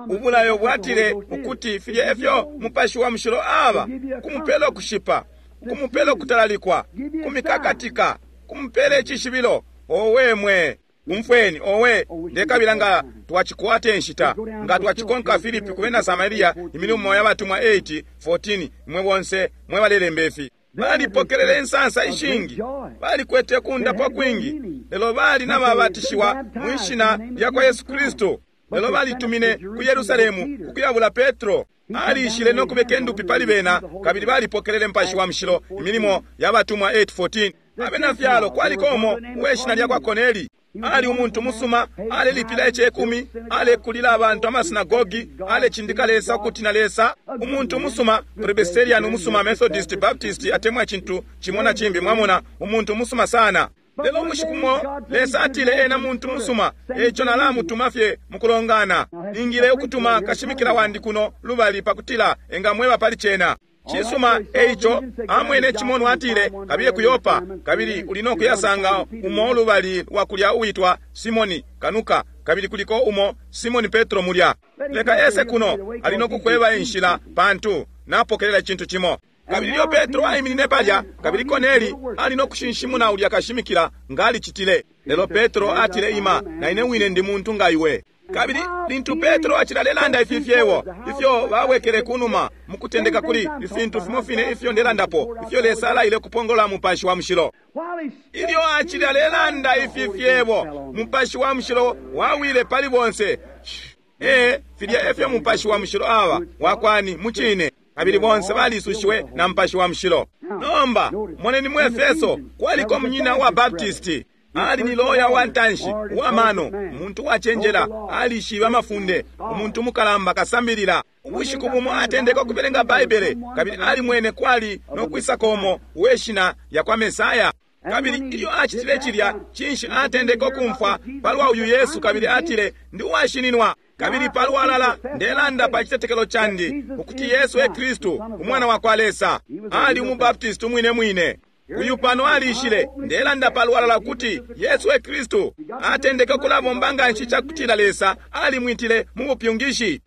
Ubulayo bwatile ukuti filya efyo Mupashi wa Mushilo aba, kumupela ukushipa, kumupela ukutalalikwa, kumikakatika, kumupela icishibilo. Owe mwe, umfweni, owe, ndekabila nga twachikwate nshita, nga twachikonka Filipi kubena Samaria, imilimo y'abatumwa eight fourteen, mwe bonse mwe balelemba ifi. Balipokelele insansa ishingi, balikwete kundapwa kwingi, lelo bali n'ababatishiwa mu ishina lya kwa Yesu Kristo. Lelo balitumine ku Yerusalemu kukuyabula Petro. Alishile no kubeka endupi pali bena, kabili balipokelele Mupashi wa Mushilo, imilimo y'abatumwa eight fourteen. Abena fyalo kwaliko umo uweshina lya kwa Korneli. Ali umuntu musuma, alelipila icekumi, alekulila abantu amasinagogi, alecindika Lesa ukutina Lesa. Umuntu musuma, Presbyterian umusuma, Methodist, Baptist, atemwa icintu cimo na cimbi, mwamona, umuntu musuma sana. Lelo ubushiku bumo Lesa atile ena muntu musuma, eco nalamutuma fye mukulongana. Ningile ukutuma kashimikila wandi kuno lubali pakutila engamweba pali cena. Cisuma, eico amwene cimonwa atile kabiye ku Yopa, kabili uli no kuyasanga umo lubali lwa kulya uitwa Simoni Kanuka, kabili kuliko umo Simoni Petro mulya. Leka ese kuno ali no kukweba inshila pantu napokelela icintu cimo. Kabili ilyo Petro aiminine palya, kabili Korneli ali no kushinshimuna ulya kashimikila ngalicitile. Lelo Petro atile ima, na ine wine ndi muntu nga iwe. Kabili lintu Petro acilalelanda ifi fyebo ifyo babwekele kunuma mukutendeka kuli ifintu fimo fine ifyo ndelandapo, ifyo Lesa alaile kupongola Mupashi wa Mushilo. Ilyo acilalelanda ifi fyebo, Mupashi wa Mushilo wawile pali bonse. E filya efyo Mupashi wa Mushilo aba wakwani mucine. Kabili bonse balisushiwe na Mupashi wa Mushilo. Nomba moneni mu Efeso kwaliko munyina wa Baptisti. Ali ni loya wa ntanshi wa mano, umuntu wacenjela, alishiba amafunde, umuntu mukalamba kasambilila. Ubushiku bumo atendeka ukubelenga Baibele, kabili alimwene kwali no kwisakomo uweshina ya kwa Mesaya. Kabili ilyo acitile cilya, cinshi atendeka ukumfwa palwa uyu Yesu, kabili atile ndi uwashininwa. Kabili palwalala ndelanda pa citetekelo candi ukuti Yesu e Kristu umwana wa kwa Lesa. Ali umubaptisti umwine mwine. Uyu pano alishile, ndelanda palwalala kuti Yesu e Kristu. Atendeke kulabomba nga nshi cakutila Lesa alimwitile mu bupyungishi.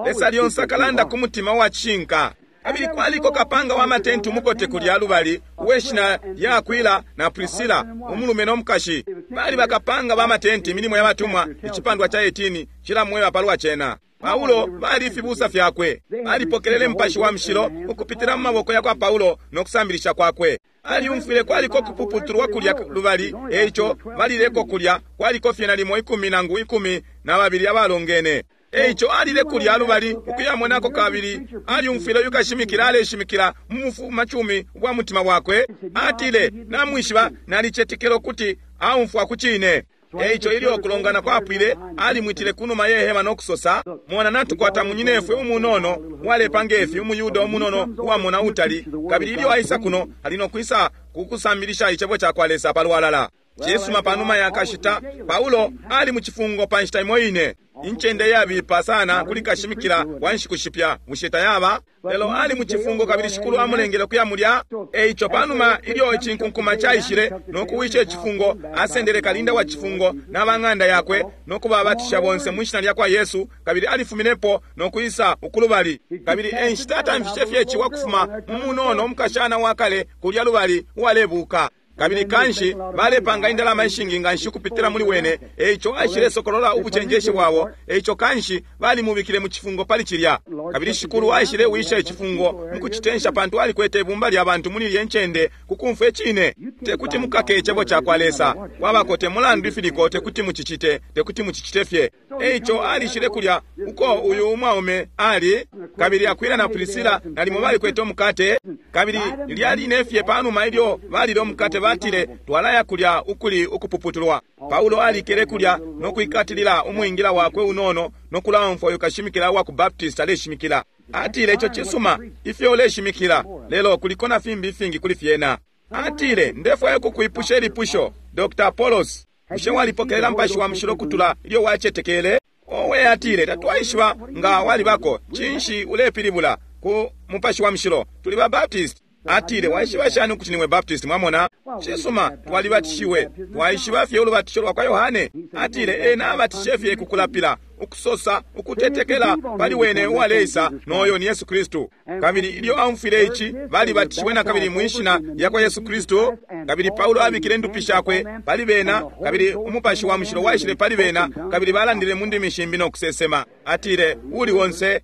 Lesa lyonse akalanda ku mutima wa cishinka. Kabili kwaliko kapanga wa matenti umukote kulya lubali uweshina lya Akwila na Priscilla, umulume no mukashi. Bali bakapanga ba matenti, imilimo ya batumwa icipandwa ca eighteen cilamweba palwa cena. Paulo bali ifibusa fyakwe, balipokelele Mupashi wa Mushilo ukupitila mu maboko ya kwa Paulo no kusambilisha kwakwe. Aliumfwile kwaliko kupuputulwa kulya lubali, eico balileko kulya kwaliko fye nalimo ikumi nangu ikumi na babili abalongene. Eico alile kulya lubali ukuyamonako, kabili aliumfwile uyu kashimikila aleshimikila mu bufumacumi bwa mutima wakwe. Atile, namwishiba nalicetekela ukuti aumfwa ku cine. Eico ilyo kulongana kwapwile, alimwitile kunuma ye hema no kusosa, mona natukwata munyinefwe umunono uwalepanga ifi, umuyuda umunono uwamona utali, kabili ilyo aisa kuno ali no kwisa kukusambilisha icebo ca kwa Lesa palwalala. Cisuma, panuma ya kashita Paulo ali mu cifungo pa nshita imo ine, incende yabipa sana kuli kashimikila wa nshiku shipya, bushe tayaba? Lelo ali mu cifungo kabili Shikulu amulengele kuya mulya. Eico panuma ilyo icinkunkuma caishile no kuwisha icifungo, asendele kalinda wa cifungo n'abang'anda yakwe no kubabatisha bonse mu ishina lya kwa Yesu, kabili alifuminepo no kwisa ukulubali. Kabili enshita atamfishe fye ciwa kufuma mu munono umukashana wa kale kulya lubali uwalebuka. Kabili kanshi balepanga indalama ishingi nga nshi kupitila muli wene, eico aishile sokolola ubucenjeshi bwabo, eico kanshi balimubikile mu cifungo pali cilya. Kabili Shikulu aishile wisha icifungo mu kucitensha, pantu alikwete ibumba lya bantu muli ilye ncende kukumfwa icine. Tekuti mukake icebo ca kwa Lesa, kwabako te mulandu ifiliko, tekuti mucicite, tekuti mucicite fye. Eico alishile kulya uko uyu umwaume ali, kabili Akwila na Priscilla nalimo balikwete umukate, kabili lyaline fye panuma ilyo balile umukate batile twalaya kulya ukuli ukupuputulwa. Paulo alikele kulya no kuikatilila umwingila wakwe unono no kulaumfwa uyu kashimikila wa ku Baptist aleshimikila. Atile ico cisuma ifyo uleshimikila, lelo kuliko na fimbi ifingi kuli fyena. Atile ndefwaya kukwipusha ilipusho, Doctor Apollos, bushe walipokelela Mupashi wa Mushilo kutula ilyo wacetekele? Owe, atile, tatwaishiba nga walibako. Cinshi ulepilibula ku Mupashi wa Mushilo? Tuli ba Baptist. Atile, waishiba shani ukuti nimwe Baptist? Mwamona? Cisuma, twalibatishiwe, twaishiba fye ulubatisho lwa kwa Yohane. Atile, ena abatishe fye kukulapila, ukusosa ukutetekela pali wene uwaleisa, noyo ni Yesu Kristu. Kabili ilyo aumfwile ici, balibatishiwe na kabili mwishina lya kwa Yesu Kristu. Kabili Paulo abikile indupi shakwe pali bena, kabili Umupashi wa Mushilo waishile pali bena, kabili balandile mu ndimi shimbi no kusesema. Atile, uli wonse.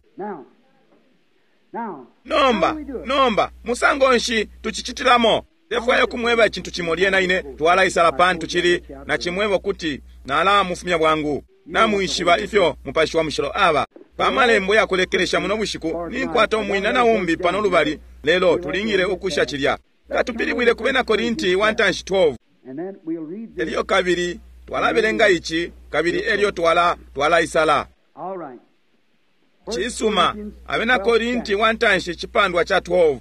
Nomba, nomba, musango nshi tucicitilamo? Ndefwaya kumweba icintu cimo lyena ine twalaisala pantu cili na cimwebo kuti nalamufumya bwangu. Namwishiba ifyo Mupashi wa Mushilo aba. Pa malembo yakulekelesha muno bushiku ninkwata umwina na umbi pano lubali, lelo tulingile ukusha cilya. Katupilibwile ku Bena Korinti wa ntanshi twelve. Elyo kabili twalabelenga ici, kabili elyo twala twalaisala. Cisuma, Abena Korinti wa ntanshi cipandwa cha twelve.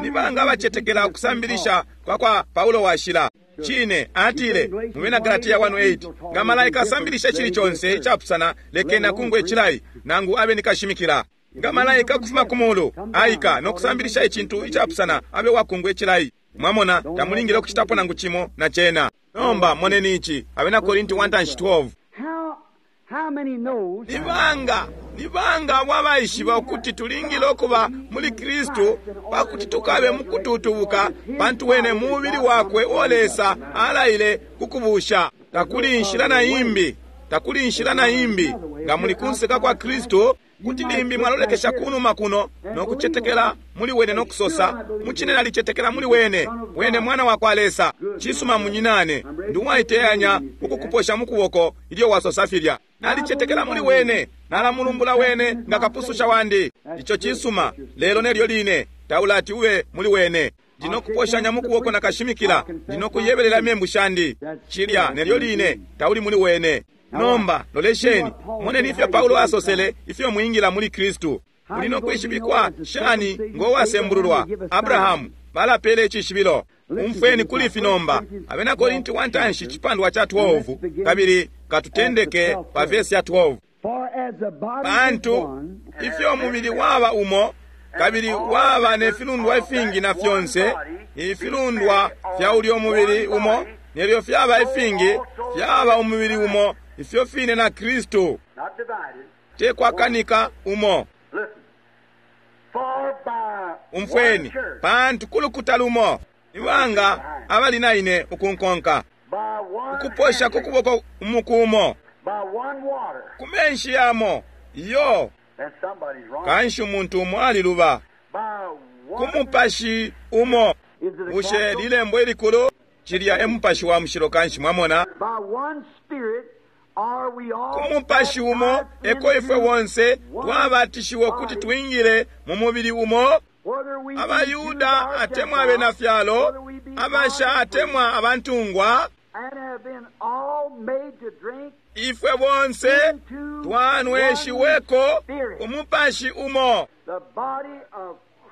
Ni banga bacetekela ukusambilisha kwa kwa Paulo washila? Cine, atile mu Bena Galatia one eight, nga malaika asambilisha chili chonse icapusana, lekeni akungwe chilayi, nangu abe nikashimikila. Nga malaika kufuma ku mulu aika no kusambilisha icintu icapusana, abe wakungwe chilayi. Mwamona, tamulingile ukuchitapo nangu chimo na chena. Nomba moneni ichi, Abena Korinti one twelve. Ni banga, ni banga abo abaishiba ukuti tulingile ukuba muli Kristu pakuti tukabe mukututubuka, pantu wene mubili wakwe uo Lesa alaile kukubusha. Takuli inshila na imbi, takuli inshila na imbi. Nga muli kunseka kwa Kristu, kuti limbi mwalolekesha kunuma kuno no kucetekela muli wene no kusosa, mucine nalicetekela muli wene, wene mwana wa kwa Lesa. Cisuma munyinane, ndi uwaiteyanya ukukuposha mukuboko ilyo wasosa filya. Nalicetekela muli wene, nalamulumbula wene nga kapususha wandi. Ico cisuma, lelo nelyo line taulati ube muli wene. Ndinokuposhanya mukuboko na kashimikila, ndinokuyebelela membu shandi. Cilya nelyo line tauli muli wene. Nomba lolesheni, moneni ifyo Paulo asosele ifyo mwingila muli Kristu. Muli no kwishibikwa shani ngo wasembululwa? Abrahamu balapele icishibilo. Umfweni kuli ifi nomba. Abena Korinti wa ntanshi cipandwa cha twelve, kabili katutendeke pa vesi ya twelve. Pantu ifyo mubili waba umo, kabili waba ne filundwa ifingi na fyonse, ifilundwa fya ulyo mubili umo, nelyo fyaba ifingi, fyaba umubili umo, ifyo fine na Kristu. Te kwakanika umo. Umfweni, pantu kulukuta lumo, ibanga abali na ine ukunkonka, ukuposha kukuboko umuku umo, ku menshi yamo, iyo, kanshi umuntu umo aliluba, ku mupashi umo. Bushe lilembo ilikulu? Cilya e Mupashi wa Mushilo kanshi, mwamona. Ku mupashi umo eko ifwe bonse twabatishiwe kuti twingile mu mubili umo. Abayuda atemwa abena fyalo, abasha atemwa abantungwa, ifwe bonse twanweshiweko umupashi umo.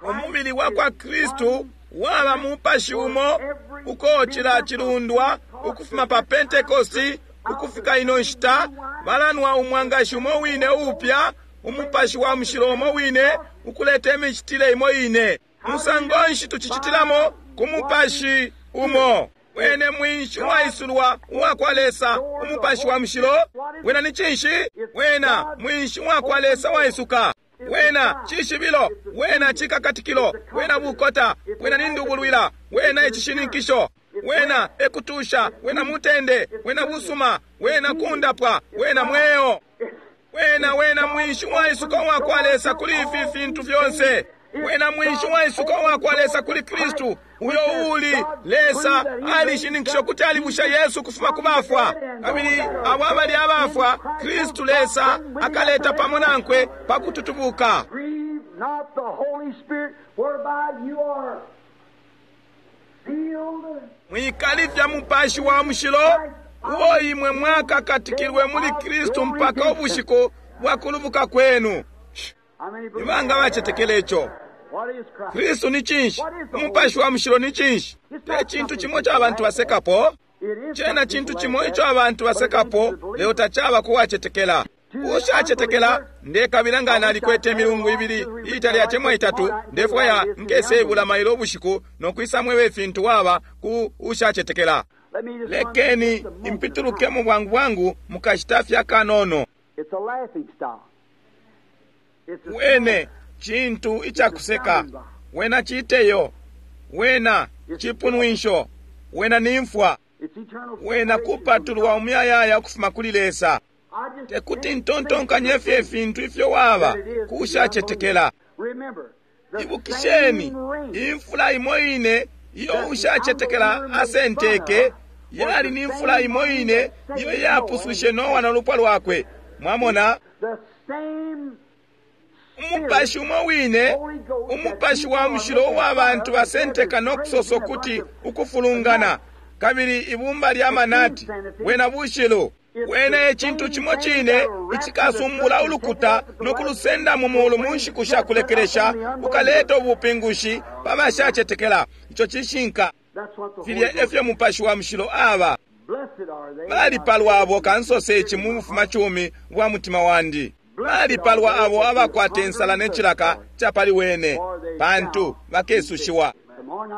Umubili wa kwa Kristu waba mupashi umo, uko cila cilundwa ukufuma pa Pentekosti ukufika ino nshita balanwa umwangashi umo wine upya, umupashi wa mushilo umo wine, ukuleta imicitile imo ine. Musango nshi tucicitilamo? Ku mupashi umo. Wene mwinshi uwaisulwa uwa kwa Lesa, umupashi wa mushilo. Wena ni cinshi? Wena mwinshi uwa kwa Lesa waisuka. Wena cishibilo, wena cikakatikilo, wena bukota, wena nindubulwila, wena icishininkisho, wena ekutusha, wena mutende, wena busuma, wena kundapwa, wena mweo. Wena wena mwinshi waisuka wa kwa Lesa kuli ifi fintu fyonse. Wena mwinshi waisuka wa kwa Lesa kuli Kristu, uyo uli Lesa alishininkisho kuti alibusha Yesu kufuma ku bafwa. Kabili abo abali abafwa, Kristu Lesa akaleta pamo nankwe pa kututubuka. Mwikalifya Mupashi wa Mushilo, uo imwe mwakakatikilwe muli Kristu mpaka ubushiku bwa kulubuka kwenu. Ibanga bacetekele ico. Kristu ni cinshi? Umupashi wa Mushilo ni cinshi? Te cintu cimo ca bantu basekapo. Cena cintu cimo ico abantu basekapo, lelo tacaba kuwacetekela. Ushacetekela ndekabila nga nalikwete imilungu ibili iitali atemwa itatu, ndefwaya nkesebula mailo ubushiku no kwisa mweba ifintu waba ku ushacetekela. Lekeni impitulukemo bwangu bwangu mukashita fye akanono. Wene cintu icakuseka, wena citeyo, wena cipunwinsho, wena nimfwa, wena kupatulwa umuyayaya ukufuma kuli Lesa. Tekuti ntontonkanye fye ifintu ifyo waba kushacetekela. Ibukisheni, imfula imo ine iyo ushacetekela asenteke yali ni mfula imo ine iyo yapuswishe Noa na lupwa lwakwe. Mwamona, umupashi umo wine, umupashi wa mushilo uwa bantu basenteka no kusosa ukuti ukufulungana, kabili ibumba lya manati, wena bushilu. Wene ecintu cimo cine icikasumbula ulukuta no kulusenda mu mulu mu nshiku sha kulekelesha, ukaleta ubupingushi pa bashacetekela. Ico cishinka. Filya efyo mupashi wa mushilo aba. Balipalwa abo kansose ici mu bufumacumi bwa mutima wandi. Balipalwa abo abakwata insala ne cilaka ca pali wene, pantu bakesushiwa.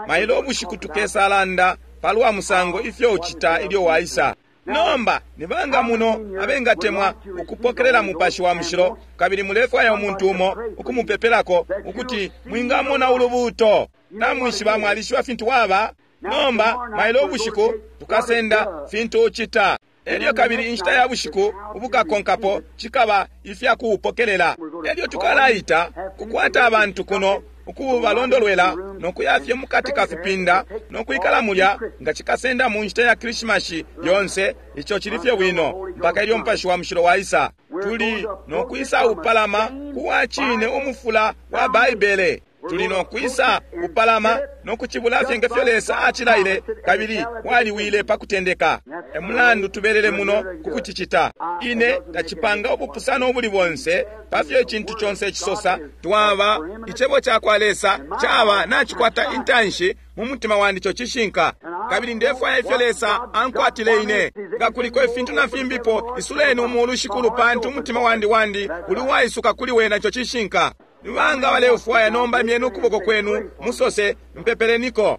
Mailo ubushiku tukesalanda palwa musango ifyo ucita ilyo waisa. Nomba nibanga muno abengatemwa ukupokelela mupashi wa mushilo, kabili mulefwaya umuntu umo ukumupepelako ukuti mwingamona ulubuuto. Namwishiba mwalishiba fintu waba. Nomba mailo ubushiku tukasenda fintu ucita. Elyo kabili inshita ya bushiku ubukakonkapo cikaba ifya kuupokelela. Elyo tukalaita kukwata abantu kuno ukubalondolwela no kuyafye mukati ka fipinda no kwikala mulya nga cikasenda mu nshita ya Krishimashi yonse. Ico cili fye bwino mpaka ilyo mupashi wa mushilo waisa. Tuli no kwisa upalama kuwa cine umufula wa Baibele. Tuli no kwisa upalama no kucibula fye ngefyo Lesa acilaile, kabili waliwile pa kutendeka. E mulandu tubelele muno kukucicita. Ine tacipanga ubupusano ubuli bonse pafyo icintu conse cisosa. Twaba icebo ca kwa Lesa caba nacikwata intanshi mu mutima wandi, ico cishinka. Kabili ndefwaya ifyo Lesa ankwatile ine. Nga kuliko ifintu na fimbipo, isuleni umulu shikulu, pantu umutima wandi wandi uli waisuka kuli wena, ico cishinka. Nibanga baleufwaya nomba imyeni ukuboko kwenu musose mpepeleniko.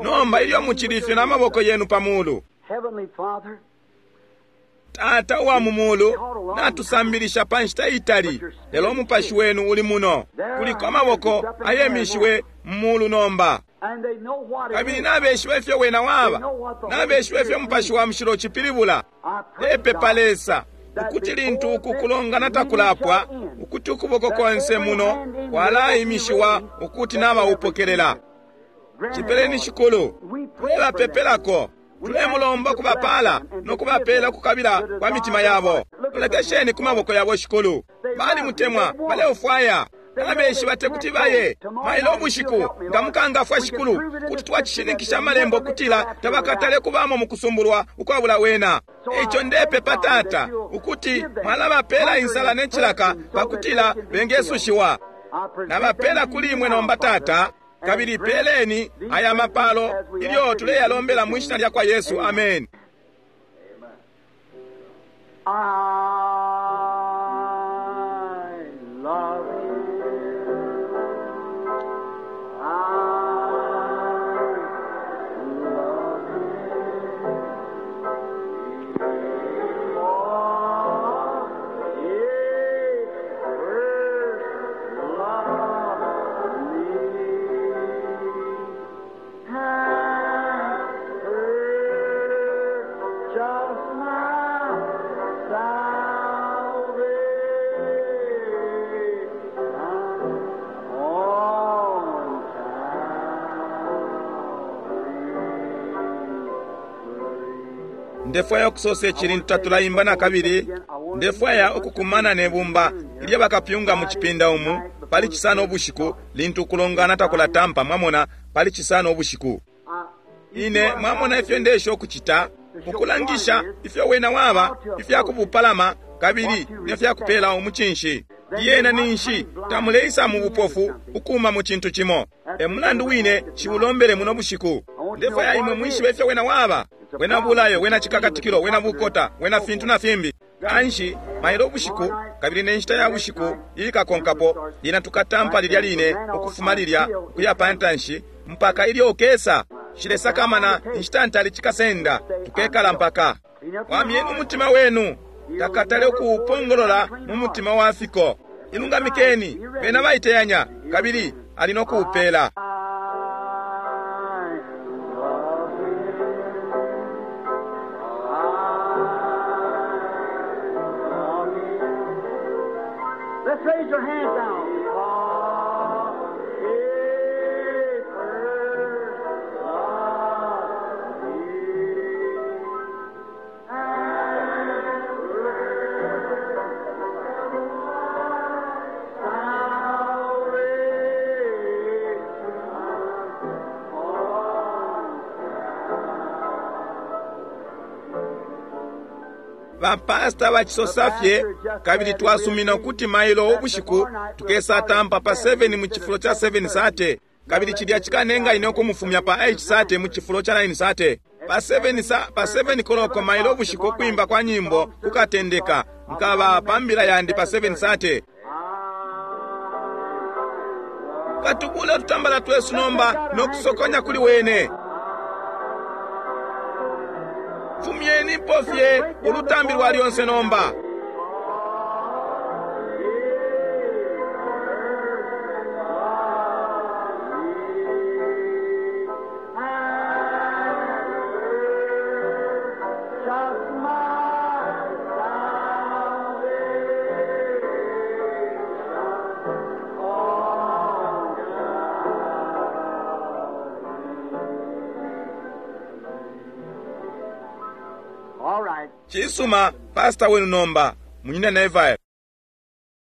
Nomba ilyo mucilifye na maboko yenu pa mulu. Tata uwa mu mulu, natusambilisha pa nshita itali, lelo umupashi wenu uli muno. Kuliko amaboko ayemishiwe mu mulu nomba. Kabili nabeshiba ifyo wena waba, nabeshiba ifyo mupashi wa mushilo cipilibula. Epepa Lesa ukuti lintu uku kulongana takulapwa, ukuti ukuboko konse muno kwalaimishiwa ukuti nabaupokelela. Cipeleni shikulu, tulebapepelako, tulemulomba kubapala no kubapela kukabila kwa mitima yabo. Lolekesheni ku maboko yabo shikulu, balimutemwa, baleufwaya. Nabeshiba tekuti baye mailo ubushiku nga mukangafwa shikulu, kuti twacishininkisha amalembo kutila tabakatale kubamo mu kusumbulwa ukwabula wena. Eico ndepepa Tata ukuti mwalabapela insala ne cilaka pakutila bengesushiwa. Nabapela kuli imwe nomba Tata, kabili peleni aya mapalo ilyo tuleyalombela mu ishina lya kwa Yesu. Amen. I love you. I love you. For he first loved me and purchased my salvation on Calvary. Ndefwaya ukusosa ici tatulaimba na kabili. Ndefwaya ukukumana ne bumba ilyo bakapyunga mu cipinda umu pali cisano ubushiku lintu ukulongana takulatampa. Mwamona, pali cisano ubushiku ine mwamona ifyo ndesha ukucita, ukulangisha ifyo wena waba, ifya kubupalama kabili nefya kupela umucinshi. Iyena ninshi tamuleisa mu bupofu ukuma mu cintu cimo. E mulandu wine ciulombele muno bushiku. Ndefwaya imwe mwishibe ifyo wena waba. Wena bulayo, wena cikakatikilo, wena bukota, wena fintu na fimbi. Kanshi Mailo ubushiku, kabili ne nshita ya bushiku iikakonkapo, lyena tukatampa lilya line ukufuma lilya ukuya pa ntanshi mpaka ilyo ukesa. Shilesakamana inshita ntali cikasenda, tukekala mpaka. Wamyeni umutima wenu, takatale ukuupongolola mu mutima wa fiko. Ilungamikeni, bena baiteyanya, kabili ali no kuupela. Let's raise your hands now. He first loved me. Bapasta bacisosa fye, kabili twasumina ukuti mailo ubushiku tukesatampa pa seven mu cifulo ca seven sate, kabili cilya cikanenga ine ukumufumya pa eight sate mu cifulo ca nine sate. Pa seven sa, pa seven koloko mailo ubushiku ukwimba kwa nyimbo kukatendeka, nkaba pa mbila yandi pa seven sate. Katubule ututambala twesu nomba no kusokonya kuli wene. Fumyenipo fye ulutambi lwa lyonse nomba. Just my salvation on All right. Cisuma, pastor wenu nomba, Munyina Neville.